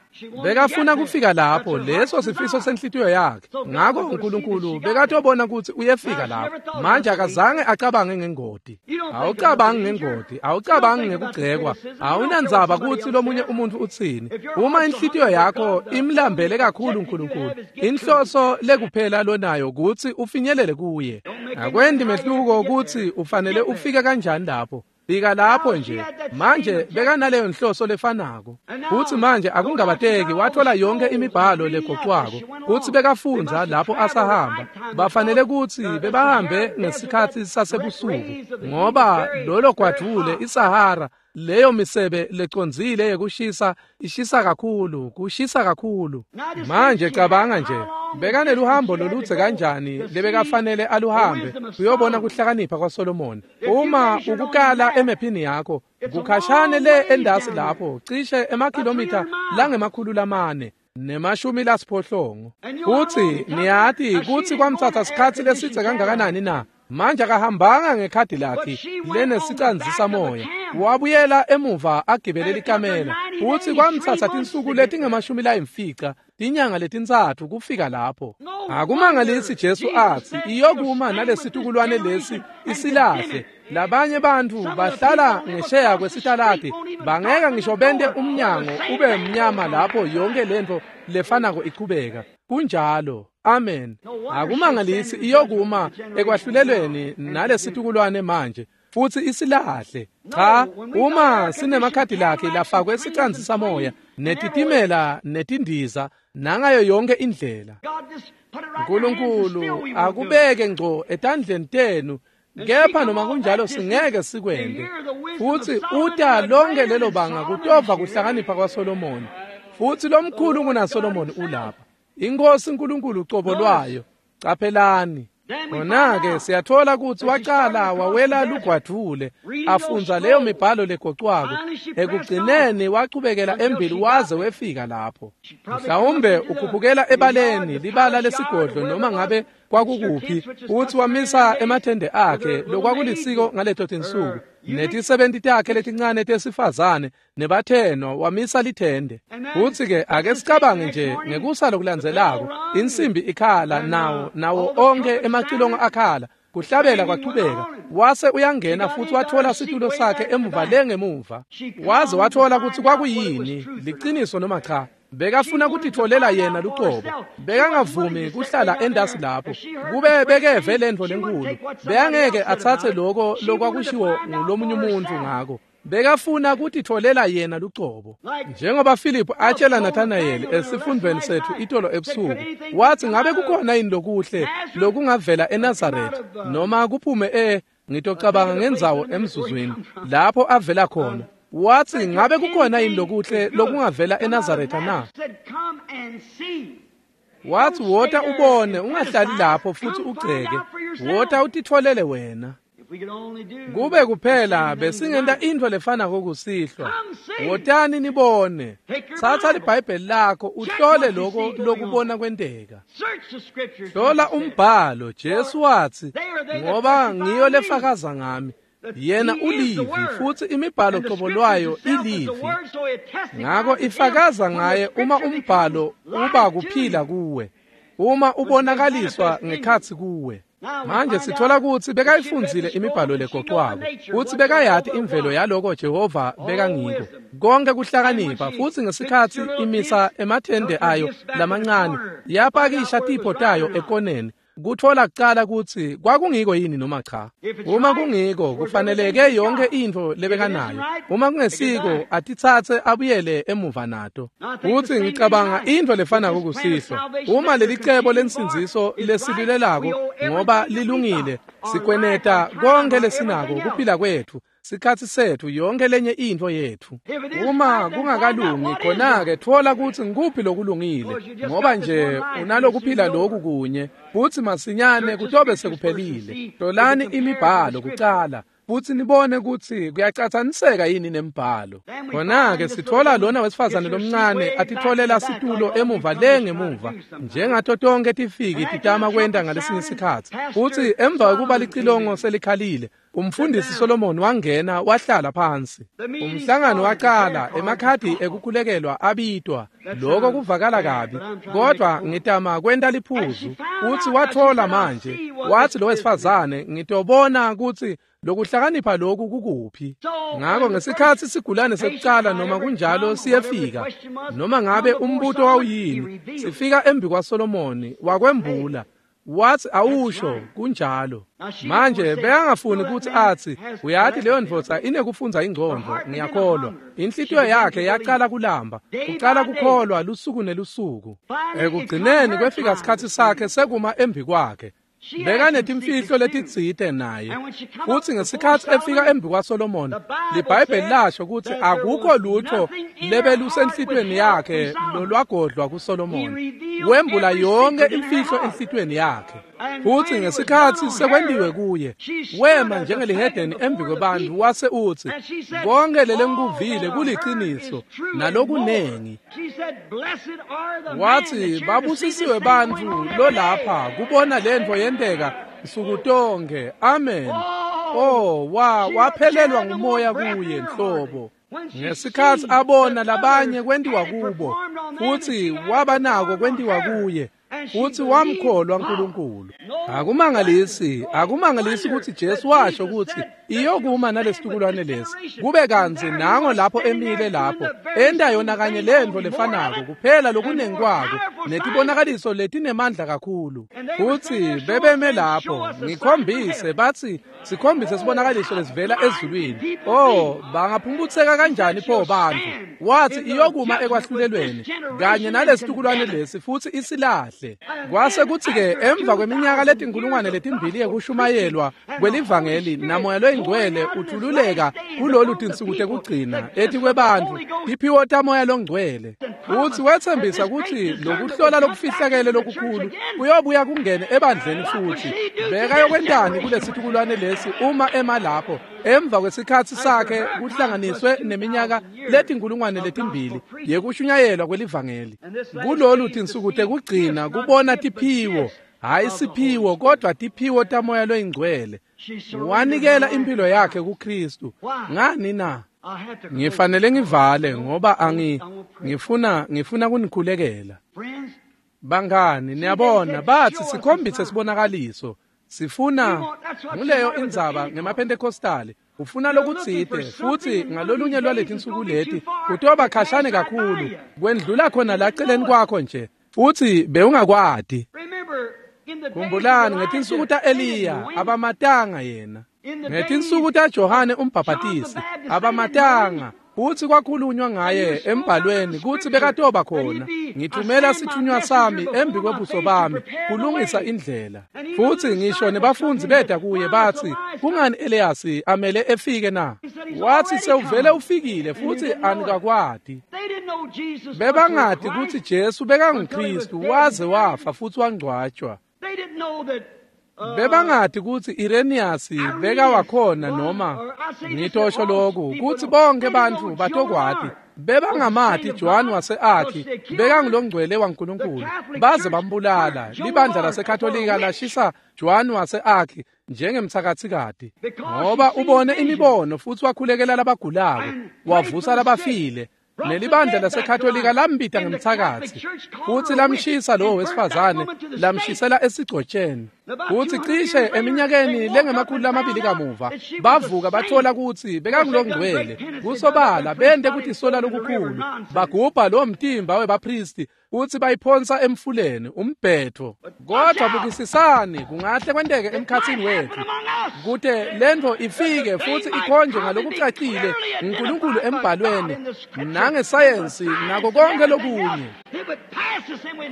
Bekafuna kufika lapho, leso sifiso senhlitiyo yakhe. Ngako uNkulunkulu bekatobona kutsi uyefika lapho. Manje akazange acabange ngengoti. Awucabangi ngengoti, awucabangi ngekugcekwa, awunandzaba kutsi lomunye umuntfu utsini. Uma inhlitiyo yakho imlambele kakhulu uNkulunkulu, inhloso lekuphela lonayo kutsi ufinyelele kuye. Akwendi mehluko kutsi ufanele ufike kanjani lapho. Fika lapho nje. Manje bekanaleyo nhloso lefanako. Futsi manje akungabateki wathola yonke imibhalo legocwako. Futsi bekafundza lapho asahamba. Bafanele kutsi bebahambe ngesikhatsi sasebusuku, ngoba lolo gwadvule iSahara, leyo misebe lecondzile yekushisa ishisa kakhulu, kushisa kakhulu. Manje cabanga nje, bekaneluhambo loludze kanjani lebekafanele aluhambe uyobona kuhlakanipha kwaSolomon. Uma ukukala emephini yakho, kukhashane le endasi lapho, cishe emakhilomitha langemakhulu lamane nemashumi lasiphohlongo. Futsi niyati kutsi kwamtsatsa sikhatsi lesidze kangakanani na? Manje akahambanga ngekhadi lakhe lenesicandzisa moya, wabuyela emuva agibele likamela. Futsi kwamtsatsa tinsuku letingemashumi layimfica, tinyanga letintsatfu kufika lapho. Akumangalisi Jesu atsi iyokuma nalesitukulwane lesi isilahle. Labanye bantfu bahlala ngesheya kwesitaladi, bangeke ngisho bente umnyango ube mnyama lapho yonke lentfo lefanako ichubeka. Kunjalo. Amen. Akumangalisi iyokuma ekwahlulelweni nalesitukulwane manje futsi isilahle. Cha, uma sinemakhadi lakhe lafakwe esicandzisa moya netitimela netindiza nangayo yonke indlela. uNkulunkulu akubeke ngco etandleni tenu, kepha noma kunjalo singeke sikwente. Futsi uta lonke lelo banga kutova kuhlakanipha kwaSolomoni. Futsi lomkhulu kunaSolomoni ulapha, iNkosi uNkulunkulu ucobo lwayo. Caphelani. Khona-ke siyathola kutsi wacala wawela lugwadvule afundza leyo mibhalo legocwako. Ekugcineni wachubekela embili waze wefika lapho. Mhlawumbe ukhuphukela ebaleni libala lesigodlo noma ngabe kwakukuphi, futsi wamisa emathende akhe lokwakulisiko ngaleto tinsuku, netisebenti takhe letincane tesifazane nebathenwa, wamisa lithende. Futsi-ke ake sicabange nje ngekusa lokulandzelako, insimbi ikhala, nawo nawo onke emacilongo akhala, kuhlabela kwachubeka. Wase uyangena futsi wathola situlo sakhe emuva le ngemuva, waze wathola kutsi kwakuyini, liciniso noma cha. Bekafuna kutitfolela yena lucobo. Bekangavumi kuhlala endasi lapho. Kube bekeve lentfo lenkulu, bekangeke atsatse loko lokwakushiwo ngulomunye umuntfu ngako. Bekafuna kutitfolela yena lucobo. Njengoba Philip atshela Nathanael esifundweni sethu itolo ebusuku, watsi ngabe kukhona yini lokuhle lokungavela eNazaretha noma kuphume e ngitocabanga ngendzawo emzuzwini lapho avela khona. Watsi ngabe kukhona yini lokuhle lokungavela eNazaretha na? Watsi wota ubone, ungahlali lapho futsi ugceke. Wota utitfolele wena. Kube kuphela besingenta intfo lefanako kusihlwa. Wotani nibone. Tsatsa liBhayibheli lakho uhlole lokho lokubona kwenteka. Hlola umbhalo. Jesu watsi, ngoba ngiyo lefakaza ngami. Yena ulivi futsi imibhalo qobo lwayo ilivi. Ngako ifakaza ngaye uma umbhalo uba kuphila kuwe, uma ubonakaliswa ngekhatsi kuwe. Manje sithola kutsi bekayifundzile imibhalo legoqwako, kutsi bekayati imvelo yaloko Jehova bekangiko. Konke kuhlakanipha futsi ngesikhatsi imisa emathende ayo lamancane, yapakisha tipho tayo ekoneni, kutfola kucala kutsi kwakungiko yini noma cha. Uma kungiko kufaneleke yonke intfo lebekanayo. Uma kungesiko atitsatse abuyele emuva nato. Futsi ngicabanga intfo lefanako kusihlwa. Uma lelicebo lensindziso lesilulelako ngoba lilungile, sikweneta konke lesinako kuphila kwetfu, sikhatsi setfu, yonke lenye intfo yetfu. Uma kungakalungi khona-ke tfola kutsi ngikuphi lokulungile, ngoba nje unalokuphila loku kunye futsi masinyane kutobe sekuphelile. Hlolani imibhalo kucala futsi nibone kutsi kuyacatsaniseka yini nembhalo. Khona-ke sitfola lona wesifazane lomncane atitfolela situlo emuva le ngemuva, njengato tonke tifiki titama kwenta ngalesinye sikhatsi. Futsi emva kwekuba licilongo selikhalile, umfundisi Solomon wangena wahlala phansi. Umhlangano wacala, emakhadi ekukhulekelwa abitwa. Lokho kuvakala kabi, kodwa ngitama kwenta liphuzu. Futsi wathola manje, watsi lo wesifazane, ngitobona kutsi lokuhlakanipha lokhu kukuphi. Ngako ngesikhatsi sigulane sekucala noma kunjalo siyefika, noma ngabe umbuto wawuyini, sifika embi kwaSolomoni wakwembula. Watsi awusho kunjalo. Manje bekangafuni kutsi atsi, uyati leyo ndvodza inekufundza ingcondvo, ngiyakholwa. Inhlitiyo yakhe yacala kulamba, ucala kukholwa lusuku nelusuku. Ekugcineni kwefika sikhatsi sakhe sekuma embi kwakhe. Bekanetimfihlo letitsite naye. Futsi ngesikhatsi efika embi kwaSolomoni, liBhayibheli lasho kutsi akukho lutho lebelusenhlitweni yakhe lolwagodlwa kuSolomoni. Wembula yonke imfihlo enhlitweni yakhe. Futsi ngesikhatsi sekwentiwe kuye, wema njengelihedeni embi kwebantfu wase utsi, konke lelengikuvile kuliciniso nalokunengi. Watsi babusisiwe bantfu lolapha kubona lentfo yenteka nsuku tonke. Amen. Oh, wa waphelelwa ngumoya kuye nhlobo. Ngesikhatsi abona labanye kwentiwa kubo, futsi waba nako kwentiwa kuye, futsi wamkholwa uNkulunkulu. Akumangalisi, akumangalisi kutsi Jesu washo kutsi iyokuma nalesitukulwane lesi. Kube kantsi nango lapho emile lapho, enta yona kanye lentfo lefanako kuphela lokunengi kwako netibonakaliso letinemandla kakhulu. Futsi bebeme lapho, ngikhombise batsi sikhombise sibonakaliso lesivela ezulwini. Oh, bangaphumputseka kanjani pho bantfu? Watsi iyokuma ekwahlulelweni kanye nalesitukulwane lesi futsi isilahle. Kwase kutsi-ke emva kweminyaka letinkulungwane letimbili yekushumayelwa kwelivangeli namoya loyingcwele uthululeka kulolu tinsuku tekugcina etikwebantfu tiphiwo tamoya longcwele. Futsi wetsembisa kutsi lokuhlola lokufihlakele lokukhulu kuyobuya kungene ebandleni futsi. Bekayokwentani kulesitukulwane lesi uma ema lapho emva kwesikhatsi sakhe kuhlanganiswe neminyaka letinkulungwane letimbili yekushunyayelwa kwelivangeli? Kulolu tinsuku tekugcina kubona tiphiwo, hayi siphiwo kodwa tiphiwo tamoya loyingcwele. Wanikela impilo yakhe kuKristu. Ngani na? Ngifanele ngivale ngoba angi ngifuna ngifuna kunikhulekela. Bangani, niyabona batsi sikhombise sibonakaliso. Sifuna nguleyo indzaba ngemaPentecostali. Ufuna lokutsite futsi ngalolunye lwaletinsuku leti kutoba khashane kakhulu kwendlula khona laceleni kwakho nje futsi bewungakwati. Khumbulani ngetinsuku ta-Eliya abamatanga yena, ngetinsuku taJohane umbhabhatisi abamatanga, futsi kwakhulunywa ngaye embhalweni kutsi bekatoba khona. Ngithumela sithunywa sami embi kwebuso bami kulungisa indlela. Futsi ngisho nebafundzi beta kuye batsi, kungani Eliyasi amele efike na? Watsi sewuvele ufikile futsi anikakwati. Bebangati kutsi Jesu bekanguKristu waze wafa futsi wangcwatjwa. Bebangati kutsi Irenaeus bekawakhona noma ngitosho lokhu kutsi bonke bantfu batokwati. Bebangamati Joan wase-Arki bekangulongcwele waNkulunkulu baze bambulala. Libandla laseKatolika lashisa Joan wase-Arki njengemtsakatsikati ngoba ubone imibono futsi wakhulekela labagulako wavusa labafile. Nelibandla laseKatolika lambita ngemtsakatsi futsi lamshisa lowo wesifazane lamshisela esigcotsheni. Futsi cishe eminyakeni lengemakhulu lamabili kamuva bavuka bathola kutsi bekangulongcwele. Kusobala bente kutisola lokukhulu bagubha lowo mtimba webaphristi futsi bayiphonsa emfuleni umbhetho. Kodwa bukisisani, kungahle kwenteke emkhatsini wetfu kute lentfo ifike futsi ikhonjwe ngalokucacile nguNkulunkulu embhalweni nangesayensi nako konke lokunye.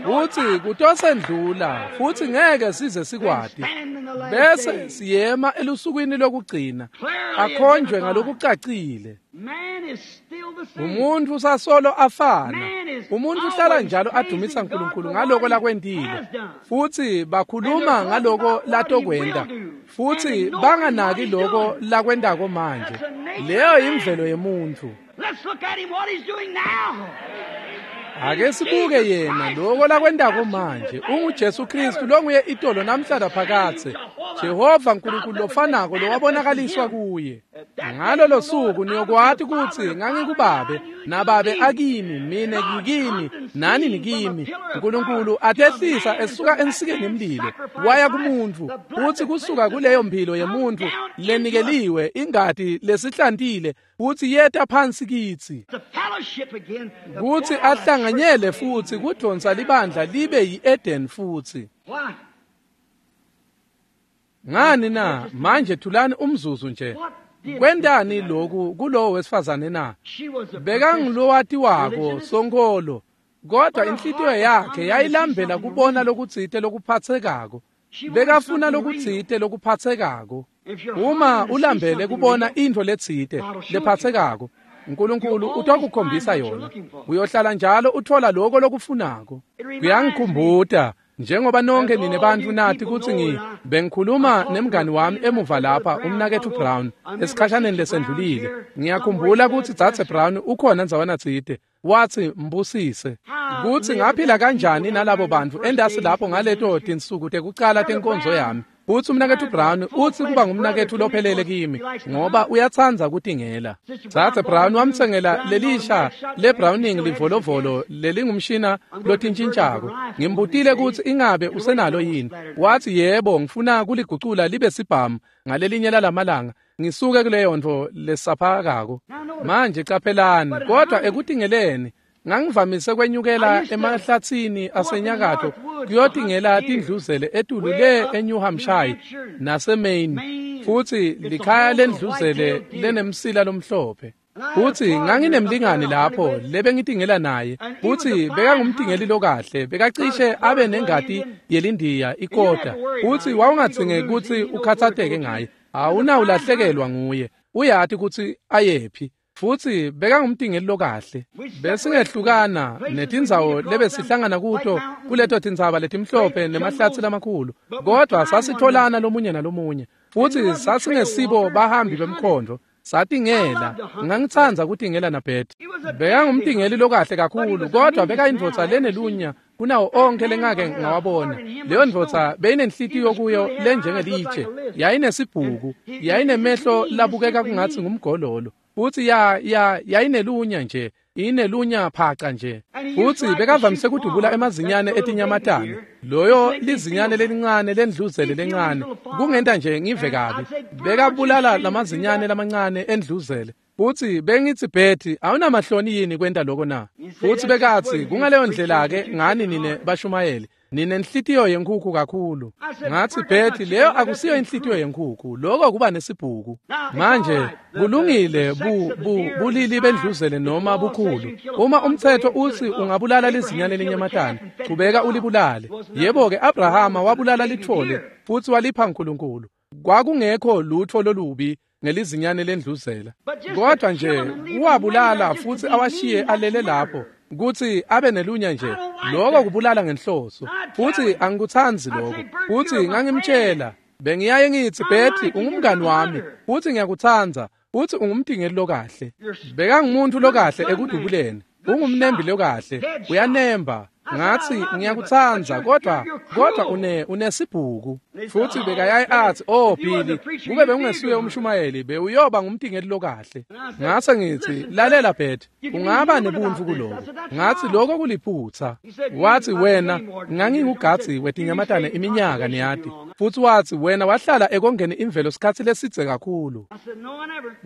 Futsi kutosendlula futsi ngeke size sikwati bese siyema elusukwini lokugcina akhonjwe ngalokucacile. Umuntu usasolo afana. Umuntu uhlala njalo adumisa uNkulunkulu ngaloko lakwentile futsi bakhuluma ngaloko latokwenta futsi banganaki loko lakwentako manje. Leyo imvelo yemuntu. Ake sibuke yena loko lakwentako manje. UnguJesu Kristu longuye itolo namhla phakathe, Jehova uNkulunkulu lofanako lowabonakaliswa kuye. Ngalolo suku niyokwati kutsi ngangikubabe nababe akimi, mine ngikini nani nikimi. uNkulunkulu atehlisa esuka ensikeni yemlilo waya kumuntu, futsi kusuka kuleyo mphilo yemuntu lenikeliwe ingati lesihlantile futsi yeta phansi kitsi kutsi ahlanganyele futsi kudonsa libandla libe yi-Eden futsi. Ngani na? Manje thulani umzuzu nje. Kwentani lokhu kulowo wesifazane na? Bekangulowatiwako sonkholo, kodwa inhlitiyo yakhe yayilambela kubona lokutsite lokuphatsekako. Bekafuna lokutsite lokuphatsekako. Uma ulambele kubona intfo letsite lephatsekako, uNkulunkulu utokukhombisa yona. Uyohlala njalo uthola lokho lokufunako. Kuyangikhumbuta njengoba nonke nine bantfu nati kutsi ngi bengikhuluma nemngani wami emuva lapha umnaketfu Brown esikhashaneni lesendlulile. Ngiyakhumbula kutsi Dzadze Brown ukhona ndzawana tsite watsi mbusise kutsi ngaphila kanjani nalabo bantfu endasi lapho ngaleto tinsuku tekucala tenkonzo yami. Futsi umnaketfu Brown utsi kuba ngumnaketfu lophelele kimi ngoba uyatsandza kutingela. Dzadze Brown wamtsengela lelisha leBrowning livolovolo lelingumshina lotintshintshako. Ngimbutile kutsi ingabe usenalo yini. Watsi yebo, ngifuna kuligucula libe sibhamu ngalelinye lalamalanga ngisuke kuleyo ntfo lesaphakako. Manje caphelani, kodwa ekutingeleni ngangivamise kwenyukela emahlatsini asenyakatho kuyotingela tindluzele etulu le eNew Hampshire naseMaine, futsi likhaya lendluzele lenemsila lomhlophe. Futsi nganginemlingani lapho lebengitingela naye, futsi bekangumtingeli lokahle, bekacishe abe nengati yelindiya ikota, futsi wawungadzinge kutsi ukhatsateke ngaye, awunawulahlekelwa nguye, uyati kutsi ayephi. Futsi bekangumtingeli lokahle. Besingehlukana netindzawo lebesihlangana kuto kuleto tindzaba letimhlophe nemahlatsi lamakhulu, kodwa sasitholana lomunye nalomunye, futsi sasingesibo bahambi bemkhondo. Satingela. Ngangitsandza kutingela naBeth. Bekangumtingeli lokahle kakhulu, kodwa bekayindvodza lenelunya kunawo onke lengake ngawabona. Leyo ndvodza beyinenhlitiyo kuyo lenjengelitshe, yayinesibhuku, yayinemehlo labukeka kungatsi ngumgololo, futsi ya ya yayinelunya nje, inelunya phaca nje. Futsi bekavamise kudubula emazinyane etinyamatane. Loyo lizinyane lelincane lendluzele lencane kungenta nje ngive kabi. Bekabulala lamazinyane lamancane endluzele. Futsi bengitsi Betty, awunamahloni yini kwenta lokho na? Futsi bekatsi kungaleyo ndlela ke ngani nine bashumayeli, ninenhlitiyo yenkhukhu kakhulu. Ngatsi Betty, leyo akusiyo inhlitiyo yenkhukhu, lokho kuba nesibhuku. Manje kulungile bu, bu, bulili bendluzele noma bukhulu. Uma umthetho utsi ungabulala lizinyane lenyamatane, chubeka ulibulale. Yebo ke Abrahama wabulala lithole futsi walipha uNkulunkulu. Kwakungekho lutho lolubi ngelizinyane lendluzela, kodwa nje uwabulala futsi awashiye alele lapho. kutsi abe nelunya nje lokho kubulala ngenhloso futhi angikutsandzi lokho futhi ngangimtshela bengiyaye ngithi Betty ungumngani wami futhi ngiyakutsandza futhi ungumtingeli lokahle bekangumuntu lokahle ekudubuleni ungumnembi lokahle uyanemba ngathi ngiyakutsandza kodwa kodwa une unesibhuku futhi bekayaye athi oh Billy kube bengingesuye umshumayeli bewuyoba ngumtingeli lokahle ngase ngithi lalela Betty ungaba nebuntu kuloko ngathi lokho kuliphutha wathi wena ngangingugathi wetinyamatane iminyaka niyati futhi wathi wena wahlala ekongeni imvelo sikhathi lesidze kakhulu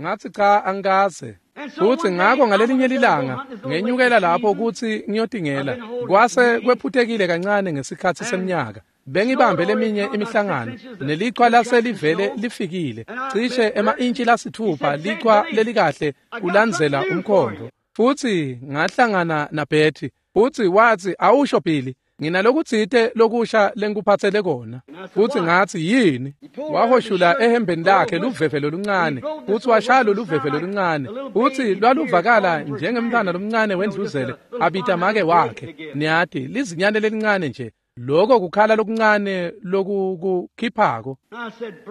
ngathi cha angikaze futhi ngakho ngalelinye lilanga ngenyukela lapho ukuthi ngiyotingela kwase kwephutekile kancane ngesikhathi seminyaka bengibambe leminye imihlangano nelichwa laselivele lifikile cishe ema-intshi lasithupha lichwa lelikahle kulandzela umkhondo futhi ngahlangana naBetty futhi wathi awusho Billy nginalokutsite lokusha lengikuphathele kona futhi ngathi yini wahoshula ehembeni lakhe luveve loluncane futhi washaya loluveve loluncane futhi lwaluvakala njengemntwana lomncane wendluzele abita make wakhe niyati lizinyane lelincane nje lokho kukhala lokuncane lokukukhiphako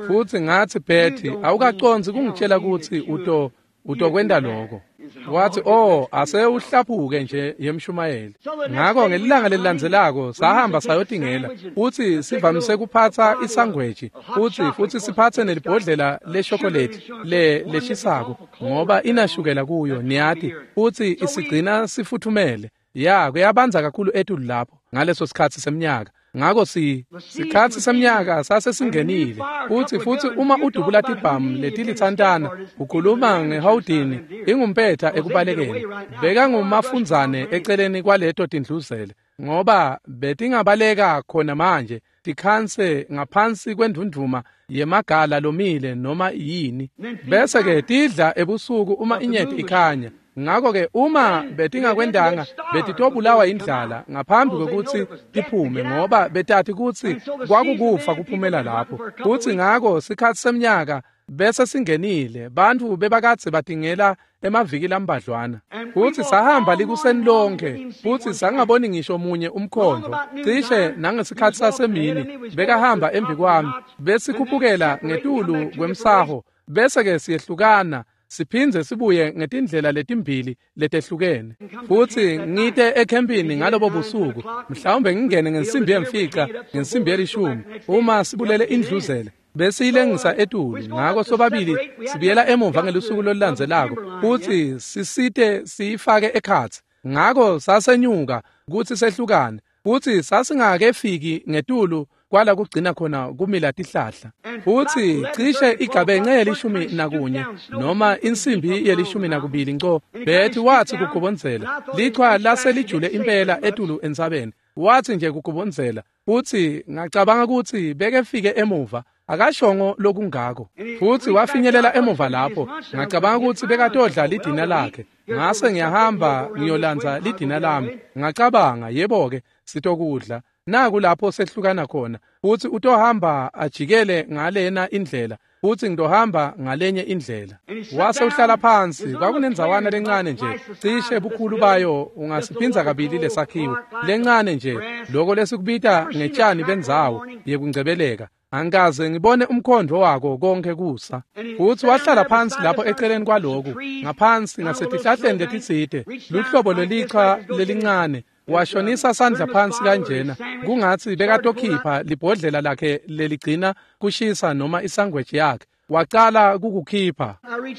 futhi ngathi Betty awukaconzi kungitshela ukuthi uto utokwenda lokho wathi oh ase uhlaphuke nje yemshumayeli ngakho ngelilanga lelilandzelako sahamba sayotingela futhi sivamise kuphatha isangweji futhi futhi siphathe nelibhodlela leshokolate le leshisako ngoba inashukela kuyo niyati futhi isigcina sifuthumele ya kuyabanza kakhulu etulu lapho ngaleso sikhathi seminyaka ngakho si sikhathi seminyaka sase singenile futhi futhi uma udubula tibhamu letilitsantana ukhuluma ngehawudini ingumpetha ekubalekeni bekangumafundzane eceleni kwaleto tindluzele ngoba betingabaleka khona manje tikhanse ngaphansi kwendunduma yemagala lomile noma yini bese ke tidla ebusuku uma inyeti ikhanya ngakho ke uma betingakwendanga betitobulawa indlala ngaphambi kokuthi tiphume ngoba betathi kutsi kwakukufa kuphumela lapho futhi ngakho sikhathi seminyaka bese singenile bantu bebakadze batingela emaviki lambadlwana futhi sahamba likuseni lonke futhi sangaboni ngisho munye umkhondo cishe nangesikhathi sasemini bekahamba embi kwami besikhuphukela ngetulu kwemsaho bese ke siyehlukana siphindze sibuye ngetindlela letimbili letehlukene futhi ngite ekhempini ngalobo busuku mhlawumbe ngingene ngensimbi yemfica ngensimbi yelishumi uma sibulele indluzele besiyilengisa etulu ngakho sobabili sibuyela emuva ngelusuku lolulandzelako futhi sisite siyifake ekhatsi ngakho sasenyuka kutsi sehlukane futhi sasingakefiki ngetulu kwala kugcina khona kumila tihlahla futhi cishe igabenxe yelishumi nakunye noma insimbi yelishumi nakubili nco Betty wathi kugobonzela lichwa laselijule impela etulu entsabeni wathi nje kugobonzela futhi ngacabanga ukuthi bekefike emuva akashongo lokungako futhi wafinyelela emuva lapho ngacabanga ukuthi bekatodla lidina lakhe ngase ngiyahamba ngiyolandza lidina lami ngacabanga yebo ke sitokudla naku lapho sehlukana khona futhi utohamba ajikele ngalena indlela futhi ngitohamba ngalenye indlela wase uhlala phansi kwakunendzawana lencane nje cishe bukhulu bayo ungasiphinza kabili lesakhiwo lencane nje lokho lesikubita ngetshani bendzawo yekungcebeleka angikaze ngibone umkhondo wako konke kusa futhi wahlala phansi lapho eceleni kwaloku ngaphansi ngasetihlahleni letitsite luhlobo lwelichwa lelincane washonisa sandla phansi kanjena kungathi bekatokhipha libhodlela lakhe leligcina kushisa noma isangweji yakhe wacala kukukhipha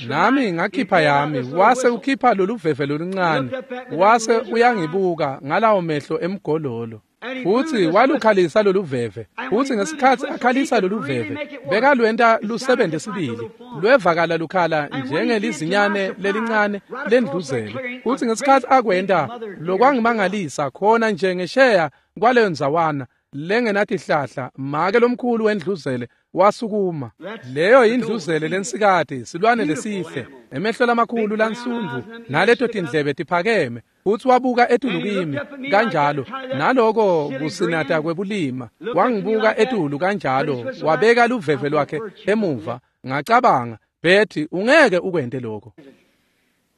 nami ngakhipha yami wase ukhipha loluveve loluncane wase uyangibuka ngalawo mehlo emgololo futhi walukhalisa loluveve futhi ngesikhathi akhalisa loluveve bekalwenta lusebenze sibili lwevakala lukhala njengelizinyane lelincane lendluzele futhi ngesikhathi akwenta lokwangimangalisa khona nje ngesheya kwaleyo ndzawana lengenatihlahla make lomkhulu wendluzele wasukuma leyo indluzele lensikati silwane lesihle emehlo lamakhulu lansundu naleto tindlebe tiphakeme futhi wabuka etulu kimi kanjalo naloko kusinata kwebulima wangibuka etulu kanjalo wabeka luveve lwakhe emuva ngacabanga Betty ungeke ukwente lokho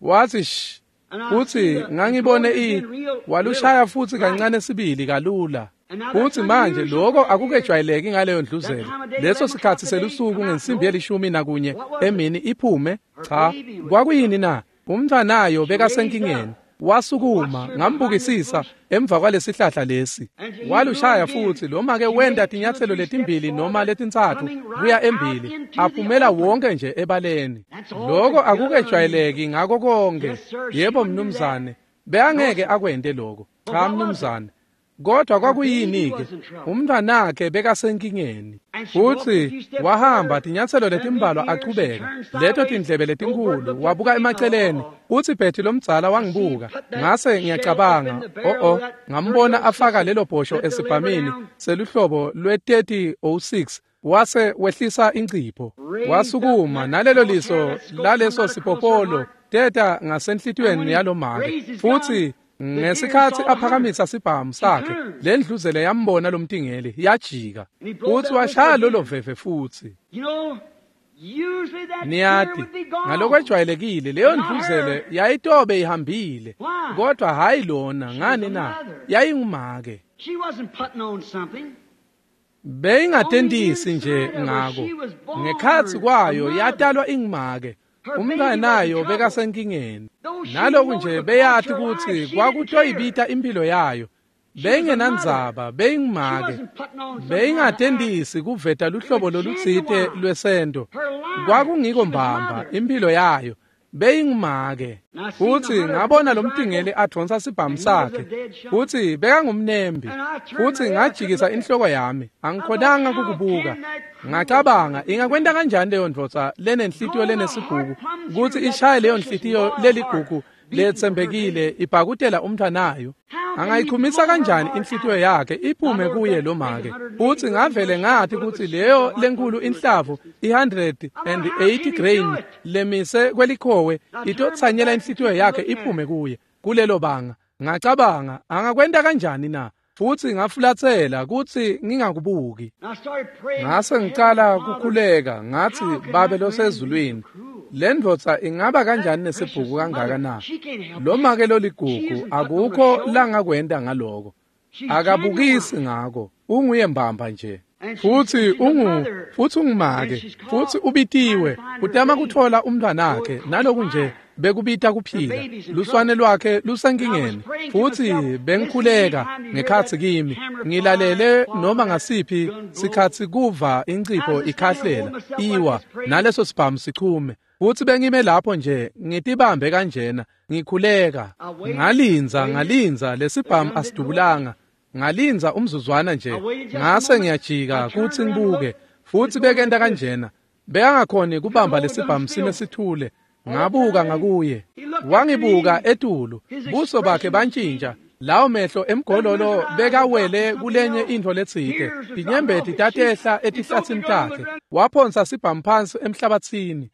wathi shh Futsi ngangibone i walushaya futsi kancane sibili kalula. Futsi manje lokho akukejwayeleki ngaleyo ndluzele. Leso sikhatsi selusuku ngensimbi yelishumi nakunye emini iphume. Cha, kwakuyini na? Umntfwanayo bekasenkingeni. Wasukuma ngambukisisa emva kwalesihlahla lesi. Walushaya futsi lo make wenta tinyatselo letimbili noma letintsatfu kuya embili, aphumela wonke nje ebaleni. Lokho akukejwayeleki ngako konke. Yebo mnumzane, bekangeke akwente lokho. Cha mnumzane. Kodwa kwakuyini-ke? Umntwanakhe bekasenkingeni. Futsi wahamba tinyatselo letimbalwa achubeka, leto tindlebe letinkhulu, wabuka emaceleni. Futsi Betty lomdzala wangibuka, ngase ngiyacabanga, oh oh, ngambona afaka lelo bhosho esibhamini seluhlobo lwe thirty oh six, wase wehlisa incipho. Wasukuma nalelo liso laleso sipopolo teta ngasenhlitiyweni yalomake. Futsi ngesikhatsi aphakamisa sibhamu sakhe, lendluzele yambona lomtingeli, yajika. Futsi washaya lolo veve futsi. Niyati, ngalokwejwayelekile leyo ndluzele yayitobe ihambile, kodwa hhayi lona. Ngani na? Yayingumake. Beyingatentisi nje ngako. Ngekhatsi kwayo yatalwa ingumake. Umntwanayo bekasenkingeni. Naloku nje beyati kutsi kwakutoyibita impilo yayo, beyingenandzaba, beyingumake. Beyingatentisi kuveta luhlobo lolutsite lwesento. Kwakungiko mbamba impilo yayo, beyingumake. Futsi ngabona lomtingeli advonsa sibhamu sakhe, futsi bekangumnembi. Futsi ngajikisa inhloko yami, angikhonanga kukubuka. Ngacabanga, ingakwenta kanjani leyo ndvodza lenenhlitiyo lenesibhuku kutsi ishaye leyo nhlitiyo leligugu letsembekile ibhakutela umntfwanayo? Angayichumisa kanjani inhlitiyo yakhe iphume kuye lo make? Futsi ngavele ngathi kutsi leyo lenkulu inhlavu i-one hundred eighty grain lemise kwelikhowe itotsanyela inhlitiyo yakhe iphume kuye kulelo banga. Ngacabanga, angakwenta kanjani na? Futsi ngafulatsela kutsi ngingakubuki. Ngase ngicala kukhuleka, ngathi, Babe losezulwini, le ndvodza ingaba kanjani nesibhuku kangaka na? Lo make loligugu akukho langakwenta ngaloko. Akabukisi ngako, unguye mbamba nje. Futsi ungu futsi ungumake, futsi ubitiwe, utama kuthola umntwanakhe, naloku nje bekubita kuphila. Luswane lwakhe lusenkingeni. Futsi bengikhuleka ngekhatsi kimi, ngilalele noma ngasiphi sikhatsi kuva incipho ikhahlela, iwa, naleso sibhamu sichume. Futsi bengime lapho nje ngitibambe kanjena, ngikhuleka. Ngalinza, ngalinza, lesibhamu asidubulanga. Ngalinza umzuzwana nje, ngase ngiyajika kutsi ngibuke. Futsi bekenta kanjena, bekangakhoni kubamba lesibhamu sime sithule. Ngabuka ngakuye, wangibuka etulu, buso bakhe bantshintsha. Lawo mehlo emgololo bekawele kulenye intfo letsite. Tinyembeti tatehla etihlatsini takhe. Waphonsa sibhamu phansi emhlabatsini.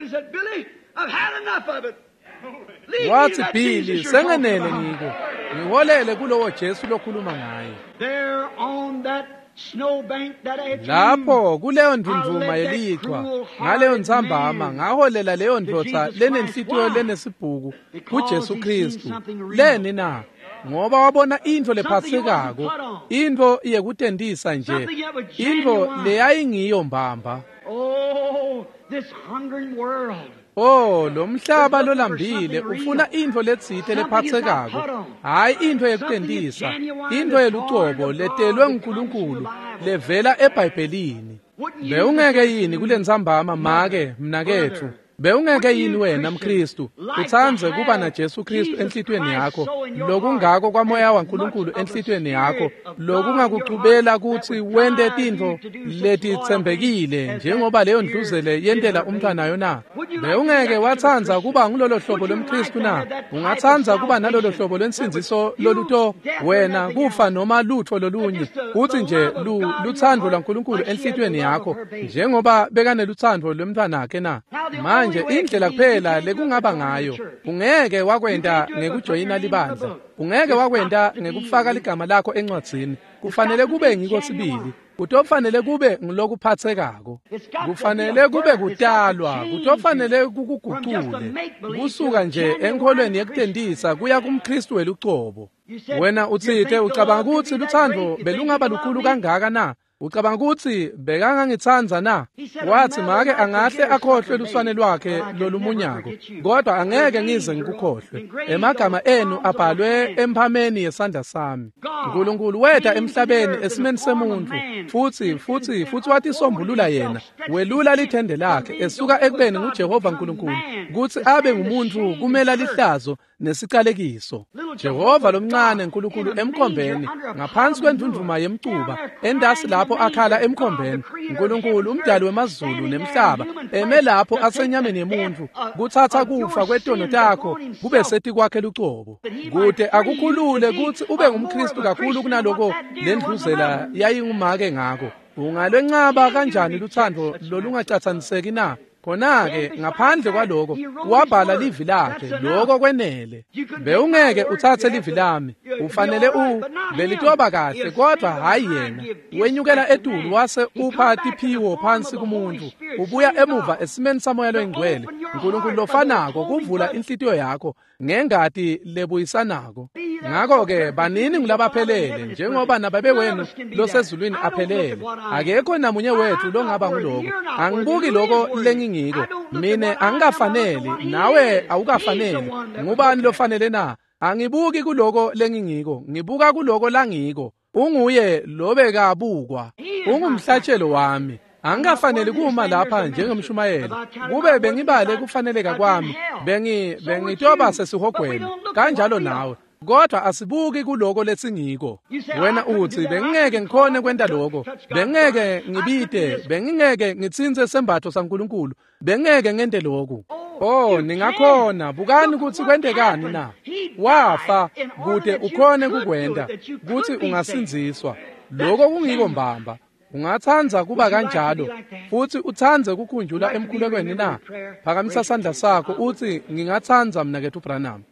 Wathi, Billy, sengenele ngiko. Ngiholele kulowo Jesu lokhuluma ngaye. Lapho kuleyo ndvundvuma yelichwa, ngaleyo ntsambama, ngaholela leyo ndvodza lenenhlitiyo lenesibhuku kuJesu Kristu. Leni na? Ngoba wabona intfo lephatsekako, intfo yekutentisa nje, intfo leyayingiyo mbamba. Oh, lo mhlaba lolambile ufuna intfo letsite lephatsekako, hhayi intfo yekutentisa, intfo yelucobo letelwe nguNkulunkulu levela eBhayibhelini. Bewungeke yini kulentsambama, make, mnaketfu? Bewungeke yini wena mKristu utsandze kuba na Jesu Kristu enhlitiyweni yakho, lokungako kwamoya waNkulunkulu enhlitiyweni yakho, lokungakucubela kutsi wente tintfo letitsembekile njengoba leyo ndluzele yentela umntfwanayo na? Bewungeke watsandza kuba ngulolo hlobo lomKristu na? Ungatsandza kuba nalolo hlobo lwensindziso loluto wena kufa noma lutfo lolunye, kutsi nje lutsandvo lwaNkulunkulu enhlitiyweni yakho njengoba bekanelutsandvo lwemntfwanakhe na? Manje indlela kuphela lekungaba ngayo, ungeke wakwenta ngekujoyina libandla, ungeke wakwenta ngekufaka ligama lakho encwadzini. Kufanele kube ngiko sibili. Kutofanele kube ngilokuphathekako. Kufanele kube kutalwa, kutofanele kukugucule. Kusuka nje enkholweni yekutentisa kuya kumKristu welucobo. Wena utsite ucabanga kutsi lutsandvo belungaba lukhulu kangaka na? Ucabanga kutsi bekangangitsandza na? Wathi make angahle akhohlwe luswane lwakhe lolumunyako, kodwa angeke ngize ngikukhohlwe. Emagama enu abhalwe emphameni yesandla sami. Nkulunkulu weta emhlabeni esimeni semuntfu, futsi futsi futsi watisombulula yena, welula lithende lakhe esuka ekubeni nguJehova Nkulunkulu kutsi abe ngumuntfu kumela lihlazo nesicalekiso. Jehova lomncane Nkulunkulu emkhombeni ngaphansi kwendvundvuma yemcuba, endasi lapho akhala emkhombeni, Nkulunkulu umdali wemazulu nemhlaba eme lapho asenyameni yemuntfu kutsatsa kufa kwetono takho kube setikwakhe lucobo, kute akukhulule kutsi ube ngumKristu kakhulu kunaloko lendluzela yayingumake ngako. Ungalwencaba kanjani lutsandvo lolungacatsaniseki na? Khona-ke ngaphandle kwaloko wabhala livi lakhe, lokho kwenele. Bewungeke utsatse livi lami, ufanele u belitoba kahle, kodwa hhayi yena. Wenyukela etulu wase upha tiphiwo phansi kumuntu, ubuya emuva esimeni saMoya loyiNgcwele, Nkulunkulu lofanako kuvula inhlitiyo yakho ngengati lebuyisanako. Ngakho-ke banini ngulabaphelele njengoba nababe wenu losezulwini aphelele. Akekho namunye wethu longaba nguloko. Angibuki loko lengingiko mina, angikafaneli, nawe awukafaneli. Ngubani lofanele na? Angibuki kuloko lengingiko, ngibuka kuloko langiko. Unguye lobekabukwa, ungumhlatshelo wami. Angikafaneli kuma lapha njengemshumayeli. Kube bengibale kufaneleka kwami, bengi bengitoba sesihogweni kanjalo nawe. Kodwa asibuki kuloko lesingiko. Wena uthi bengingeke ngikhone kwenta lokho, bengingeke ngibite, bengingeke ngitsintse sembatho saNkulunkulu, bengingeke ngente lokhu. Oh, ningakhona. Bukani kutsi kwentekani na? Wafa kute ukhone kukwenta, kutsi ungasindziswa. Lokho kungiko mbamba. Ungatsandza kuba kanjalo futsi utsandze kukhunjula emkhulekweni na? Phakamisa sandla sakho utsi ngingatsandza mnaketfu Branham.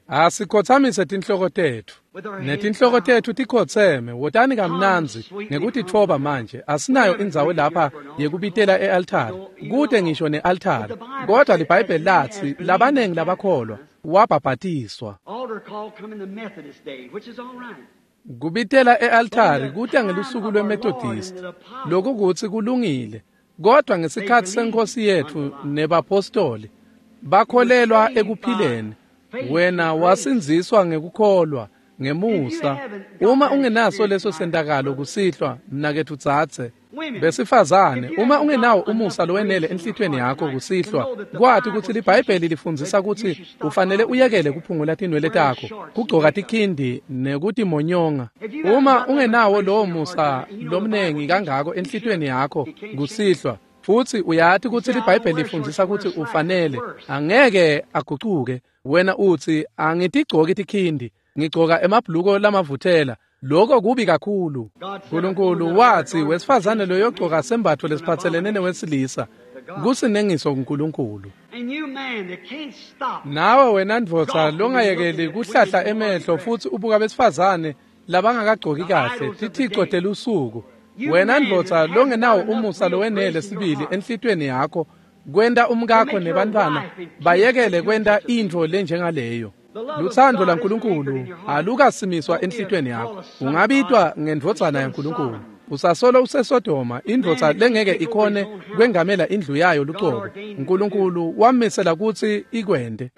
Asikhotsamise tinhloko tetfu. Netinhloko tetfu tikhotseme, wotani kamnandzi ngekutitfoba manje. Asinayo indzawo lapha yekubitela e-altari, kute ngisho ne-altari. Kodwa liBhayibheli latsi labanengi labakholwa wabhabhatiswa. Kubitela e-altari kuta ngelusuku lweMethodist, lokhu kutsi kulungile. Kodwa ngesikhatsi senkosi yetfu nebapostoli bakholelwa ekuphileni. Wena wasindziswa ngekukholwa ngemusa. Uma ungenaso leso sentakalo kusihlwa, mnaketfu dzadze, besifazane, uma ungenawo umusa lowenele enhlitiyweni yakho kusihlwa, kwati kutsi liBhayibheli lifundzisa kutsi ufanele uyekele kuphungula tinwele takho, kugcoka tikhindi nekutimonyonga. Uma ungenawo lowo musa lomnengi kangako enhlitiyweni yakho kusihlwa, futsi uyati kutsi liBhayibheli lifundzisa kutsi ufanele, angeke agucuke. Wena utsi angitigcoki tikhindi, ngigcoka emabhuluko lamavuthela. Lokho kubi kakhulu. Nkulunkulu watsi wesifazane loyogcoka sembatfo lesiphatselene newesilisa kusinengiso kuNkulunkulu. Nawe wena ndvodza longayekeli kuhlahla emehlo futsi ubuka besifazane labangakagcoki kahle, tithico telusuku. Wena ndvodza longenawo umusa lowenele sibili enhlitiyweni yakho kwenta umkakho nebantfwana bayekele kwenta intfo lenjengaleyo. Lutsandvo laNkulunkulu alukasimiswa enhlitiyweni yakho. Ungabitwa ngendvodzana yaNkulunkulu. Usasolo useSodoma, indvodza lengeke ikhone kwengamela indlu yayo lucobo. Nkulunkulu wamisela kutsi ikwente.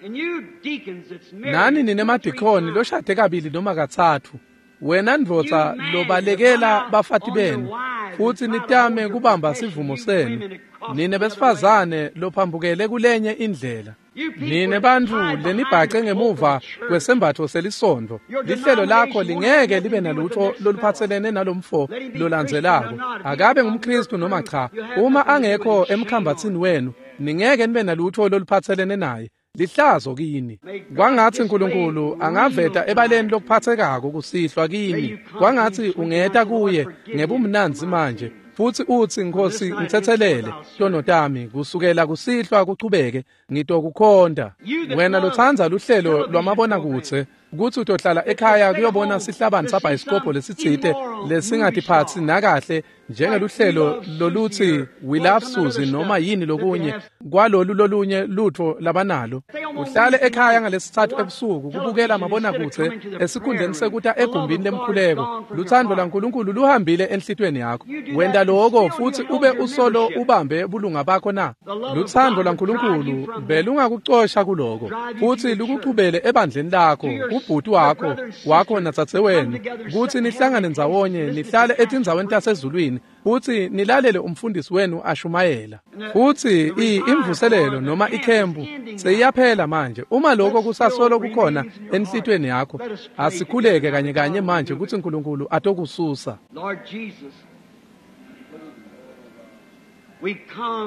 Nani ninemadikhoni loshade kabili noma katsatfu. Wena ndvodza lobalekela bafati benu futsi nitame kubamba sivumo senu. Nine besifazane lophambukele kulenye indlela. Nine bantfu lenibhace ngemuva kwesembatfo selisondvo, lihlelo lakho lingeke libe nalutfo loluphatselene nalomfo lolandzelako. Akabe ngumKristu noma cha, uma angekho emkhambatsini wenu, ningeke nibe nalutfo loluphatselene naye. Lihlazo kini. Kwangatsi Nkulunkulu angaveta ebaleni lokuphatsekako kusihlwa kini. Kwangatsi ungeta kuye ngebumnandzi manje futsi utsi Nkosi ngitsetselele tono tami kusukela kusihlwa kuchubeke ngitokukhonta. Wena lotsandza luhlelo lwamabonakudze Kutsi utohlala ekhaya kuyobona sihlabani sabhayisikobho lesitsite lesingatiphatsi nakahle njengeluhlelo lolutsi We Love Susie noma yini lokunye kwalolu lolunye lutfo labanalo. Uhlale ekhaya ngalesitsatfu ebusuku kubukela mabonakudze esikhundleni sekuta egumbini lemkhuleko. Lutsandvo laNkulunkulu luhambile enhlitiyweni yakho. Wenta loko futsi ube usolo ubambe bulunga bakho na? Lutsandvo laNkulunkulu belungakucosha kuloko futsi lukuchubele ebandleni lakho, kubhuti wakho wakho nadzadzewenu, kutsi nihlangane ndzawonye nihlale etindzaweni tasezulwini futsi nilalele umfundisi wenu ashumayela. Futsi imvuselelo noma ikhempu seyiyaphela manje. Uma lokho kusasolo kukhona enhlitiyweni yakho, asikhuleke kanye kanye manje kutsi Nkulunkulu atokususa.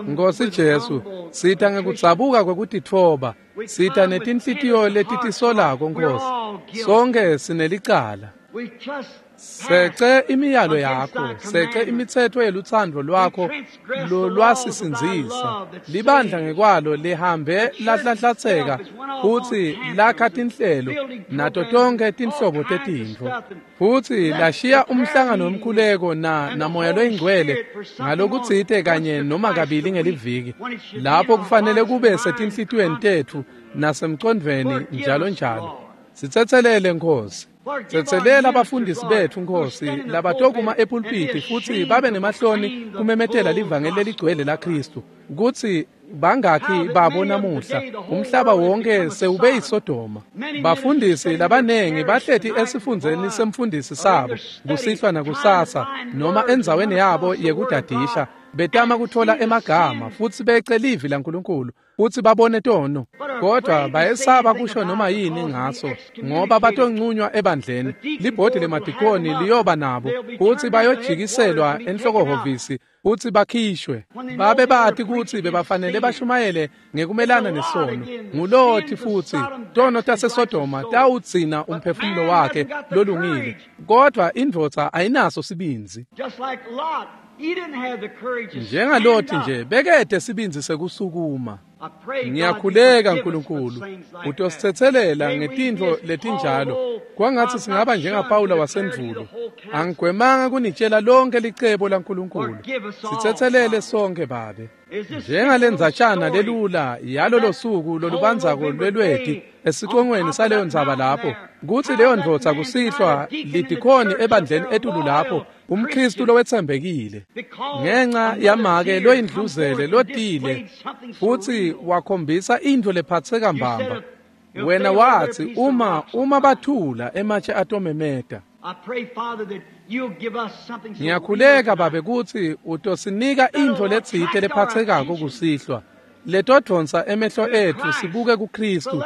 Nkosi Jesu, sita ngekudzabuka kwekutitfoba, sita netinhlitiyo letitisolako Nkosi. Sonke sinelicala. Sece imiyalo yakho, sece imitsetfo yelutsandvo lwakho lolwasisindzisa. Libandla ngekwalo lihambe lahlanhlatseka futsi lakha tinhlelo nato tonkhe tinhlobo tetintfo. Futsi lashiya umhlangano wemkhuleko na namoya loyingcwele ngalokutsite kanye noma kabili ngeliviki, lapho kufanele kube setinhlitiyweni tetfu nasemcondvweni njalo njalo. Sitsetselele Nkosi. Tsetselela abafundisi betfu Nkosi labatokuma epulpiti futsi babe nemahloni kumemetela livangeli leligcwele laKhristu, kutsi bangakhi babo namuhla umhlaba wonke sewube yiSodoma. Bafundisi labanengi bahleti esifundzeni semfundisi sabo kusihlwa nakusasa noma endzaweni yabo yekudadisha, betama kutfola emagama futsi bece livi laNkulunkulu futsi babone tono, kodwa bayesaba kusho noma yini ngaso ngoba batoncunywa ebandleni. Libhodi lemadikoni liyoba nabo futsi bayojikiselwa enhlokohhovisi futsi bakhishwe. Babe bati kutsi bebafanele bashumayele ngekumelana nesono. Nguloti futhi tono taseSodoma tawugcina umphefumulo wakhe lolungile, kodwa indvodza ayinaso sibindzi. Njengaloti nje bekede sibindzi sekusukuma. Ngiyakhuleka Nkulunkulu utositsetselela ngetintfo letinjalo. Kwangatsi singaba njengaPawula wasendvulo. Angigwemanga kunitshela lonke licebo laNkulunkulu. Sitsetselele sonke Babe. Njengalendzatshana lelula yalolo suku lolubandzako lwelweti esicongweni saleyo ndzaba lapho, kutsi leyo ndvodza kusihlwa lidikhoni ebandleni etulu lapho, umKhristu lowetsembekile, ngenca yamake loyindluzele lotile futsi wakhombisa intfo lephatseka mbamba. Wena watsi uma uma bathula ematshe atomemeta. Ngiyakhuleka Babe kutsi utosinika intfo letsite lephatsekako kusihlwa letodvonsa emehlo etfu sibuke kuKhristu,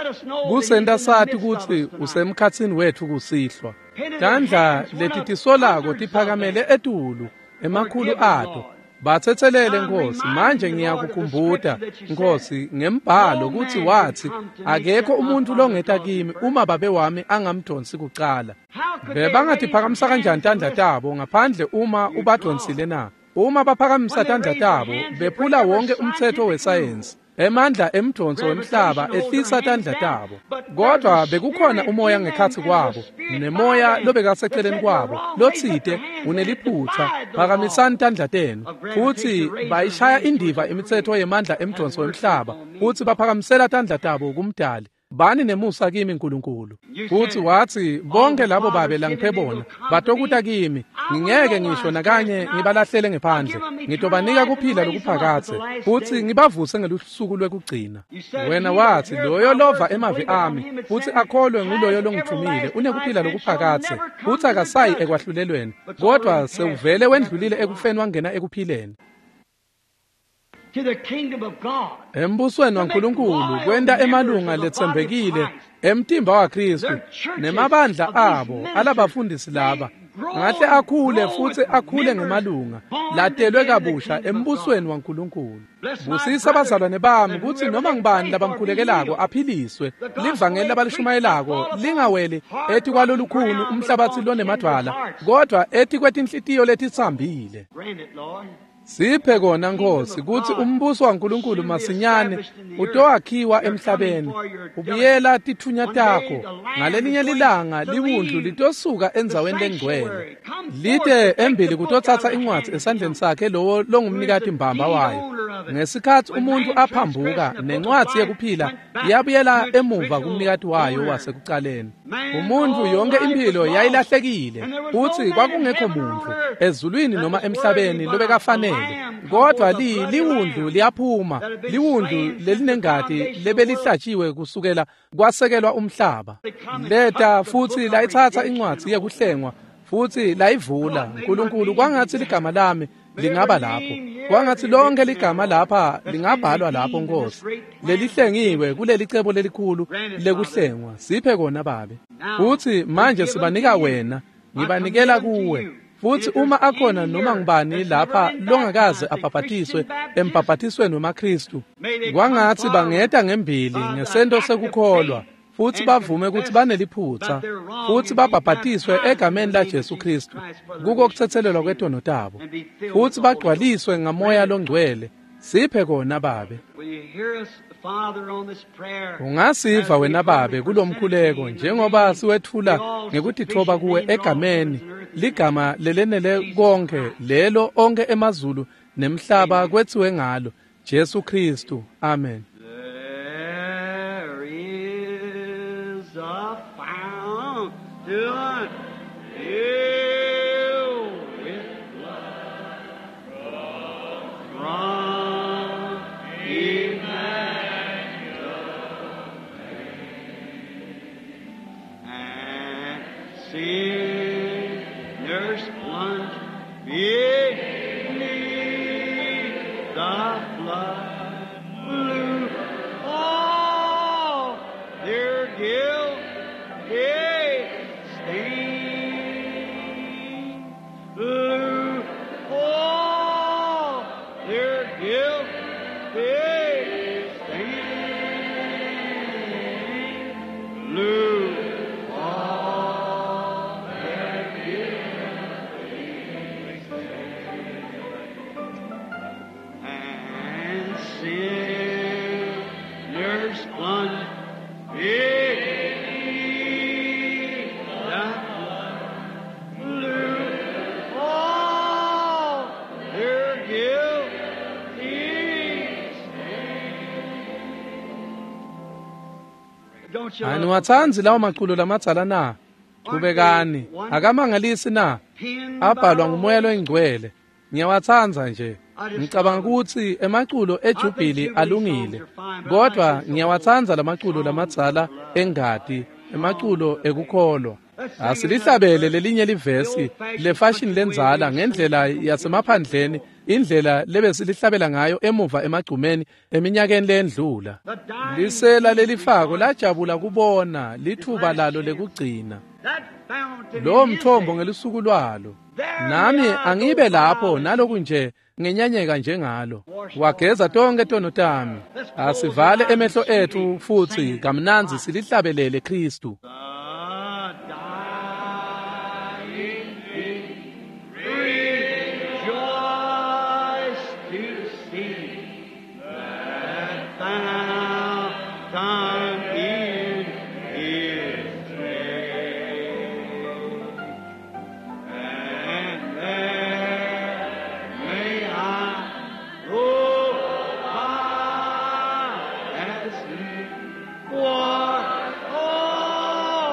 kusenta sati kutsi usemkhatsini wetfu kusihlwa. Tandla letitisolako tiphakamele etulu emakhulu ato. Batsetselele Nkosi. Manje ngiyakukhumbuta Nkosi ngembhalo kutsi watsi akekho umuntu longeta kimi uma babe wami angamdonsi kucala. Bebangatiphakamisa kanjani tandla tabo ngaphandle uma ubadonsile na? Uma baphakamisa tandla tabo bephula wonke umtsetfo wesayensi. Emandla emdonso wemhlaba ehlisa tandla tabo, kodwa bekukhona umoya ngekhatsi kwabo nemoya lobekaseceleni kwabo lotsite uneliphutsa, phakamisani tandla tenu. Futsi bayishaya indiva imitsetfo yemandla emdonso wemhlaba futsi baphakamisela tandla tabo kumdali. Bani nemusa kimi Nkulunkulu. Futsi watsi bonke labo babe langiphe bona batokuta kimi, ngingeke ngisho nakanye ngibalahlele ngephandle. Ngitobanika kuphila lokuphakadze futsi ngibavuse ngelusuku lwekugcina. Wena watsi loyo lova emavi ami futsi akholwe nguloyo longithumile unekuphila lokuphakadze futsi akasayi ekwahlulelweni, kodwa sewuvele wendlulile ekufeni wangena ekuphileni. Embusweni waNkulunkulu kwenta emalunga letsembekile emtimba waKhristu nemabandla abo alabafundisi laba ngahle akhule futsi akhule ngemalunga latelwe kabusha embusweni waNkulunkulu. Busisa abazalwane bami kutsi noma ngibani labamkhulekelako aphiliswe, livangeli labalishumayelako lingaweli etikwalolukhuni umhlabatsi lonemadvwala, kodwa etikwetinhlitiyo letitsambile. Siphe kona Nkosi kutsi umbuso waNkulunkulu masinyane utowakhiwa emhlabeni. Ubuyela tithunya takho. Ngalelinye lilanga liwundlu litosuka endzaweni lengcwele. Lite embili kutotsatsa incwadzi esandleni sakhe lowo longumnikati mbamba wayo. Ngesikhatsi umuntu aphambuka nencwadzi yekuphila yabuyela emuva kumnikati wayo wasekucaleni. Umuntu yonke impilo yayilahlekile futsi kwakungekho muntu ezulwini noma emhlabeni lobekafanele. Kodwa li liwundlu liyaphuma, liwundlu lelinengati lebelihlatshiwe kusukela kwasekelwa umhlaba. Leta futsi layitsatsa incwadzi yekuhlengwa futsi layivula. Nkulunkulu, kwangatsi ligama lami lingaba lapho. Kwangatsi lonke ligama lapha lingabhalwa lapho Nkosi, lelihlengiwe kuleli cebo lelikhulu lekuhlengwa. Siphe kona Babe. Futsi manje sibanika wena, ngibanikela kuwe. Futsi uma akhona noma ngubani lapha longakaze abhabhatiswe embhabhatisweni wemaKhristu, kwangatsi bangeta ngembili ngesento sekukholwa futsi bavume kutsi baneliphutsa futsi babhabhatiswe egameni laJesu Khristu kuko kutsetselelwa kwetono tabo futsi bagcwaliswe ngamoya longcwele. Siphe kona Babe. Ungasiva wena Babe kulomkhuleko njengoba siwetfula ngekutitfoba kuwe egameni ligama lelenele konke lelo onke emazulu nemhlaba kwetsiwe ngalo, Jesu Khristu. Amen. There is a fountain filled with blood from Emmanuel, and sinners plunge beneath the flood blue. All their guilty stain. Blue, all their guilty stain. Blue, all their guilty stain. And sinners plunge beneath the flood blue. All their guilty stain. Don't you love Aniwatsandzi lawo maculo lamadzala na? Qhubekani. Akamangalisi na? Abhalwa ngumoya loyingcwele. Ngiyawatsandza nje. Ngicabanga kutsi emaculo ejubhili alungile, kodwa ngiyawatsandza lamaculo lamadzala engati, emaculo ekukholwa. Asilihlabele lelinye livesi lefashini lendzala ngendlela yasemaphandleni, indlela lebesilihlabela ngayo emuva emagcumeni eminyakeni lendlula. Lisela lelifako lajabula kubona lithuba lalo lekugcina, that fountain lowo in his mthombo day. ngelusuku lwalo. Nami angibe lapho naloku nje ngenyanyeka njengalo. Wageza tonke tono tami. Asivale emehlo ethu futsi kamnandzi silihlabelele Khristu. The dying thief rejoiced to see that fountain in his day. And there may I go by as he was all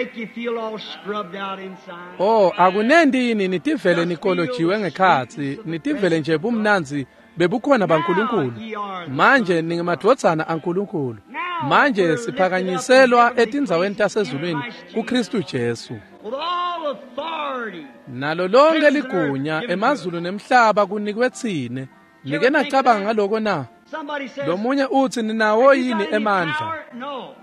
make you feel all scrubbed out inside? Oh, akunenti yini nitivele nikolojiwe ngekhatsi, nitivele nje bumnandzi bebukhona baNkulunkulu. Manje ningemadvodzana aNkulunkulu. Manje siphakanyiselwa etindzaweni tasezulwini kuKristu Jesu. With all authority. Nalo lonke ligunya emazulu nemhlaba kunikwe tsine. Nike nacabanga ngaloko na? Somebody says, Lomunye utsi ninawo "You got yini any emandla? power?" No.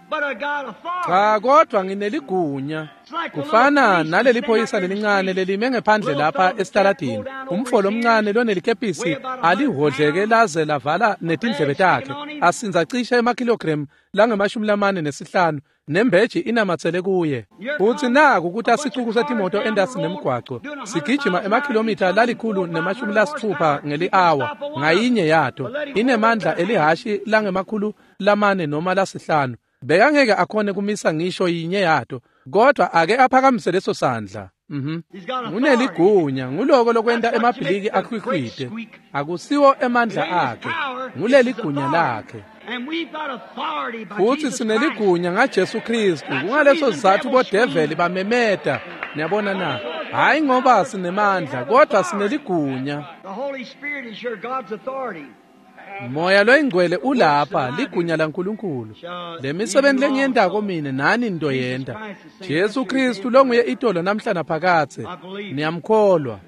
But I got authority. Cha, kodwa ngineligunya. Kufana naleli phoyisa lelincane lelime ngephandle lapha esitaladini. Umfo lomncane lonelikepisi alihhodleke laze lavala netindlebe takhe. Asinza cishe emakilogramu langemashumi lamane nesihlanu nembeji inamatsele kuye. Futsi naku ukuthi asicuku setimoto endasi nemgwaco sigijima emakhilomitha lalikhulu nemashumi lasitfupha ngeli-awa ngayinye yato inemandla elihashi langemakhulu lamane noma lasihlanu. Bekangeke akhone kumisa ngisho yinye yato, kodwa ake aphakamise leso sandla. Mhm. He's got authority. Uneligunya, nguloko lokwenta emabhiliki akhwikhwite. Akusiwo emandla akhe, nguleligunya lakhe. And we've got authority by Futhi Jesus Christ. sineligunya ngaJesu Kristu. Kungaleso sizathu bodeveli bamemeta. Niyabona na? Hayi ngoba sinemandla, kodwa sineligunya. The Holy Spirit is your God's authority. Moya loyingcwele ulapha, ligunya laNkulunkulu. Le misebenzi lengiyentako mine nani nitoyenta. Jesu Kristu longuye itolo namhla naphakadze. Niyamkholwa.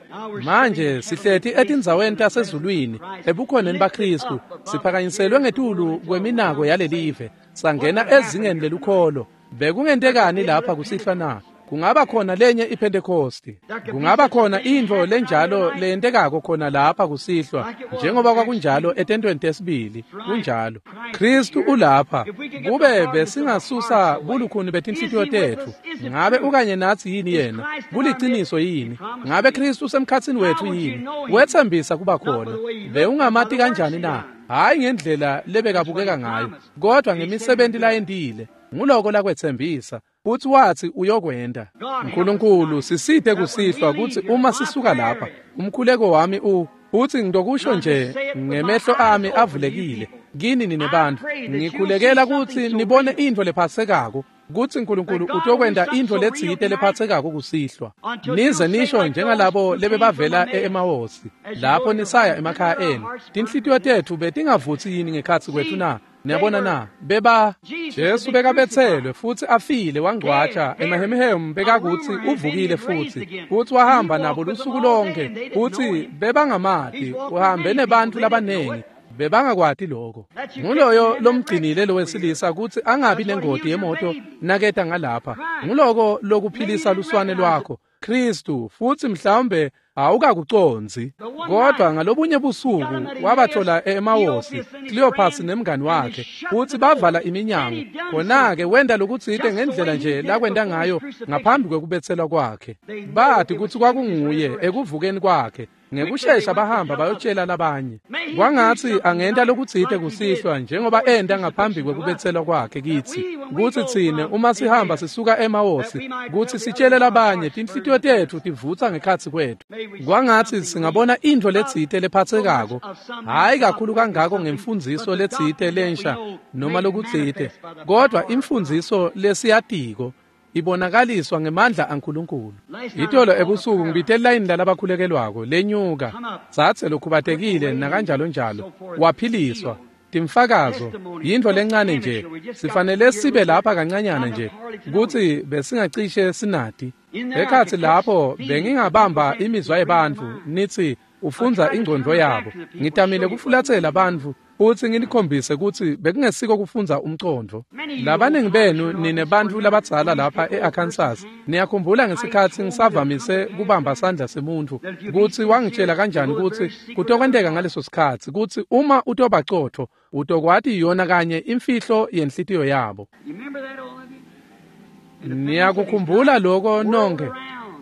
Manje sihleti etindzaweni tasezulwini ebukhoneni baKristu, siphakanyiselwe ngetulu kweminako yalelive, sangena ezingeni lelukholo. Bekungentekani lapha kusihlwa na? Kungaba khona lenye iPhentekosti. Kungaba khona intfo lenjalo leyentekako khona lapha kusihlwa, njengoba kwakunjalo etentweni tesibili. Kunjalo. Kristu ulapha. Kube besingasusa bulukhuni betinhlitiyo tetfu, ngabe ukanye natsi yini yena? Kuliciniso yini? Ngabe Kristu usemkhatsini wetfu yini? Wetsembisa kuba khona. Bewungamati kanjani na? Hhayi ngendlela lebekabukeka ngayo, kodwa ngemisebenti layentile. Nguloko lakwetsembisa. Futsi watsi uyokwenta. Nkulunkulu sisite kusihlwa kutsi uma sisuka lapha, umkhuleko wami u futsi ngitokusho nje ngemehlo ami avulekile kini nine bantfu, ngikhulekela kutsi nibone intfo lephatsekako, kutsi Nkulunkulu utokwenta intfo letsite lephatsekako kusihlwa. Nize nisho njengalabo lebebavela e-Emawosi lapho nisaya emakhaya enu, tinhlitiyo tetfu betingavutsi yini ngekhatsi kwetfu na? Niyabona na? Beba Jesu bekabetselwe futsi afile wangcwatjwa, emahemhemu bekakutsi uvukile futsi, futsi wahamba nabo lusuku lonke, futsi bebangamati, uhambe nebantfu labanengi, bebangakwati lokho. Nguloyo lomgcinile lowesilisa kutsi angabi nengoti yemoto naketa ngalapha. Nguloko lokuphilisa luswane lwakho, Kristu, futsi mhlawumbe awukakucondzi. Kodwa ngalobunye busuku wabathola e-Emawosi, Cleopas nemngani wakhe, futsi bavala iminyango. Khona-ke wenta lokutsite ngendlela nje lakwenta ngayo ngaphambi kwekubetselwa kwakhe. Bati kutsi kwakunguye ekuvukeni kwakhe. Ngekushesha bahamba bayotshela labanye. Kwangatsi angenta lokutsite kusihlwa njengoba enta ngaphambi kwekubetselwa kwakhe kitsi, kutsi tsine uma sihamba sisuka eMawosi, kutsi sitshele labanye tinhlitiyo tetfu tivutsa ngekhatsi kwetfu. Kwangatsi singabona intfo letsite lephatsekako, hhayi kakhulu kangako ngemfundziso letsite lensha noma lokutsite, kodwa imfundziso lesiyatiko ibonakaliswa ngemandla aNkulunkulu. Itolo ebusuku ngibite layini lalabakhulekelwako lenyuka, tsatse lokhubatekile nakanjalo njalo, waphiliswa. Timfakazo yintfo lencane nje, sifanele sibe lapha kancanyana nje kutsi besingacishe sinati. Ekhatsi lapho bengingabamba imizwa yebantfu nitsi ufundza ingcondvo yabo. Ngitamile kufulatsela bantfu futsi nginikhombise kutsi bekungesiko kufundza umcondvo. Labaningi benu nine bantfu labadzala lapha e-Arkansas, niyakhumbula ngesikhatsi ngisavamise kubamba sandla semuntfu kutsi wangitshela kanjani kutsi kutokwenteka ngaleso sikhatsi kutsi uma utobacotfo utokwati yona kanye imfihlo yenhlitiyo yabo. You remember that, all of you? Niyakukhumbula loko nonke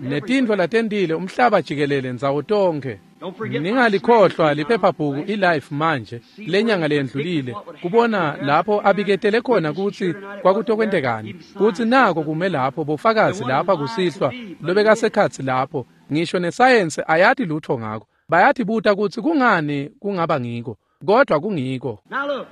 netintfo latentile umhlaba jikelele ndzawo tonkhe. Ningalikhohlwa liphephabhuku iLife manje lenyanga leyendlulile kubona lapho abiketele khona kutsi kwakutokwentekani, kutsi nako kume lapho bofakazi lapha kusihlwa lobekasekhatsi lapho, ngisho nesayensi ayati lutho ngako. Bayatibuta kutsi kungani kungaba ngiko, kodwa kungiko. Now look,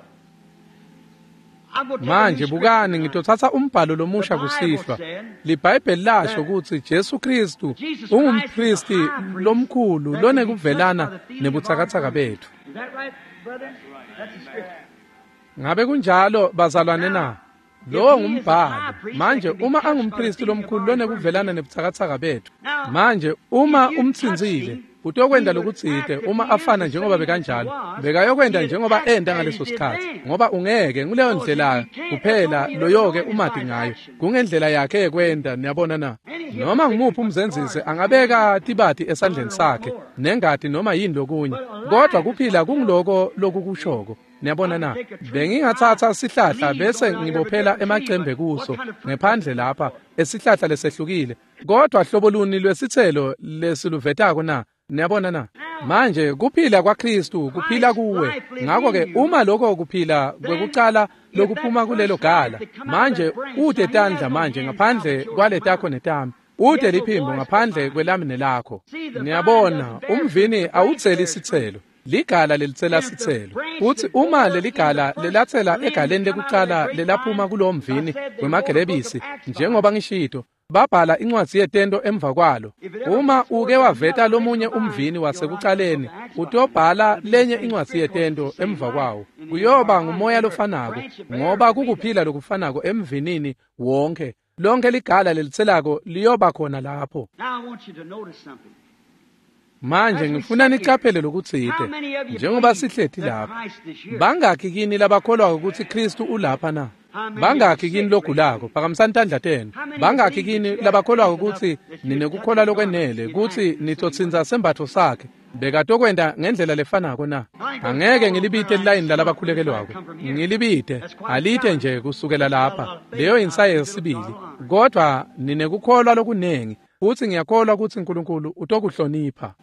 Manje bukani, ngitothatha umbhalo lomusha kusihlwa. LiBhayibheli lasho ukuthi Jesu Kristu ungumpristi lomkhulu lonekuvelana nebutsakatsaka bethu. Ngabe kunjalo bazalwane na? Lowo ngumbhalo. Manje uma angumpristi lomkhulu lonekuvelana nebutsakatsaka bethu, manje uma umtsinzile utokwenda lokutsite uma afana njengoba bekanjalo, bekayokwenda njengoba enda ngaleso sikhathi, ngoba ungeke nguleyo ndlela kuphela loyoke umati ngayo, kungendlela yakhe yekwenda. Niyabona na? Noma ngumuphi umzenzisi angabeka tibati esandleni sakhe nengati noma yini lokunye, kodwa kuphila kungiloko lokukushoko. Niyabona na? Bengingathatha sihlahla bese ngibophela emacembe kuso ngephandle lapha esihlahla lesehlukile, kodwa hlobo luni lwesithelo lesiluvetako na? Niyabona na? Manje kuphila kwaKristu kuphila kuwe. Ngakho-ke uma lokho kuphila kwekucala lokuphuma kulelo gala, manje ute tandla manje ngaphandle kwaletakho netami, ute liphimbo ngaphandle kwelami nelakho. Niyabona, umvini awutseli isithelo, ligala lelitsela sithelo. Uthi uma leligala lelatsela egaleni lekucala lelaphuma kulowo mvini wemagelebisi, njengoba ngishito, babhala incwadzi yetento emva kwalo. Uma uke waveta lomunye umvini wasekucaleni, utobhala lenye incwadzi yetento emva kwawo. Kuyoba ngumoya lofanako, ngoba kukuphila lokufanako emvinini wonke. Lonke ligala lelitselako liyoba khona lapho. Manje ngifuna nicaphele lokutsite njengoba sihleti lapha. Bangakhi kini labakholwako ukuthi Kristu ulapha na? Bangakhi kini logulako? Phakamisani tandla tenu. Bangakhi kini labakholwako ukuthi ninekukholwa lokwenele kutsi nitotsinza sembatfo sakhe bekatokwenda ngendlela lefanako na? Angeke ngilibite lilayini lalabakhulekelwako, ngilibite alite nje kusukela lapha. Leyo insaye yesibili. Kodwa ninekukholwa lokunengi, futsi ngiyakholwa kutsi Nkulunkulu utokuhlonipha.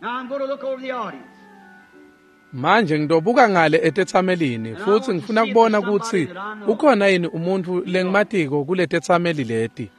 Manje ngitobuka ngale etetsamelini futsi ngifuna kubona kutsi ukhona yini umuntfu lengimatiko kuletetsameli leti.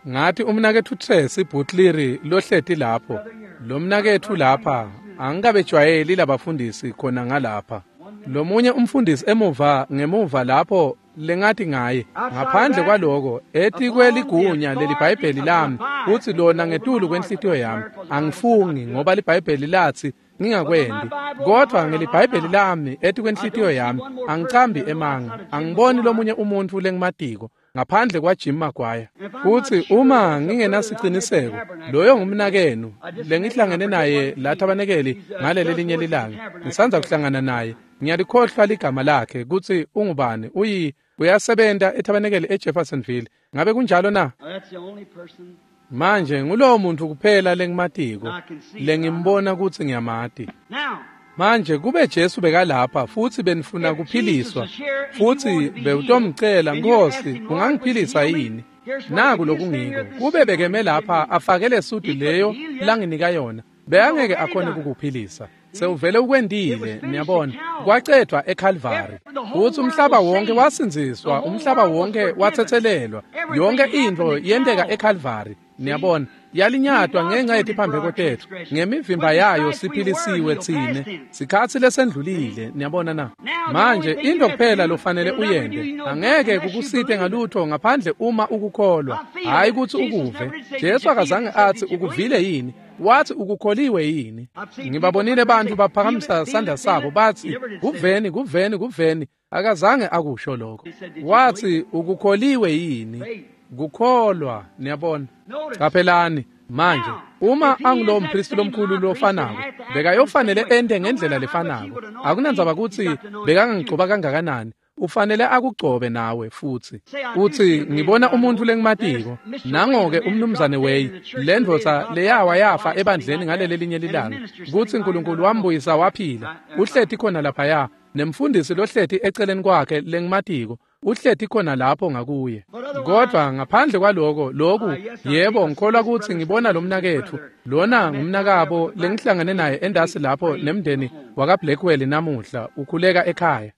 Ngathi umnaketfu Tracy Butleri lohleti lapho, lo mnaketfu lapha, angikabejwayeli labafundisi khona ngalapha. Lomunye umfundisi emuva ngemuva lapho lengathi ngaye, ngaphandle kwaloko etikweligunya leliBhayibheli lami kutsi lona ngetulu kwenhlitiyo yami angifungi, ngoba liBhayibheli lathi ngingakwendi, kodwa ngeliBhayibheli lami etikwenhlitiyo yami angicambi emanga. Angiboni lomunye umuntfu lengimatiko ngaphandle kwaJim Maguire. Futsi uma ngingenasiciniseko, loyo ngumnakenu lengihlangene naye la tabanekeli ngaleli linye lilanga, ngisandza kuhlangana naye, ngiyalikhohlwa ligama lakhe kutsi ungubani, uyi uyasebenta etabanekeli eJeffersonville. Ngabe kunjalo na? Manje ngulowo muntu kuphela lengimatiko lengimbona kutsi ngiyamati. Manje kube Jesu bekalapha futsi benifuna kuphiliswa, futsi bewutomcela, Nkosi, ungangiphilisa yini? Naku lokungiko, kube bekeme lapha afake lesudu leyo langinika yona, bekangeke akhone kukuphilisa. Sewuvele ukwendile, niyabona, kwacedwa eCalvary. Futsi umhlaba wonke wasindziswa, umhlaba wonke watsetselelwa, yonke intfo yenteka eCalvary. Niyabona, yalinyatwa ngenxa yetiphambeko tetfu, ngemivimba yayo siphilisiwe tsine. Sikhatsi lesendlulile, niyabona na? Manje into kuphela lofanele uyente, angeke kukusite ngalutho ngaphandle uma ukukholwa, hayi kutsi ukuve. Jesu akazange atsi ukuvile yini, wathi ukukholiwe yini. Ngibabonile bantfu baphakamisa sandla sabo batsi kuveni, kuveni, kuveni. Akazange akusho lokho. Wathi ukukholiwe yini? Kukholwa, niyabona. Caphelani manje, uma angulowo mpristi lomkhulu lofanako, bekayofanele ente ngendlela lefanako. Akunandzaba kutsi bekangangigcoba kangakanani, ufanele akugcobe nawe futsi. Uthi ngibona umuntu lengimatiko, nangoke umnumzane Way, lendvodza leyawa yafa ebandleni ngaleli linye lilanga, kutsi Nkulunkulu wambuyisa waphila, uhleti khona laphaya, nemfundisi lohleti eceleni kwakhe lengimatiko, uhleti khona lapho ngakuye. Kodwa ngaphandle kwaloko, loku, yebo, ngikholwa kutsi ngibona lo mnaketfu, lona ngumnakabo lengihlangene naye endasi lapho nemndeni wakaBlackwell namuhla, ukhuleka ekhaya.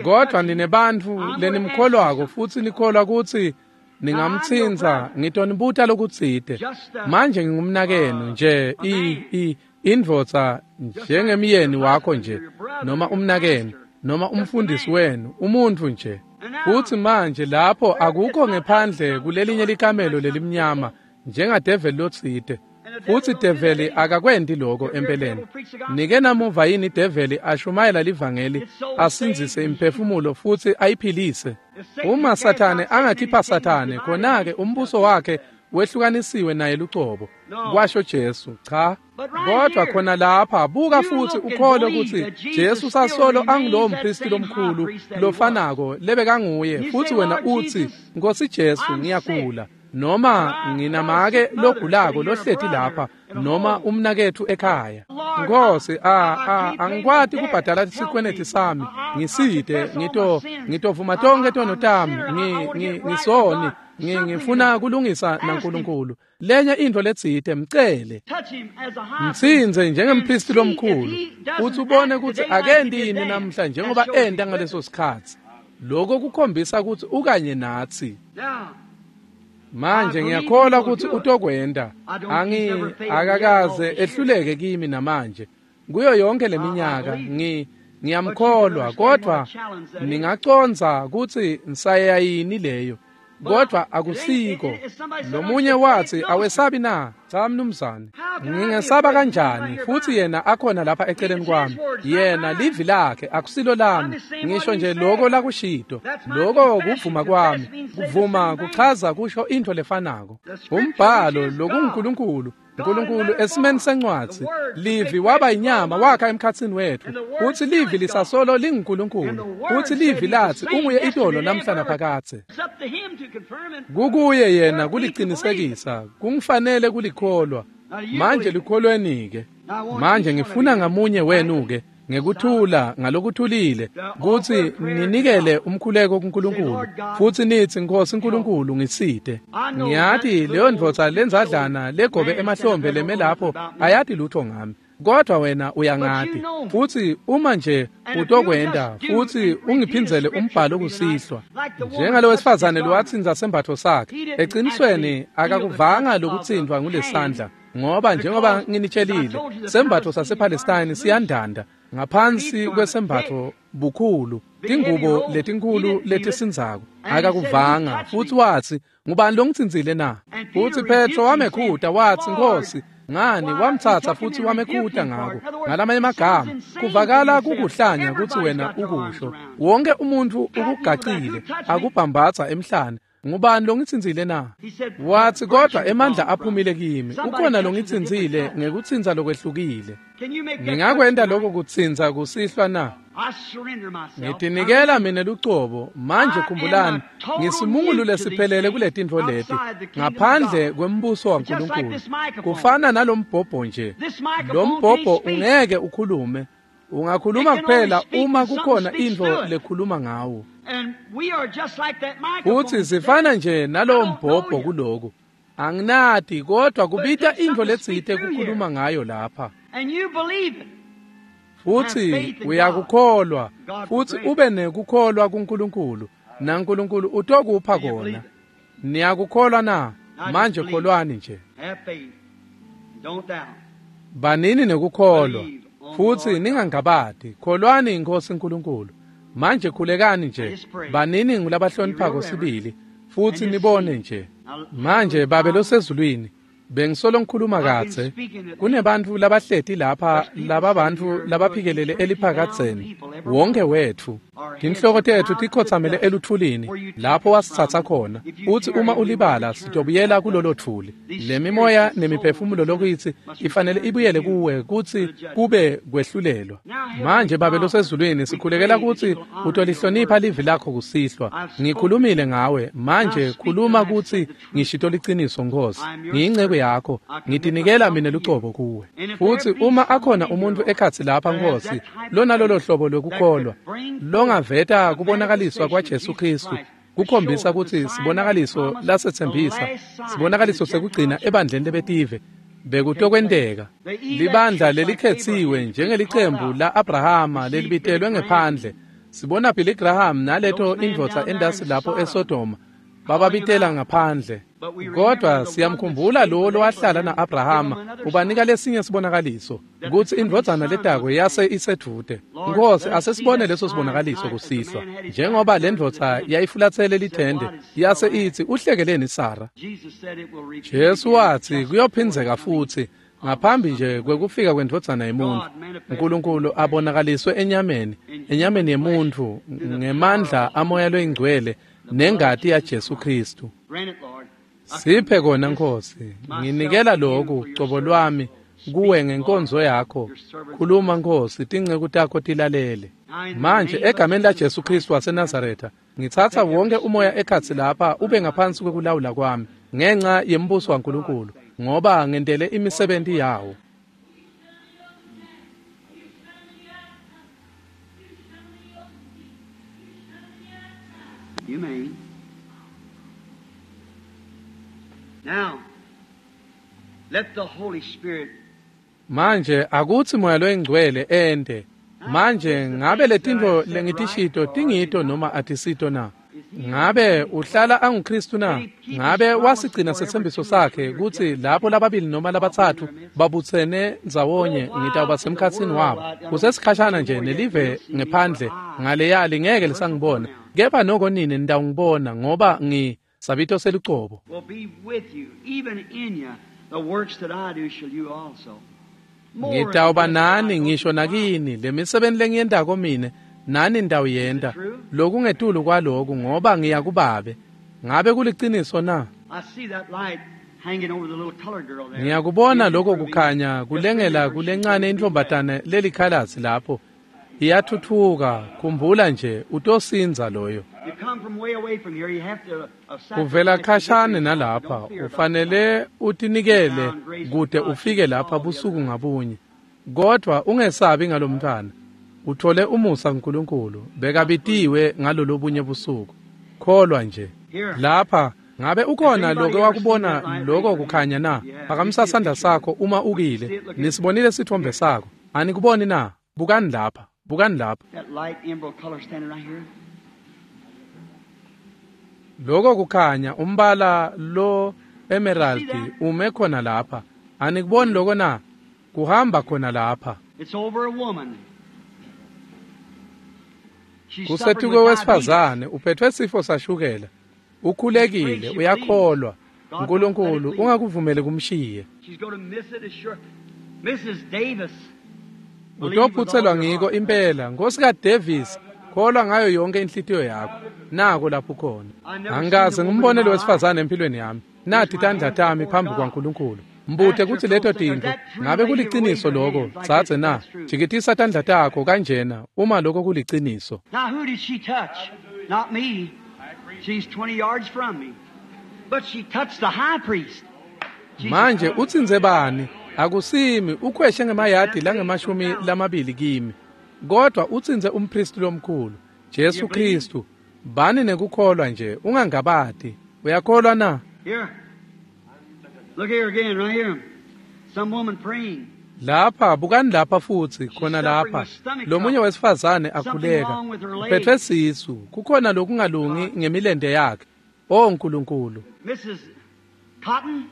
Kodwa ninebantfu lenimkholwako futsi nikholwa kutsi ningamtsintsa, ngitonibuta lokutsite. Manje ngingumnakenu nje, i i Indvodza njengemyeni wakho nje, noma umnakenu, noma umfundisi wenu, umuntfu nje. Futsi manje lapho akukho ngephandle kulelinye likamelo lelimnyama njengadeveli lotsite. Futsi develi akakwenti lokho empeleni. Nike namuva yini develi ashumayela livangeli, asindzise imphefumulo futsi ayiphilise? Uma Sathane angakhipha Sathane, khona-ke umbuso wakhe wehlukanisiwe naye lucobo, kwasho Jesu. Cha, kodwa khona lapha buka futsi ukholwe kutsi Jesu sasolo angulowo mpristi lomkhulu lofanako lebekanguye, futsi wena utsi, Nkosi Jesu, ngiyagula, noma nginamake logulako lohleti lapha, noma umnaketfu ekhaya. Nkosi, a a angikwati kubhadala sikweleti sami, ngisite, ngito ngitovuma tonkhe tono tami, ngi ngisoni, ngifuna kulungisa naNkulunkulu. Lenye intfo letsite, mcele. Mtsintse njengempristi lomkhulu, futsi ubone kutsi akenti yini namhla njengoba enta ngaleso sikhatsi. Lokho kukhombisa kutsi ukanye natsi. Manje ngiyakholwa kutsi utokwenta. Angi akakaze ehluleke kimi namanje. Kuyo yonke leminyaka ngi ngiyamkholwa, kodwa ningacondza kutsi nsaya yini leyo. Kodwa akusiko. Lomunye wathi, awesabi na? Cha mnumzane. Ngingesaba kanjani futhi yena akhona lapha eceleni kwami? Yena livi lakhe akusilo lami. Ngisho nje lokho lakushito. Lokho kuvuma kwami. Kuvuma kuchaza kusho into lefanako. Umbhalo lokunguNkulunkulu. uNkulunkulu esimeni sencwadzi, livi waba inyama wakha emkhatsini wethu. Futsi livi lisasolo linguNkulunkulu. Futsi livi lathi unguye itolo namhla naphakadze. Kukuye yena kulicinisekisa, kungifanele kulikholwa. Manje likholweni ke. Manje ngifuna ngamunye wenu ke ngekuthula ngalokuthulile kutsi ninikele umkhuleko kuNkulunkulu, futsi nitsi, Nkosi uNkulunkulu, ngisite. Ngiyati leyo ndvodza lenzadlana legobe emahlombe leme lapho ayati lutho ngami, kodwa wena uyangati. Futsi uma nje utokwenta futsi ungiphindzele umbhalo kusihlwa, njengalo wesifazane lowatsintsa sembatfo sakhe, ecinisweni akakuvanga lokutsintfwa ngulesandla, ngoba njengoba nginitshelile, sembatfo sasePalestine siyandanda ngaphansi kwesembatfo bukhulu, tingubo letinkulu letisindzako. Akakuvanga. Futsi watsi, ngubani longitsintsile na? Futsi Petro wamekhuta watsi, Nkosi, ngani wamtsatsa futhi wamekhuta ngako. Ngalamanye amagama, kuvakala kukuhlanya kutsi wena ukusho. Wonke umuntfu ukugacile, akubhambatsa emhlane. Ngubani longitsintsile na? Watsi, kodwa emandla aphumile kimi. Ukhona longitsintsile ngekutsintsa lokwehlukile. Ngingakwenta lokho kutsintsa kusihlwa na? Ngitinikela mina lucobo. Manje khumbulani, ngisimungulu lesiphelele kuletintfo leti ngaphandle kwembuso waNkulunkulu. Kufana nalombhobho nje. Lombhobho ungeke ukhulume. Ungakhuluma kuphela uma kukhona intfo lekhuluma ngawo. Futsi sifana nje nalowo mbhobho kuloku. Anginati, kodwa kubita intfo letsite kukhuluma ngayo lapha. Futsi uyakukholwa, futsi ube nekukholwa kuNkulunkulu, naNkulunkulu utokupha kona. Niyakukholwa na? Manje kholwani nje. Banini nekukholwa, futsi ningangabati. Kholwani iNkhosi uNkulunkulu. Manje khulekani nje, banini ngulabahloniphako sibili, futsi nibone nje. Manje Babe losezulwini, bengisolo ngikhuluma kadze. Kunebantfu labahleti lapha, lababantfu labaphikelele eliphakadzeni, wonke wetfu. Tinhloko tetfu tikhotsamele eluthulini lapho wasitsatsa khona. Utsi uma ulibala, sitobuyela kulolo thuli. Lemimoya nemiphefumulo lokuyitsi ifanele ibuyele kuwe kutsi kube kwehlulelwa. Manje Babe losezulwini, sikhulekela kutsi utolihlonipha livi lakho kusihlwa. Ngikhulumile ngawe, manje khuluma kutsi ngishito liciniso, Nkosi. Ngiyinceku yakho, ngitinikela mina lucobo kuwe. Futsi uma akhona umuntfu ekhatsi lapha, Nkosi, lonalolo hlobo lwekukholwa, longaveta kubonakaliswa kwaJesu Kristu, kukhombisa kutsi sibonakaliso lasetsembisa, sibonakaliso sekugcina ebandleni lebetive, bekutokwenteka. Libandla lelikhetsiwe njengelicembu la-Abrahama lelibitelwe ngephandle. Sibona Billy Graham naleto indvodza endasi lapho eSodoma, bababitela ngaphandle. Kodwa siyamkhumbula lowo lowahlala na-Abrahama ubanika lesinye sibonakaliso kutsi indvodzana letako yase isedvute. Nkosi, asesibone leso sibonakaliso kusihlwa. Njengoba le ndvodza yayifulatsele lithende yase itsi uhlekeleni Sara. Jesu watsi kuyophindzeka futsi ngaphambi nje kwekufika kwendvodzana yemuntfu. Nkulunkulu abonakaliswe enyameni, enyameni yemuntfu ngemandla amoya loyingcwele nengati yaJesu Kristu. Siphe kona Nkosi, nginikela lokhu cobo lwami kuwe ngenkonzo yakho. Khuluma Nkosi, tinceku takho tilalele. Manje egameni laJesu Kristu waseNazaretha, ngitsatsa wonke umoya ekhatsi lapha ube ngaphansi kwekulawula kwami ngenxa yembuso waNkulunkulu, ngoba ngentele imisebenti yawo. You may. Now, let the Holy Spirit. Manje akutsi moya loyingcwele ente. Manje ngabe letintfo lengitishito tingito noma atisito na? Ngabe uhlala anguKristu na? Ngabe wasigcina setsembiso sakhe kutsi lapho lababili noma labatsatfu babutsene ndzawonye ngitawuba semkhatsini wabo? Kusesikhashana nje nelive ngephandle ngaleya lingeke lisangibona, kepha noko nini nitawungibona ngoba ngi sabito selucobo. Will be with you, even in you, the works that I do shall you also. Ngitawuba nani ngisho nakini lemisebenti lengiyentako mine nani nitawuyenta lokungetulu kwaloku ngoba ngiya kuBabe. Ngabe kuliciniso na? I see that light hanging over the little colored girl there. Ngiyakubona lokho kukhanya kulengela kulencane intfombatane lelikhalasi lapho. Iyathuthuka, khumbula nje utosinza loyo. You come from way away from here, you have to uh, Uvela khashane nalapha, ufanele utinikele kude ufike lapha busuku ngabunye. Kodwa ungesabi ngalomntwana. Uthole umusa kuNkulunkulu, bekabitiwe ngalolobunye busuku. Kholwa nje. Lapha ngabe ukhona lokho wakubona lokho kukhanya na? Phakamisa sandla sakho uma ukile. Nisibonile sithombe sakho. Anikuboni na? Bukani lapha, bukani lapha. That light emerald color standing right here. Lokho kukhanya umbala lo emerald ume khona lapha. Anikuboni lokho na? Kuhamba khona lapha. It's over a woman. She's Kusetuke suffering with diabetes. wesifazane uphethwe sifo sashukela. Ukhulekile, uyakholwa. uNkulunkulu ungakuvumeli kumshiye. She's going to miss it as sure. Missus Davis. Believe with all Utophutselwa your ngiko heart. impela. Nkosikazi Davis, kholwa ngayo yonke inhlitiyo yakho. Nako lapho khona. Angikaze ngimbone lo wesifazane empilweni yami. Nathi tandla tami phambi kwaNkulunkulu. Mbute kutsi leto tintfo ngabe kuliciniso lokho, tsatse na? Jikitisa tandla takho kanjena uma lokho kuliciniso. Now, who did she touch? Not me. She's twenty yards from me. But she touched the high priest. Jesus Manje utsinze bani? Akusimi, ukhweshe ngemayadi langemashumi lamabili kimi. Kodwa utsinze umpristi lomkhulu, Jesu Kristu. Bani nekukholwa nje, ungangabati. Uyakholwa na? Here. Look here again, right here. Some woman praying. Lapha bukani lapha futsi khona lapha. Lomunye wesifazane akhuleka. Uphethwe sisu, kukhona lokungalungi ngemilente yakhe. O Nkulunkulu. Missus Cotton,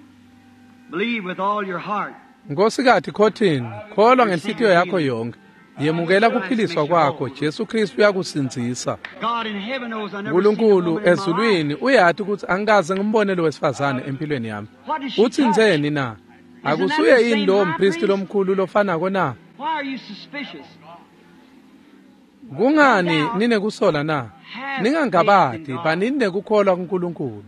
believe with all your heart. Nkosikazi Cotton, kholwa ngenhlitiyo yakho yonke. Yemukela kuphiliswa kwakho, Jesu Kristu uyakusindzisa. God in heaven knows I never seen a uNkulunkulu woman in my life. ezulwini uyati ukuthi angikaze ngimbone lo wesifazane empilweni yami. What did she Utsinzeni na? Akusuye yini lowo mpristi lomkhulu lofanako na? Why are you suspicious? Kungani ninekusola na? Ningangabati, banini nekukholwa kuNkulunkulu.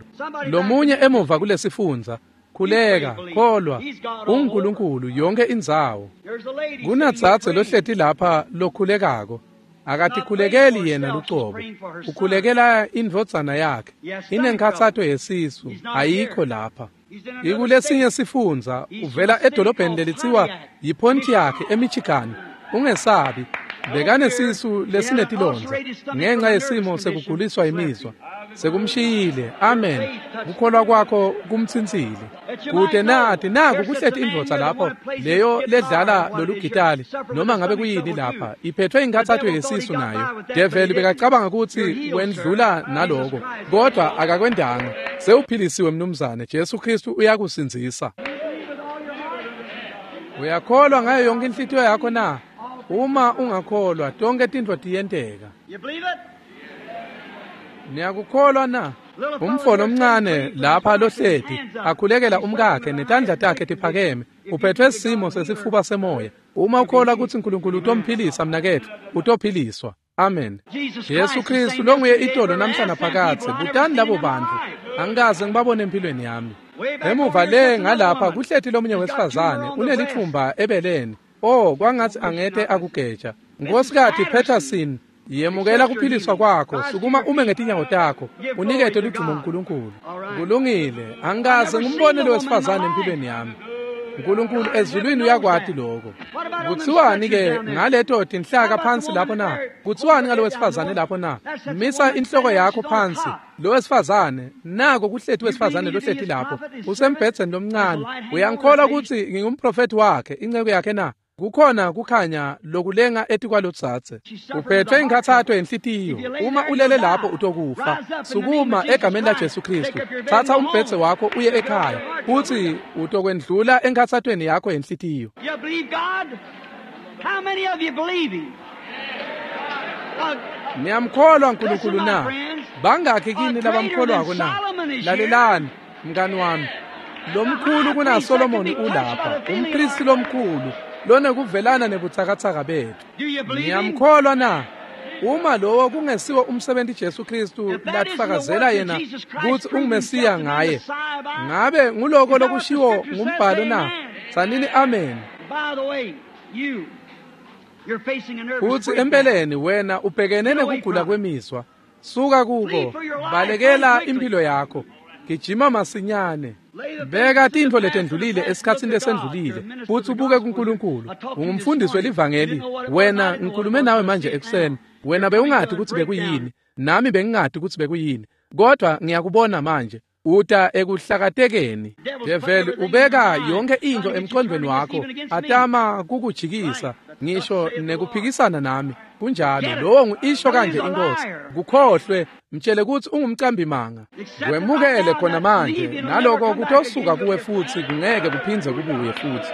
Lomunye emuva kulesifundza, khuleka, kholwa, uNkulunkulu yonke indzawo. There's a lady sitting Kunadzadze here praying. lohleti lapha lokhulekako. Akatikhulekeli yena lucobo. Ukhulekela indvodzana yakhe. Inenkhatsato yesisu, ayikho lapha. He's in another Ikulesinye state. sifundza, uvela edolobheni lelitsiwa yiPontiac eMichigan. Ungesabi, bekanesisu lesinetilondza ngenxa yesimo sekuguliswa imizwa. Sekumshiyile. Amen. Kukholwa kwakho kumtsintsile. Kude nathi naku kuhleti indvodza lapho leyo ledlala lolu gitali noma ngabe kuyini lapha iphethwe inkathatho yesisu nayo. Develi bekacabanga ukuthi wendlula naloko, kodwa akakwendanga. Sewuphilisiwe mnumzane. Jesu Kristu uyakusindzisa. Uyakholwa ngayo yonke inhlitiyo yakho na? Uma ungakholwa tonke tintfo tiyenteka. Niyakukholwa na? Umfo lomncane lapha lohleti akhulekela umkakhe netandla takhe tiphakeme, uphethwe simo sesifuba semoya. Uma ukholwa kutsi uNkulunkulu utomphilisa mnaketfu, utophiliswa. Amen. Jesu Kristu longuye itolo namhla naphakadze. Butani labo bantfu, angikaze ngibabone empilweni yami. Emuva le ngalapha kuhleti lomunye wesifazane unelithumba ebeleni. Oh, kwangatsi angete akugeja. Nkosikati Peterson, yemukela kuphiliswa kwakho. Sukuma ume ngetinyawo takho, unikete ludumo uNkulunkulu. Kulungile. Angikaze ngimbone lo wesifazane empilweni yami. uNkulunkulu ezulwini uyakwati lokho. Kuthiwani ke ngaleto tinhlaka phansi lapho na? Kuthiwani ngalo wesifazane lapho na? Misa inhloko yakho phansi. Lo wesifazane nako kuhleti wesifazane lohleti lapho usembhedzeni lomncane. Uyangikholwa ukuthi ngingumprofeti wakhe, inceku yakhe na? Kukhona kukhanya lokulenga etikwalotsatse. Uphethwe inkathatho yenhlitiyo. Uma ulele lapho utokufa. Sukuma egameni la Jesu Kristu. Thatha umbhedze wakho uye ekhaya. Uthi utokwendlula enkathathweni yakho yenhlitiyo. You believe God? How many of you believe him? Niyamkholwa uNkulunkulu na? Bangakhi kini labamkholwako na? Lalelani mngani wami. Lomkhulu kuna Solomon ulapha, umpristi lomkhulu lonekuvelana nebutsakatsaka bethu. Niyamkholwa na? Uma lowo kungesiwo umsebenzi Jesu Kristu latifakazela yena kutsi unguMesiya ngaye, ngabe nguloko lokushiwo ngumbhalo na? Tsanini amen. Futsi empeleni wena ubhekene nekugula kwemizwa. Suka kuko, balekela impilo yakho. Gijima masinyane. Beka tintfo letendlulile esikhatsini lesendlulile futsi ubuke kuNkulunkulu. Ungumfundisi welivangeli. Wena ngikhulume nawe manje ekuseni. Wena bewungati kutsi bekuyini, nami bengingati kutsi bekuyini, kodwa ngiyakubona manje. Uta ekuhlakatekeni. Develi ubeka yonke into emqondweni wakho, atama kukujikisa ngisho nekuphikisana nami. Kunjalo, lowo ngisho kanje inkosi. Kukhohlwe, mtshele kutsi ungumcambi manga. Wemukele khona manje, naloko kutosuka kuwe futsi kungeke kuphindze kubuye futsi.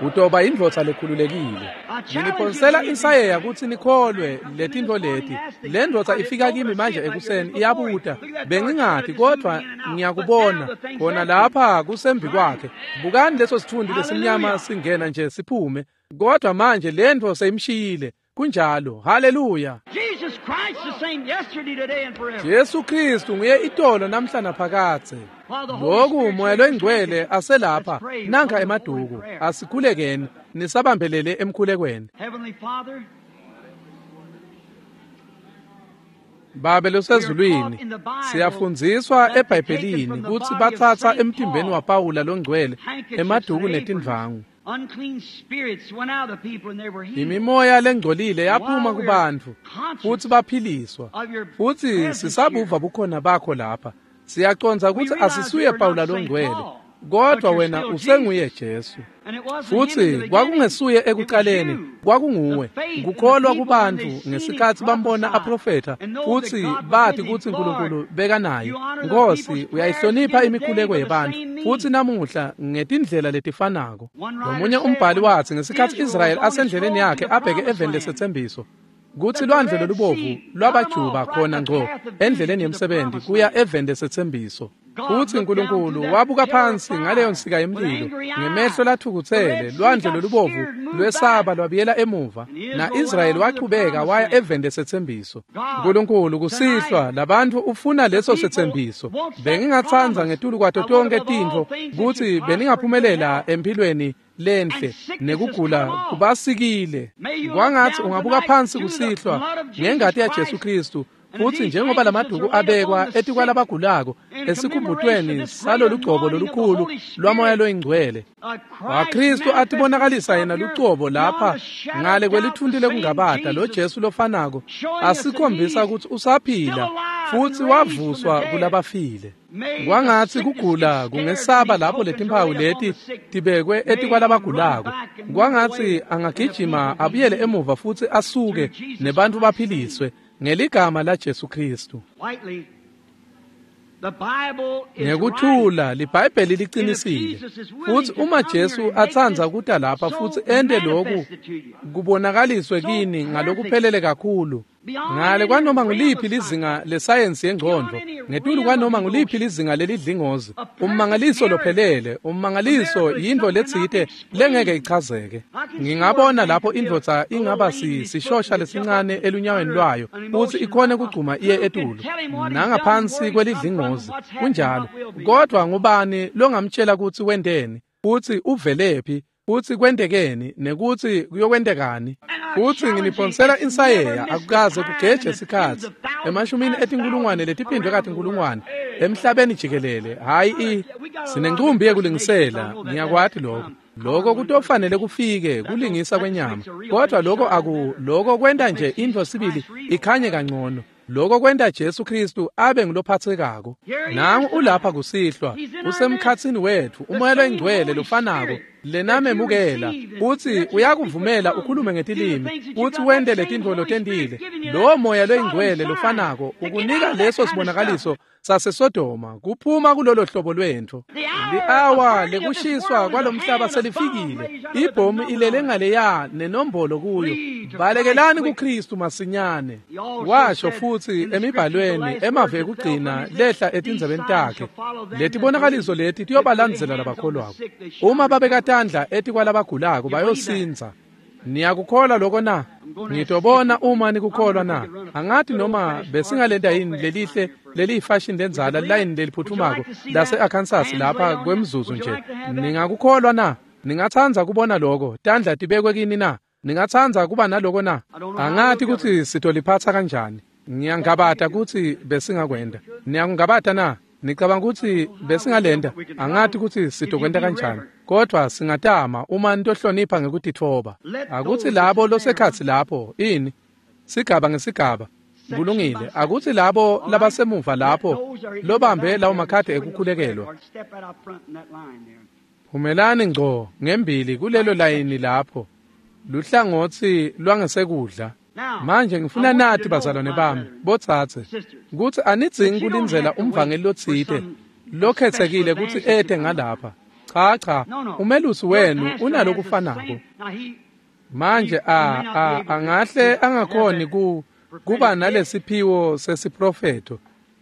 Utoba indvodza lekhululekile. Nginiphonsela insayeya kutsi nikholwe letintfo leti. Le ndvodza ifika kimi manje ekuseni iyabuta. Bengingati kodwa ngiyakubona khona lapha kusembi kwakhe. Bukani leso sithundi lesimnyama singena nje siphume. Kodwa manje le ndvo seyimshiyile. Kunjalo. Haleluya. Jesus Christ the same yesterday, today and forever. Jesu Kristu nguye itolo namhla naphakadze. Lokhu moya loyingcwele aselapha nanka emaduku. Asikhulekeni nisabambelele emkhulekweni. Heavenly Father, Babe losezulwini, siyafundziswa eBhayibhelini kutsi batsatsa emtimbeni waPawula longcwele emaduku netindvangu. Unclean spirits went out of the people and they were healed. Imimoya lengcolile yaphuma kubantfu futsi baphiliswa. Futsi sisabuva bukhona bakho lapha. Siyacondza kutsi asisuye Pawula longcwele, kodwa wena usenguye Jesu. Futsi kwakungesuye ekuqaleni, kwakunguwe. Kukholwa kubantfu ngesikhatsi bambona aprofetha futsi bathi kutsi uNkulunkulu bekanaye. Nkosi, uyayihlonipha imikhuleko yebantfu futsi namuhla ngetindlela letifanako. Lomunye umbhali watsi ngesikhatsi Israyeli asendleleni yakhe abheke eveni lesetsembiso, kutsi lwandle lolubovu lwabajuba khona ngco endleleni yemsebenzi kuya eveni lesetsembiso. Futsi uNkulunkulu wabuka phansi ngaleyo nsika yemlilo ngemehlo lathukutsele. Lwandle lolubovu lwesaba lwabuyela emuva, na-Israyeli wachubeka waya eveni lesetsembiso. uNkulunkulu kusihlwa labantfu ufuna leso setsembiso. Bengingatsandza ngetulu kwato tonke tintfo kutsi beningaphumelela empilweni lenhle nekugula kubasikile. Kwangatsi ungabuka phansi kusihlwa ngengati yaJesu Kristu Futsi njengoba lamaduku abekwa etikwalabagulako esikhumbutweni salolugcobo lolukhulu lwaMoya loyiNgcwele waKhristu atibonakalisa yena lucobo lapha ngale kwelithunti lekungabata lo Jesu lofanako asikhombisa kutsi usaphila futsi wavuswa kulabafile. Kwangatsi kugula kungesaba lapho letimphawu leti tibekwe etikwalabagulako. Kwangatsi angagijima abuyele emuva futsi asuke nebantfu baphiliswe ngeligama la Jesu Khristu. Ngekuthula liBhayibheli liqinisile. Futsi uma Jesu atsandza kuta lapha futsi ente lokhu kubonakaliswe kini ngalokuphelele kakhulu ngale kwanoma nguliphi lizinga lesayensi yengcondvo, ngetulu kwanoma nguliphi lizinga lelidlingozi, ummangaliso lophelele, ummangaliso yintfo letsite lengeke ichazeke. Ngingabona lapho indvodza ingaba sishosha lesincane elunyaweni lwayo futsi ikhone kugcuma iye etulu nangaphansi kwelidlingozi, kunjalo. Kodwa ngubani longamtshela kutsi wenteni futsi uvelephi futsi kwentekeni nekutsi kuyokwentekani? Futsi nginiphonsela insayeya akukaze kugeje sikhatsi emashumini etinkulungwane letiphindwe katinkulungwane emhlabeni jikelele. Hhayi i sinencumbi yekulingisela, ngiyakwati lokho. Lokho kutofanele kufike kulingisa kwenyama, kodwa lokho aku lokho kwenta nje intfo sibili ikhanye kangcono. Lokho kwenta Jesu Khristu abe ngulophathekako. Nangu ulapha kusihlwa, usemkhatsini wetfu, uMoya loyiNgcwele lofanako lenamemukela, futsi uyakuvumela ukhulume ngetilimi futsi wente letintfo lotentile. Lowo Moya loyiNgcwele lofanako ukunika leso sibonakaliso saseSodoma kuphuma kulolo hlobo lwentfo. Li-awa lekushiswa kwalomhlaba selifikile. Ibhomu ilele ngaleya nenombolo kuyo. Balekelani kuKhristu masinyane. Washo futsi emibhalweni emavi ekugcina lehla etindzebeni takhe, letibonakaliso leti tiyobalandzela labakholwako. Uma babeka tandla etikwalabagulako bayosindza. Niyakukholwa lokho na? Ngitobona uma nikukholwa na? Angati noma besingalenta yini lelihle leliyifashion lenzala line leliphuthumako lase-Arkansas lapha kwemzuzu nje. Ningakukholwa na? Ningatsandza kubona lokho tandla tibekwe kini na? Ningatsandza kuba naloko na? Angati kutsi sitoliphatsa kanjani. Ngiyangabata kutsi besingakwenta. Niyakungabata na? Nicabanga kutsi besingalenta? Angati kutsi sitokwenta kanjani, kodwa singatama uma nitohlonipha ngekutitfoba. Akutsi labo losekhatsi lapho ini sigaba ngesigaba kulungile. Akutsi labo labasemuva lapho lobambe lawo makhadi ekukhulekelwa, phumelani ngco ngembili kulelo layini lapho luhlangotsi lwangesekudla. Manje ngifuna nathi bazalwane bami botsatse kutsi anidzingi kulindzela umvangeli lotsite lokhetsekile kutsi ete ngalapha. Cha cha, umelusi wenu unalokufanako. Manje a a angahle angakhoni ku kuba nalesiphiwo sesiprofetho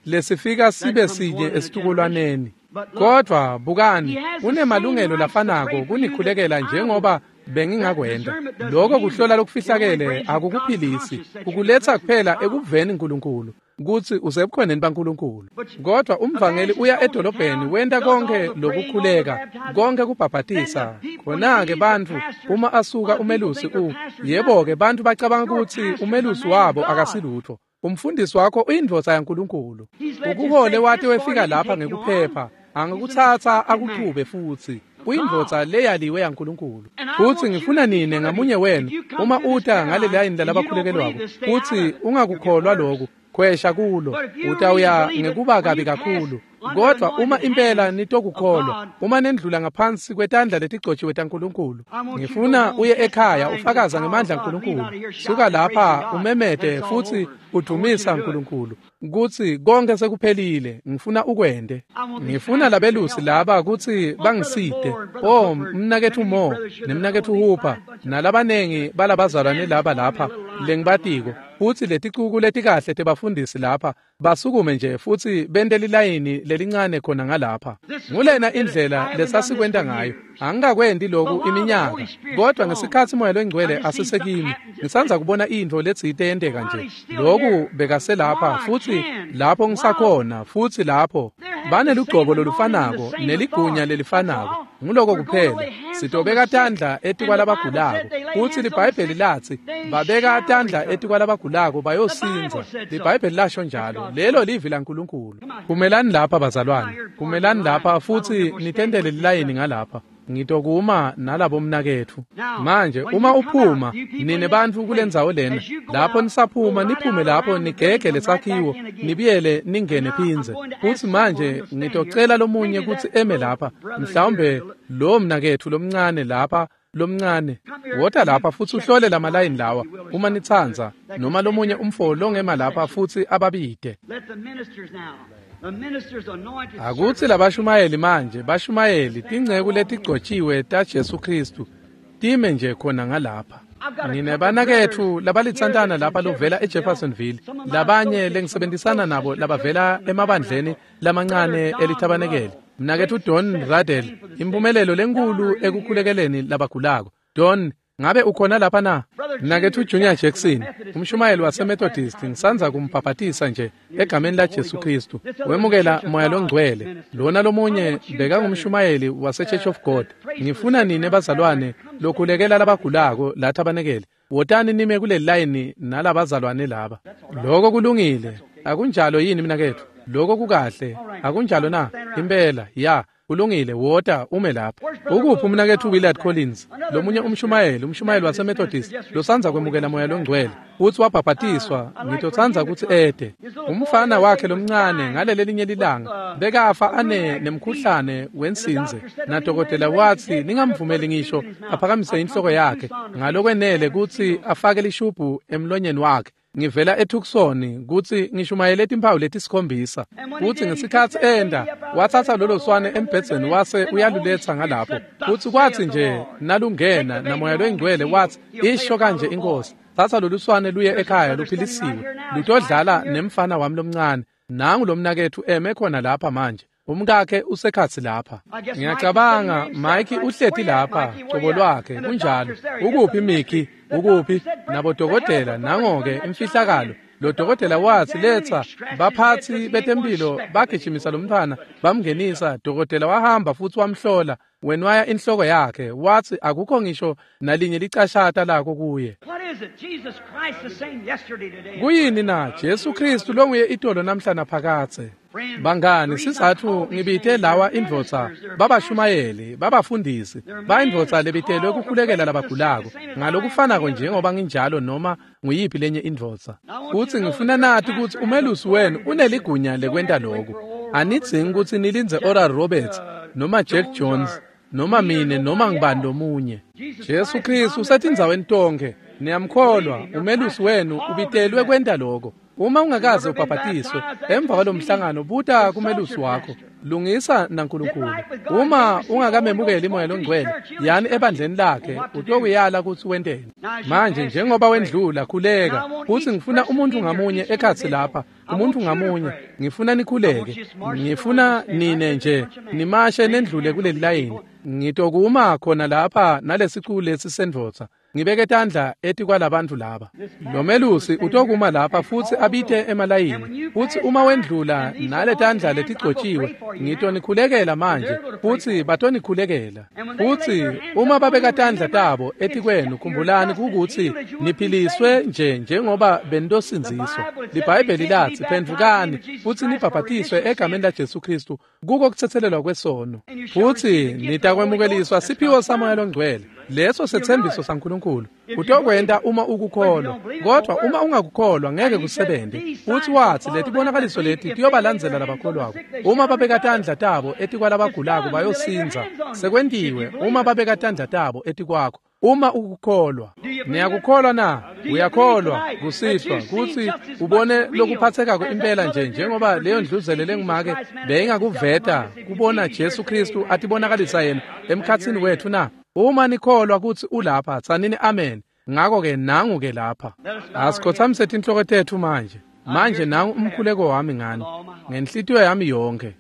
lesifika sibe sinye esitukulwaneni, kodwa bukani, unemalungelo lafanako kunikhulekela njengoba bengingakwenta. Lokho kuhlola lokufihlakele akukuphilisi, ukuletha kuphela ekuveni uNkulunkulu kutsi usebukhoneni baNkulunkulu. Kodwa umvangeli uya edolobheni wenta konke lokukhuleka, konke kubhabhatisa. Khona-ke bantfu uma asuka umelusi u yebo-ke bantfu bacabanga kutsi umelusi wabo akasilutfo. Umfundisi wakho uyindvodza yaNkulunkulu. Ukuhole wate wefika lapha ngekuphepha, angikutsatsa akuchube futsi. Uyindvodza leyaliwe yaNkulunkulu. Futsi ngifuna nine ngamunye wenu uma uta ngale layini lalabakhulekelwako futsi ungakukholwa lokhu, khwesha kulo, utawuya ngekuba kabi kakhulu. Kodwa uma impela nitokukholwa, uma nendlula ngaphansi kwetandla letigcotshiwe taNkulunkulu, ngifuna uye ekhaya ufakaza ngemandla aNkulunkulu. Suka lapha umemete futsi udumisa uNkulunkulu kutsi konke sekuphelile. Ngifuna ukwente. Ngifuna labelusi laba kutsi bangisite. Oh, mnaketfu Mo nemnaketfu Hooper nalabanengi balabazalwane laba lapha lengibatiko, futsi leticuku letikahle tebafundisi lapha basukume nje futsi bente lilayini lelincane khona ngalapha. Ngulena indlela lesasikwenta ngayo. Angikakwenti loku iminyaka, kodwa ngesikhatsi Moya loyiNgcwele asesekimi, ngisandza kubona intfo letsite yenteka nje. Loku bekaselapha futsi lapho ngisakhona futsi lapho Banelugcobo lolufanako neligunya lelifanako. Nguloko kuphela. Sitobeka tandla etikwalabagulako. Futsi liBhayibheli latsi babeka tandla etikwalabagulako bayosindza. LiBhayibheli lasho njalo. Lelo livi laNkulunkulu. Kumelani lapha bazalwane. Kumelani lapha futsi nitendele lilayini ngalapha. Ngitokuma nalabo mnaketfu. Manje uma uphuma nine bantfu kulendzawo lena, lapho nisaphuma niphume lapho nigege lesakhiwo nibiyele ningene phindze. Futsi manje ngitocela lomunye kutsi eme lapha, mhlawumbe lo mnaketfu lomncane lapha lomncane. Wota lapha futsi uhlole lamalayini lawa uma nitsandza, noma lomunye umfo longema lapha futsi ababide. Akutsi labashumayeli manje, bashumayeli tinceku letigcotshiwe taJesu Kristu time nje khona ngalapha. Nginebanaketfu labalitsantana lapha lovela eJeffersonville, labanye lengisebenzisana nabo labavela emabandleni lamancane elithabanekele. Mnaketfu Don Radel, impumelelo lenkulu ekukhulekeleni labagulako. Don, ngabe ukhona lapha na? Mnaketfu Junior Jackson, umshumayeli waseMethodist, ngisandza kumbhabhatisa nje egameni laJesu Kristu. Wemukela Moya loNgcwele. Lona lomunye bekangumshumayeli waseChurch of God. Ngifuna nine bazalwane lokhulekela labagulako lathabanekele. Wotani nime kuleli layini nalabazalwane laba. Lokho kulungile. Akunjalo yini mnaketfu? Lokho kukahle. Akunjalo na? Impela, ya. Kulungile, wota ume lapha. Ukuphi umnaketfu Willard Collins, lomunye umshumayeli, umshumayeli waseMethodist losandza kwemukela Moya loNgcwele, futsi wabhabhatiswa? Ngitotsandza kutsi ede. Umfana wakhe lomncane ngaleli linye lilanga bekafa ane nemkhuhlane wensinze, nadokotela watsi ningamvumeli ngisho aphakamise inhloko yakhe ngalokwenele kutsi afake lishubhu emlonyeni wakhe. Ngivela eTucson kutsi ngishumayele timphawu letisikhombisa. Futsi ngesikhatsi enda watsatsa lolo swane embhedzeni wase uyaluletsa ngalapho. Futsi kwatsi nje nalungena naMoya loNgcwele watsi isho kanje inkosi, tsatsa lolu swane luye ekhaya luphilisiwe, lutodlala nemfana wami lomncane. Nangu lomnaketfu eme khona lapha manje. Umkakhe usekhatsi lapha. Ngiyacabanga Mike uhleti lapha, cobo lwakhe kunjalo. Ukuphi Mickey? Ukuphi? Nabodokotela nangoke imfihlakalo. Lo dokotela watsi letsa baphatsi betempilo bagijimisa lomntfwana bamngenisa. Dokotela wahamba futsi wamhlola, wenwaya inhloko yakhe, watsi akukho ngisho nalinye licashata lako kuye. Kuyini na? Jesu Kristu longuye itolo namhla naphakadze. Bangani, sizatfu ngibite lawa indvodza babashumayeli, babafundisi, bayindvodza lebitelwe kukhulekela labagulako ngalokufanako njengoba nginjalo noma nguyiphi lenye indvodza. Futsi ngifuna nati kutsi umelusi wenu uneligunya lekwenta loku. Anidzingi kutsi nilindze Oral Roberts noma Jack Jones noma mine noma ngibani lomunye. Jesu Kristu usetindzaweni tonkhe. Niyamkholwa, umelusi wenu ubitelwe kwenta loko. Uma ungakaze ubhabhatiswe emva kwalomhlangano, buta kumelusi wakho. Lungisa naNkulunkulu. Uma ungakamemukeli Moya loNgcwele, yani ebandleni lakhe, utokuyala kutsi wenteni. Manje njengoba wendlula, khuleka. Futsi ngifuna umuntu ngamunye ekhatsi lapha, umuntu ngamunye, ngifuna nikhuleke. Ngifuna nine nje nimashe nendlule kuleli layini. Ngitokuma khona lapha nalesicu lesi sendvodza, ngibeke tandla etikwalabantfu laba. Lomelusi utokuma lapha futsi abite emalayini. Futsi uma wendlula nale tandla letigcotjiwe, ngitonikhulekela manje, futsi batonikhulekela. Futsi uma babeka tandla tabo etikwenu, khumbulani kukutsi niphiliswe nje njengoba benitosindziswa. LiBhayibheli latsi phendvukani futsi nibhabhatiswe egameni laJesu Kristu kuko kutsetselelwa kwesono, futsi nitakwemukeliswa siphiwo saMoya loNgcwele. Leso setsembiso saNkulunkulu. Utokwenta uma ukukholwa, kodwa uma ungakukholwa ngeke kusebente. Futsi watsi letibonakaliso leti tiyobalandzela labakholwako. Uma babeka tandla tabo etikwalabagulako bayosindza. Sekwentiwe uma babeka tandla tabo etikwakho. Uma ukukholwa. Niyakukholwa na? Uyakholwa kusihlwa kutsi ubone lokuphathekako impela nje njengoba leyo ndluzele lengumake beyingakuveta kubona Jesu Kristu atibonakalisa yena emkhatsini wethu na? Uma nikholwa kutsi ulapha, tsanini amen. Ngako-ke nangu-ke lapha. Asikhothamise tinhloko tetfu manje. Manje nangu umkhuleko wami ngani, ngenhlitiyo yami yonke.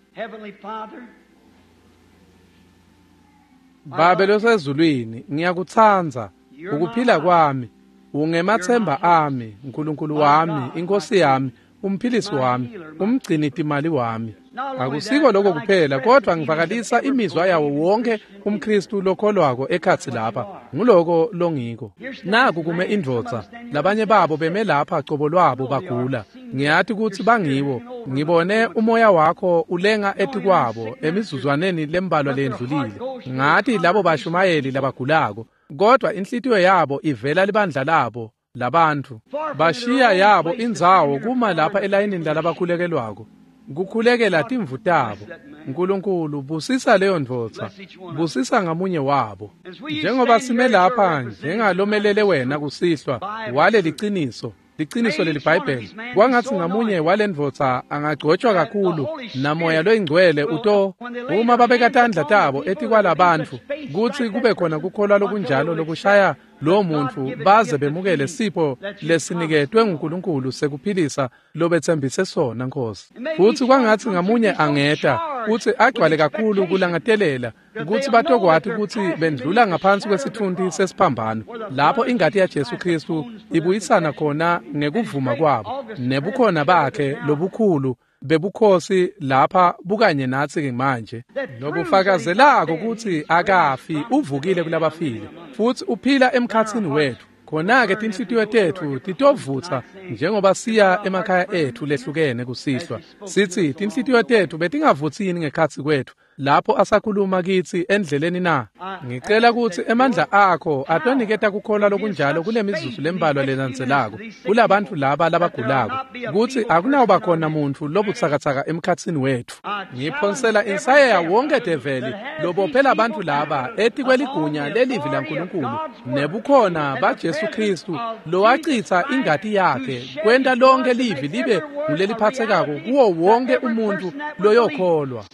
Babe losezulwini, ngiyakutsandza, ukuphila kwami, ungemathemba ami, Nkulunkulu wami, inkosi yami, umphilisi wami, umgcini timali wami. Akusiko lokho kuphela, kodwa ngivakalisa imizwa yawo wonke umKristu lokholwako ekhatsi lapha. Nguloko longiko. Naku kume indvodza, labanye babo beme lapha cobo lwabo bagula. Ngiyati kutsi bangiwo. Ngibone umoya wakho ulenga etikwabo emizuzwaneni lembalwa lendlulile. Ngati labo bashumayeli labagulako, kodwa inhlitiyo yabo ivela libandla labo labantu. Bashiya yabo indzawo kuma lapha elayinini lalabakhulekelwako, kukhulekela timvu tabo. Nkulunkulu busisa leyo ndvodza, busisa ngamunye wabo. Njengoba sime lapha njengalomelele wena kusihlwa wale liciniso, liciniso leliBhayibheli, kwangatsi ngamunye walendvodza angagcotshwa kakhulu namoya loyingcwele uto uma babeka tandla tabo etikwalabantfu, kutsi kube khona kukholwa lokunjalo lokushaya lo muntu baze bemukele sipho lesiniketwe nguNkulunkulu sekuphilisa lobetsembise sona, Nkosi. Futsi kwangatsi ngamunye angeta kutsi agcwale kakhulu kulangatelela kutsi batokwati kutsi bendlula ngaphansi kwesitfunti sesiphambano, lapho ingati ya Jesu Kristu ibuyisana khona ngekuvuma kwabo nebukhona bakhe lobukhulu bebukhosi lapha bukanye natsi manje, lobufakazelako kutsi akafi, uvukile kulabafile futsi uphila emkhatsini wetfu. Khona-ke tinhlitiyo tetfu titovutsa njengoba siya emakhaya etfu lehlukene kusihlwa. Sitsi tinhlitiyo tetfu betingavutsi yini ngekhatsi kwetfu lapho asakhuluma kitsi endleleni na? Ngicela kutsi emandla akho atoniketa kukholwa lokunjalo kule mizuzu lembalwa lelandzelako kulabantfu laba labagulako, kutsi akunawuba khona muntfu lobutsakatsaka emkhatsini wetfu. Ngiphonsela insayeya wonke develi lobophela bantfu laba etikweligunya lelivi laNkulunkulu nebukhona baJesu Kristu lowacitsa ingati yakhe kwenta lonke livi libe nguleliphatsekako kuwo wonke umuntfu loyokholwa.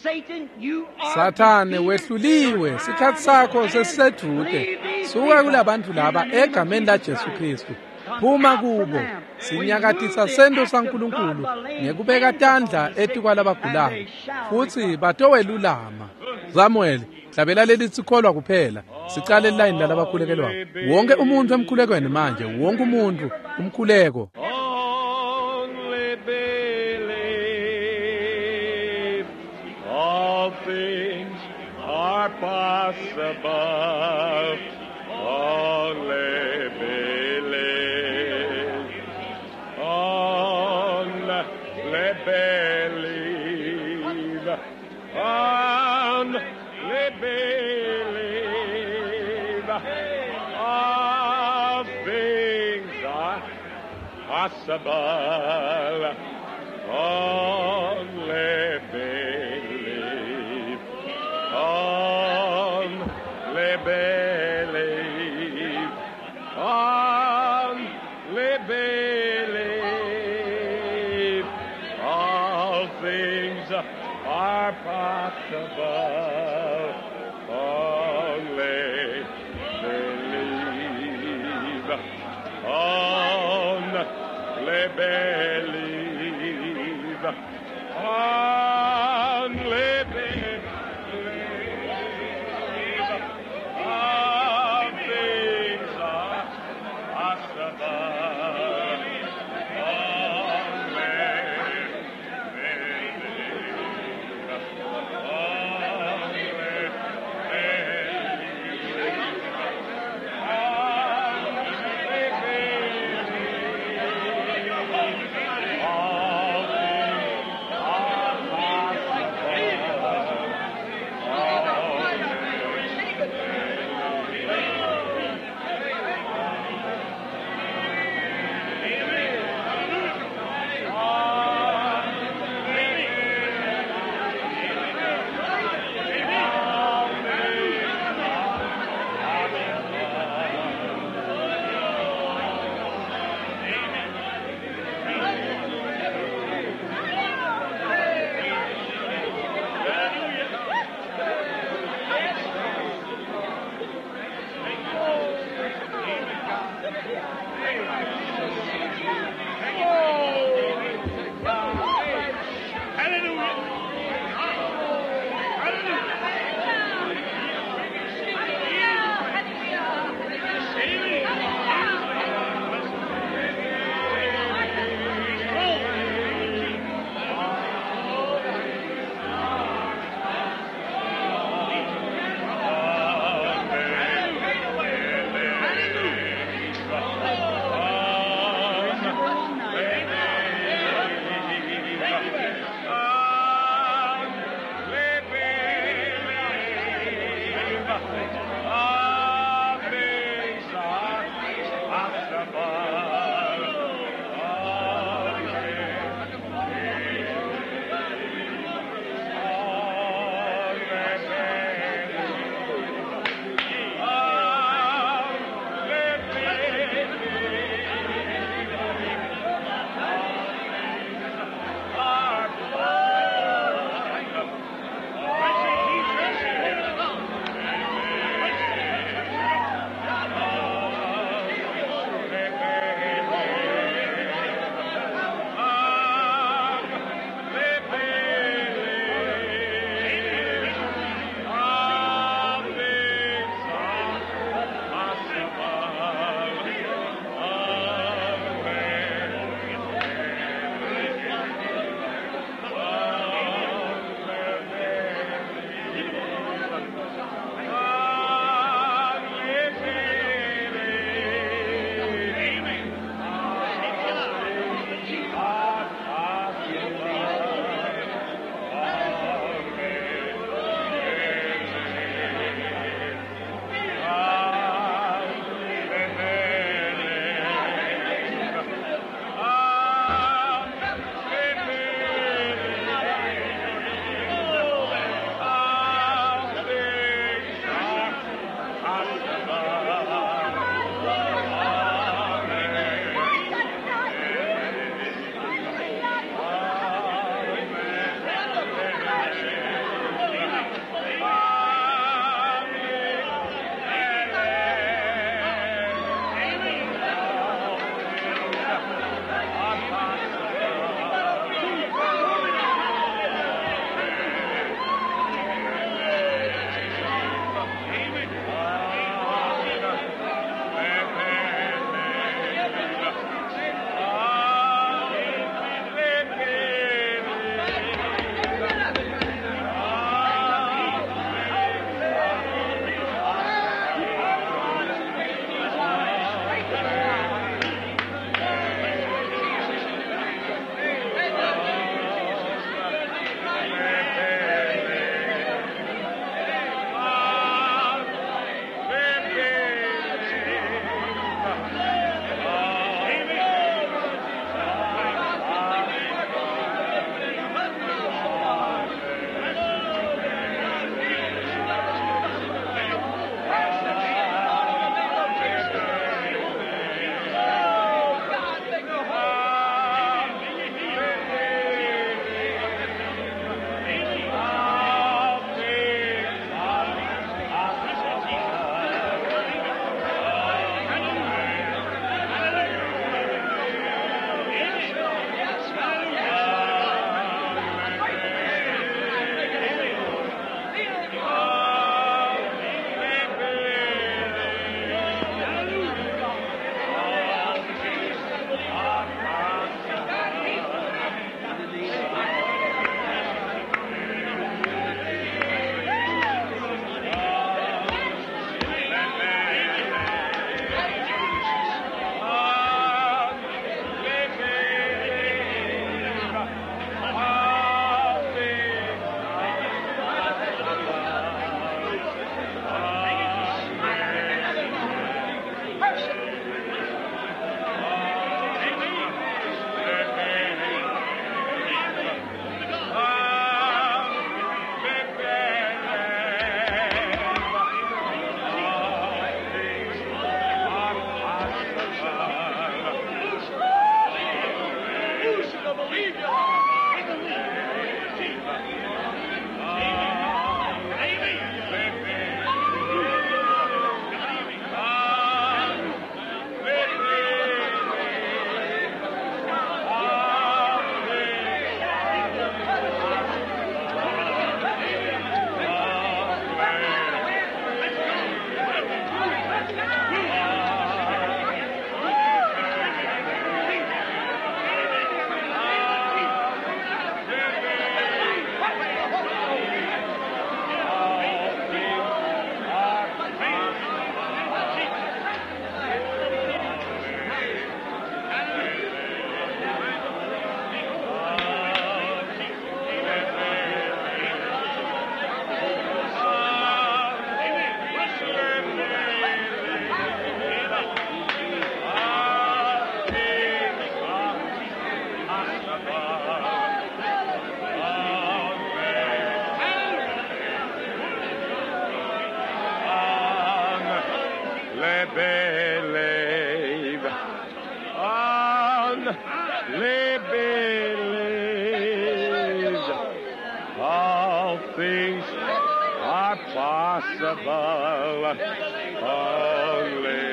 Sathane wehluliwe, sikhatsi sakho sesisedvute. Suka kulabantfu laba egameni la Jesu Kristu. Phuma kubo. Sinyakatisa sento saNkulunkulu ngekubeka tandla etikwalabagulako, futsi batowelulama. Samuel, hlabela lelithi kholwa kuphela. Sicale line lalabakhulekelwako. Wonke umuntu emkhulekweni manje, wonke umuntu umkhuleko. Only believe, all things are possible. Only believe, only believe, only believe. All things are possible. Only believe. Only believe. Only believe. All things are possible. Only believe. Only believe. Only believe. All things are possible. Only believe. Only believe. Only believe. All things are possible. believe. Only believe. All things are possible. Only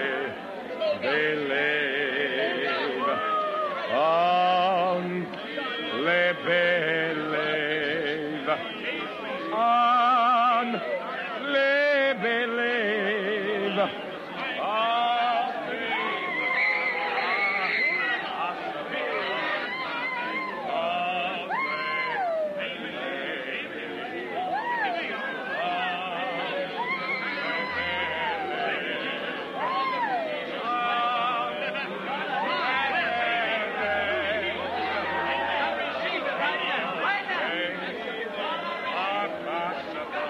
believe. Only believe. Only believe. All things are possible.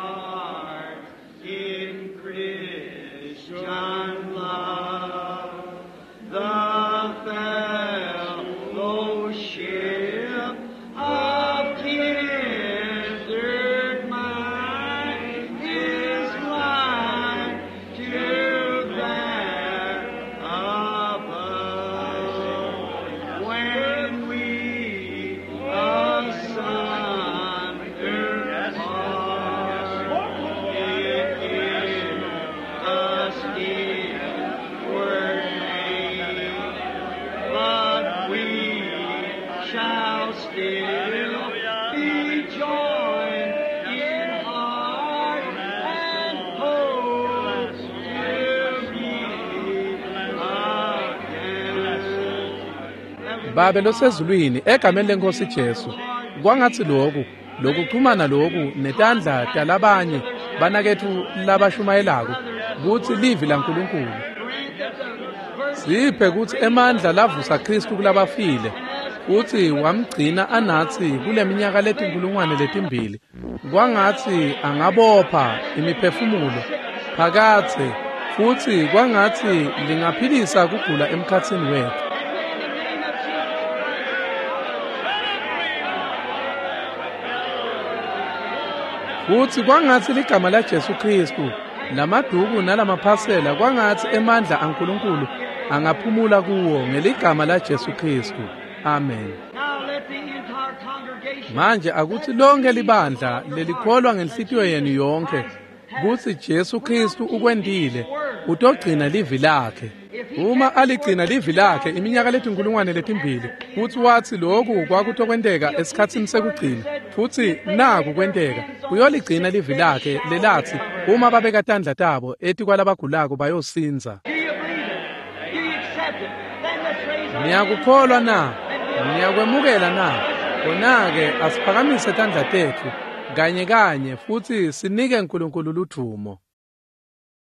Hearts in Christian love, the fellowship of kindred mind is like to that above. When we asunder part, it is us inward pain, but we shall still be joined in heart and hope to meet again. Babe losezulwini egameni lenkosi Jesu kwangatsi lokhu lokuchumana lokhu netandla talabanye banakethu labashumayelako kutsi livi laNkulunkulu siphe kutsi emandla lavusa Kristu kulabafile futsi wamgcina anatsi kuleminyaka letinkulungwane letimbili kwangatsi angabopha imiphefumulo phakatse futsi kwangatsi lingaphilisa kugula emkhatsini wethu. Futsi kwangatsi ligama la Jesu Kristu lamaduku nalamaphasela kwangatsi emandla aNkulunkulu angaphumula kuwo ngeligama la Jesu Kristu. Amen. Now let the entire congregation Manje akutsi lonke libandla lelikholwa ngenhlitiyo yenu yonke kutsi Jesu Kristu ukwentile utogcina livi lakhe. Uma aligcina livi lakhe iminyaka letinkulungwane letimbili futsi watsi lokhu kwakutokwenteka esikhatsini sekugcina futsi naku kwenteka uyoligcina livi lakhe lelatsi uma babeka tandla tabo etikwalabagulako bayosindza. Do you believe it? Do you accept it? Then let's raise our Niyakukholwa na? Niyakwemukela na? Khona-ke asiphakamise tandla tetfu Kanye kanye futsi sinike Nkulunkulu ludvumo.